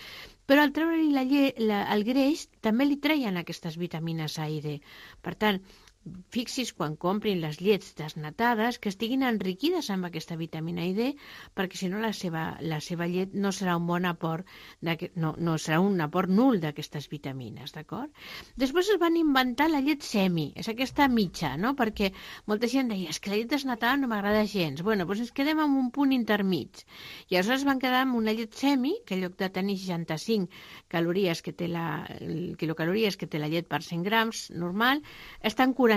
Però al treure-li el greix, també li treien aquestes vitamines A i D. Per tant, fixis quan comprin les llets desnatades que estiguin enriquides amb aquesta vitamina D, perquè si no la seva llet no serà un bon aport, no serà un aport nul d'aquestes vitamines, d'acord? Després es van inventar la llet semi, és aquesta mitja, no? Perquè molta gent deia, és que la llet desnatada no m'agrada gens. Bueno, doncs ens quedem amb un punt intermig. I aleshores van quedar amb una llet semi, que en lloc de tenir 65 quilocalories que té la llet per 100 grams normal, està en 45,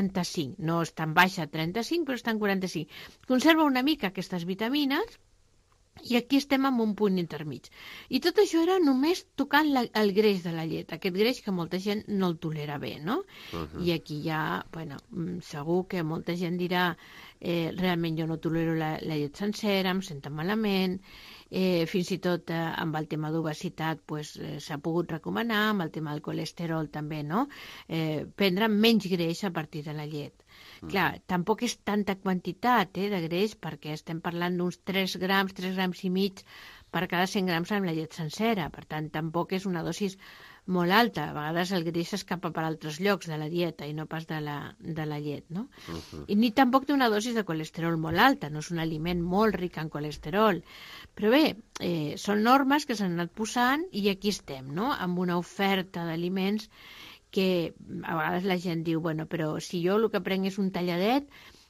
no és tan baixa 35, però està en 45. Conserva una mica aquestes vitamines i aquí estem en un punt intermig. I tot això era només tocant el greix de la llet, aquest greix que molta gent no el tolera bé, no? I aquí ja, bueno, segur que molta gent dirà realment jo no tolero la llet sencera, em sento malament, fins i tot amb el tema d'obesitat s'ha pogut recomanar, amb el tema del colesterol també, no? Prendre menys greix a partir de la llet. Clar, tampoc és tanta quantitat de greix, perquè estem parlant d'uns 3 grams i mig per cada 100 grams amb la llet sencera. Per tant, tampoc és una dosis molt alta. A vegades el greix s'escapa per altres llocs de la dieta i no pas de la llet, no? I ni tampoc té una dosis de colesterol molt alta, no és un aliment molt ric en colesterol. Però bé, són normes que s'han anat posant i aquí estem, no?, amb una oferta d'aliments que a vegades la gent diu, bueno, però si jo el que prenc és un talladet,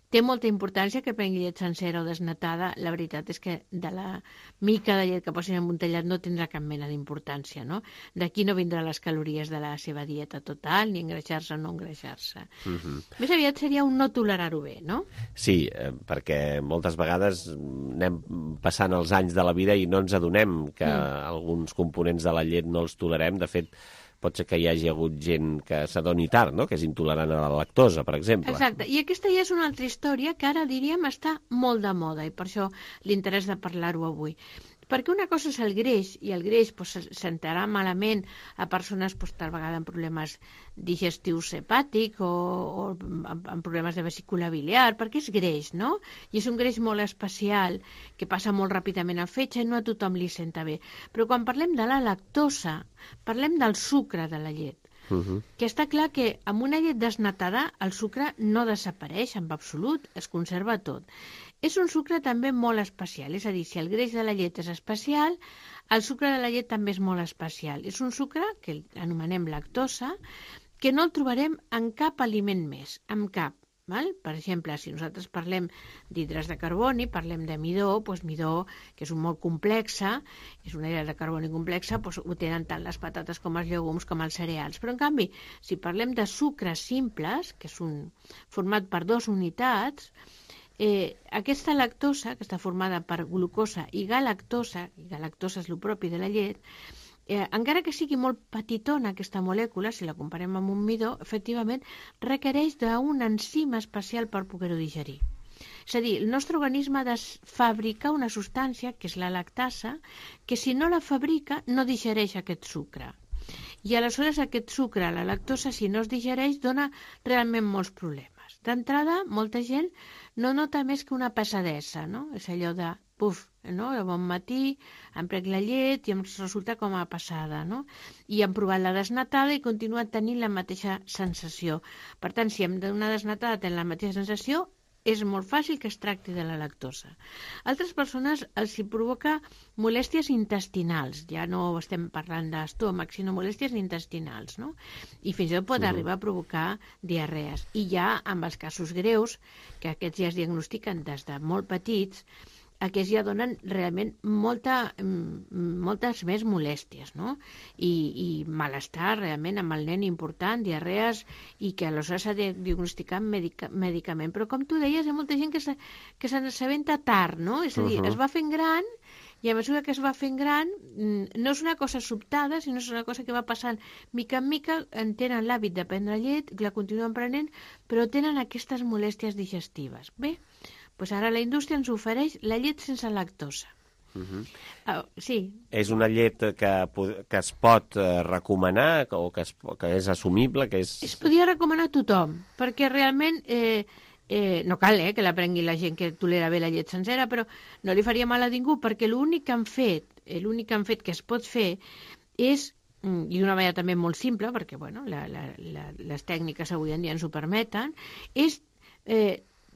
té molta importància que prengui llet sencera o desnatada. La veritat és que de la mica de llet que posin en un tallat no tindrà cap mena d'importància, no? D'aquí no vindrà les calories de la seva dieta total, ni engreixar-se o no engreixar-se. Més aviat seria un no tolerar-ho bé, no? Sí, perquè moltes vegades anem passant els anys de la vida i no ens adonem que alguns components de la llet no els tolerem. De fet, pot ser que hi hagi hagut gent que s'adoni tard, no?, que és intolerant a la lactosa, per exemple. Exacte, i aquesta ja és una altra història que ara, diríem, està molt de moda i per això l'interès de parlar-ho avui. Perquè una cosa és el greix, i el greix sentarà malament a persones tal vegada amb problemes digestius hepàtics o amb problemes de vesícula biliar, perquè és greix, no? I és un greix molt especial, que passa molt ràpidament al fetge i no a tothom li senta bé. Però quan parlem de la lactosa, parlem del sucre de la llet. Que està clar que amb una llet desnatada el sucre no desapareix en absolut, es conserva tot. És un sucre també molt especial, és a dir, si el greix de la llet és especial, el sucre de la llet també és molt especial. És un sucre que anomenem lactosa, que no el trobarem en cap aliment més, en cap. Val? Per exemple, si nosaltres parlem d'hidrats de carboni, parlem de midó, midó, que és un molt complexa, és una hidrat de carboni complexa, ho tenen tant les patates com els llegums com els cereals. Però, en canvi, si parlem de sucres simples, que és format per 2 unitats, aquesta lactosa, que està formada per glucosa i galactosa és el propi de la llet, encara que sigui molt petitona aquesta molècula, si la comparem amb un midó, efectivament requereix d'un enzim especial per poder-ho digerir. És a dir, el nostre organisme ha de fabricar una substància, que és la lactasa, que si no la fabrica no digereix aquest sucre. I aleshores aquest sucre, la lactosa, si no es digereix, dona realment molts problemes. D'entrada, molta gent no nota més que una pesadesa, no? És allò de, no? De bon matí em prenc la llet i em resulta com a passada, no? I hem provat la desnatada i continua tenint la mateixa sensació. Per tant, si hem d'una desnatada tenint la mateixa sensació, és molt fàcil que es tracti de la lactosa. Altres persones els hi provoca molèsties intestinals, ja no estem parlant d'estómac, sinó molèsties intestinals, no? I fins i tot pot arribar a provocar diarrees. I ja amb els casos greus, que aquests ja es diagnostiquen des de molt petits, aquests ja donen realment moltes més molèsties, no? I malestar realment amb el nen important, diarrees, i que aleshores s'ha de diagnosticar amb medicament. Però com tu deies, hi ha molta gent que se n'assabenta tard, no? És a dir, es va fent gran, i a mesura que es va fent gran, no és una cosa sobtada, sinó és una cosa que va passant mica en mica, tenen l'hàbit de prendre llet, la continuen prenent, però tenen aquestes molèsties digestives. Bé, doncs ara la indústria ens ofereix la llet sense lactosa. Sí. És una llet que es pot recomanar o que és assumible? Es podia recomanar a tothom, perquè realment no cal que la prengui la gent que tolera bé la llet sencera, però no li faria mal a ningú, perquè l'únic que han fet que es pot fer és, i d'una manera també molt simple, perquè bueno, les tècniques avui en dia ens ho permeten, és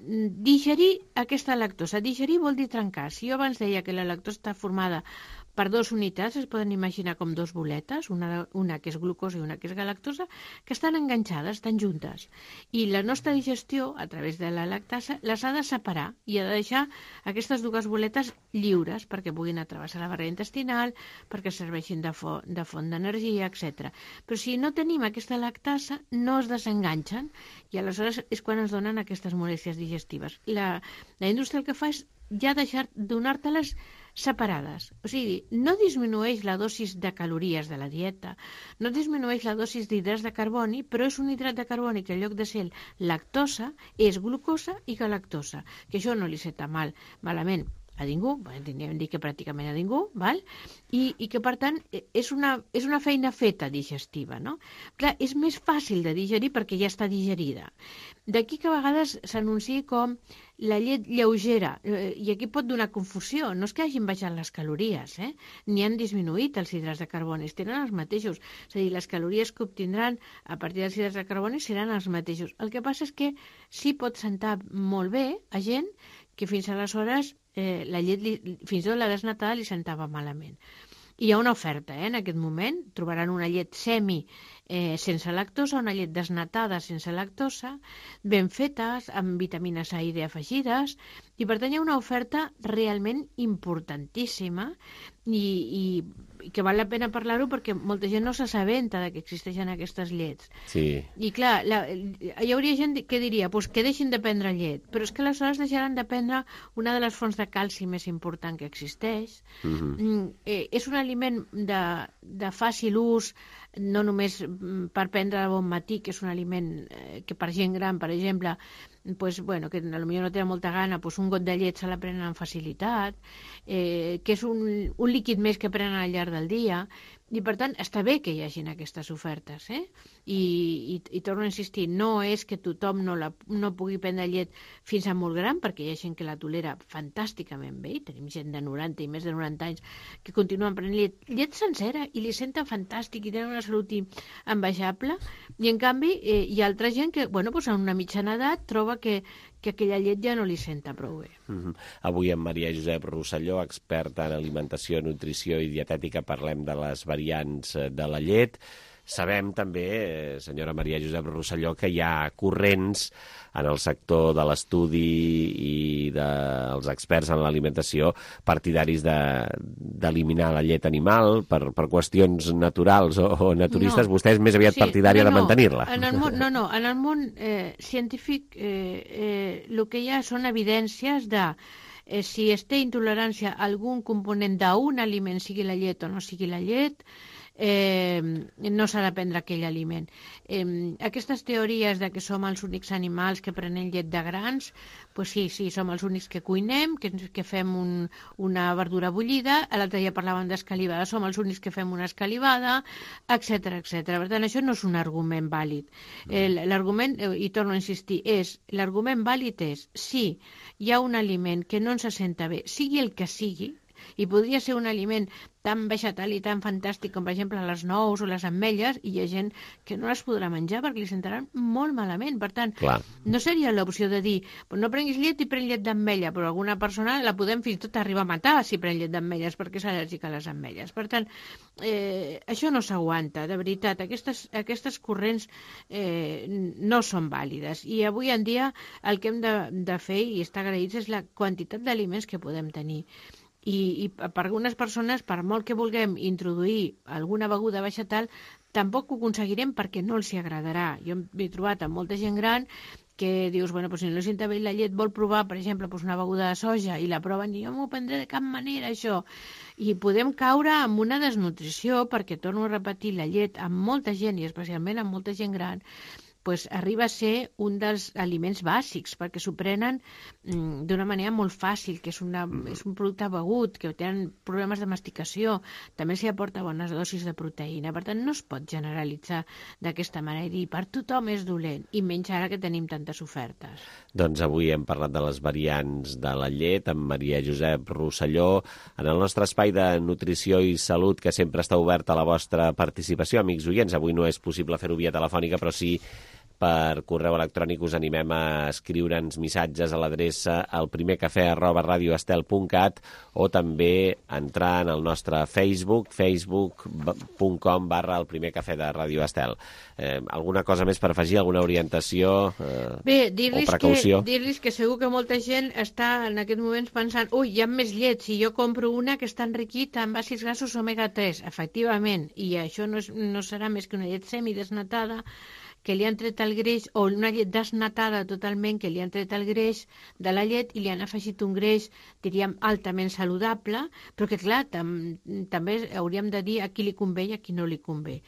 digerir aquesta lactosa. Digerir vol dir trencar. Si jo abans deia que la lactosa està formada per dues unitats, es poden imaginar com dues boletes, una que és glucosa i una que és galactosa, que estan enganxades, estan juntes. I la nostra digestió, a través de la lactasa, les ha de separar i ha de deixar aquestes dues boletes lliures perquè puguin travessar la barrera intestinal, perquè serveixin de font d'energia, etc. Però si no tenim aquesta lactasa, no es desenganxen i aleshores és quan ens donen aquestes molèsties digestives. La indústria el que fa és ja donar-te-les separades. O sigui, no disminueix la dosis de calories de la dieta, no disminueix la dosis d'hidrats de carboni, però és un hidrat de carboni que en lloc de ser lactosa és glucosa i galactosa, que això no li senta malament a ningú, hem dit que pràcticament a ningú, val? I que per tant és una feina feta digestiva, no? Clar, és més fàcil de digerir perquè ja està digerida. D'aquí que a vegades s'anunciï com la llet lleugera, i aquí pot donar confusió, no és que hagin baixat les calories, ni han disminuït els hidrats de carboni, tenen els mateixos, és a dir, les calories que obtindran a partir dels hidrats de carboni seran els mateixos. El que passa és que sí pot sentar molt bé a gent que fins aleshores la llet, fins i tot la desnatada, li sentava malament. I hi ha una oferta, en aquest moment, trobaran una llet sense lactosa, una llet desnatada sense lactosa, ben fetes, amb vitamines A i D afegides, i per tant hi ha una oferta realment importantíssima i que val la pena parlar-ho perquè molta gent no s'assabenta que existeixen aquestes llets. Sí. I clar, hi hauria gent que diria que deixin de prendre llet, però és que aleshores deixaran de prendre una de les fonts de calci més important que existeix. És un aliment de fàcil ús, no només per prendre de bon matí, que és un aliment que per gent gran, per exemple, que potser no té molta gana, un got de llet se la prenen amb facilitat, que és un líquid més que prenen al llarg del dia, i per tant està bé que hi hagin aquestes ofertes, i torno a insistir, no és que tothom no pugui prendre llet fins a molt gran, perquè hi ha gent que la tolera fantàsticament bé, i tenim gent de 90 i més de 90 anys que continuen prenent llet sencera i li senten fantàstic i tenen una salut envejable, i en canvi hi ha altra gent que en una mitjana edat troba que aquella llet ja no li senta prou bé. Avui amb Maria Josep Rosselló, experta en alimentació, nutrició i dietètica, parlem de les variants de la llet. Sabem també, senyora Maria Josep Rosselló, que hi ha corrents en el sector de l'estudi i dels experts en l'alimentació partidaris d'eliminar la llet animal per qüestions naturals o naturistes. Vostè és més aviat partidària de mantenir-la. En el món científic el que hi ha són evidències de si es té intolerància a algun component d'un aliment, sigui la llet o no sigui la llet, no s'ha de prendre aquell aliment. Aquestes teories de que som els únics animals que prenen llet de grans, sí, som els únics que cuinem, que fem una verdura bullida, l'altre dia parlàvem d'escalivada, som els únics que fem una escalivada, etc. Per tant, això no és un argument vàlid. L'argument, i torno a insistir, l'argument vàlid és si hi ha un aliment que no ens senta bé, sigui el que sigui, i podria ser un aliment tan vegetal i tan fantàstic com, per exemple, les nous o les ametlles, i hi ha gent que no les podrà menjar perquè li sentaran molt malament. Per tant, no seria l'opció de dir no prenguis llet i pren llet d'ametlla, però alguna persona la podem fins i tot arribar a matar si pren llet d'ametlles perquè és al·lèrgica a les ametlles. Per tant, això no s'aguanta, de veritat. Aquestes corrents no són vàlides. I avui en dia el que hem de fer, i estar agraïts, és la quantitat d'aliments que podem tenir. I per algunes persones, per molt que vulguem introduir alguna beguda vegetal, tampoc ho aconseguirem perquè no els hi agradarà. Jo m'he trobat amb molta gent gran que dius, si no li senta bé la llet, vol provar, per exemple, una beguda de soja, i la proven i jo m'ho prendré de cap manera, això. I podem caure en una desnutrició, perquè, torno a repetir, la llet amb molta gent, i especialment amb molta gent gran, pues, arriba a ser un dels aliments bàsics, perquè s'ho prenen d'una manera molt fàcil, que és un producte begut, que tenen problemes de masticació, també s'hi aporta bones dosis de proteïna, per tant no es pot generalitzar d'aquesta manera i dir per tothom és dolent, i menys ara que tenim tantes ofertes. Doncs avui hem parlat de les variants de la llet amb Maria Josep Rosselló, en el nostre espai de nutrició i salut, que sempre està obert a la vostra participació, amics oients. Avui no és possible fer-ho via telefònica, però sí per correu electrònic us animem a escriure'ns missatges a l'adreça elprimercafè@radioestel.cat o també entrar en el nostre Facebook, facebook.com/elprimercafè de Radio Estel. Alguna cosa més per afegir, alguna orientació o precaució? Dir-los que segur que molta gent està en aquests moments pensant hi ha més llet, si jo compro una que està enriquida amb àcids grassos omega-3, efectivament, i això no serà més que una llet semidesnatada, que li han tret el greix, o una llet desnatada totalment, que li han tret el greix de la llet i li han afegit un greix, diríem, altament saludable, però que, clar, també hauríem de dir a qui li convé i a qui no li convé.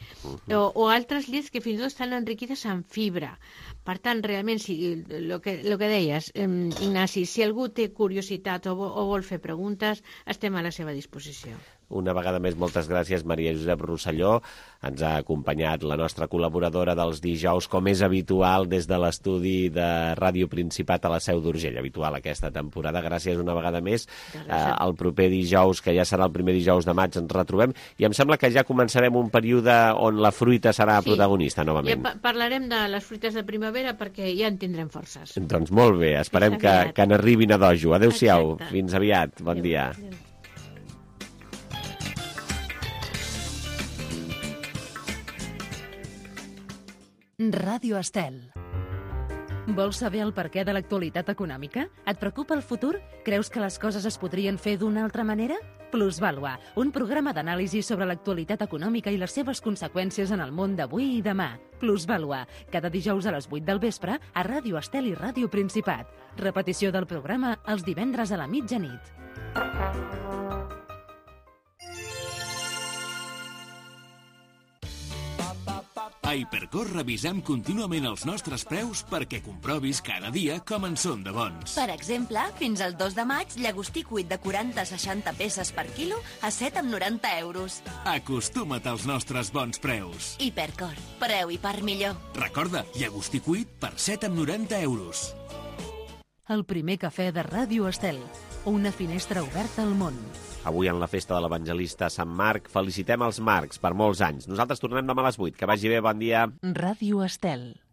O altres llets que fins i tot estan enriquides en fibra. Per tant, realment, el que deies, Ignasi, si algú té curiositat o vol fer preguntes, estem a la seva disposició. Una vegada més, moltes gràcies, Maria Josep Rosselló. Ens ha acompanyat la nostra col·laboradora dels dijous, com és habitual, des de l'estudi de Ràdio Principat a la Seu d'Urgell. Habitual aquesta temporada. Gràcies una vegada més. El proper dijous, que ja serà el primer dijous de maig, ens retrobem. I em sembla que ja començarem un període on la fruita serà protagonista, novament. Ja parlarem de les fruites de primavera perquè ja en tindrem forces. Doncs molt bé. Esperem que n'arribin a dojo. Adéu-siau. Fins aviat. Bon dia. Ràdio Estel. Vols saber el perquè de l'actualitat econòmica? Et preocupa el futur? Creus que les coses es podrien fer d'una altra manera? Plusvàlua, un programa d'anàlisi sobre l'actualitat econòmica i les seves conseqüències en el món d'avui i demà. Plusvàlua, cada dijous a les 8 del vespre a Ràdio Estel i Ràdio Principat. Repetició del programa els divendres a la mitjanit. A Hipercor revisem contínuament els nostres preus perquè comprovis cada dia com en són de bons. Per exemple, fins al 2 de maig, llagostí cuit de 40-60 peces per quilo a 7,90 €. Acostuma't als nostres bons preus. Hipercor, preu i part millor. Recorda, llagostí cuit per 7,90 €. El primer cafè de Ràdio Estel. Una finestra oberta al món. Avui en la festa de l'evangelista Sant Marc felicitem els Marcs per molts anys. Nosaltres tornem demà a les 8. Que vagi bé, bon dia. Ràdio Estel.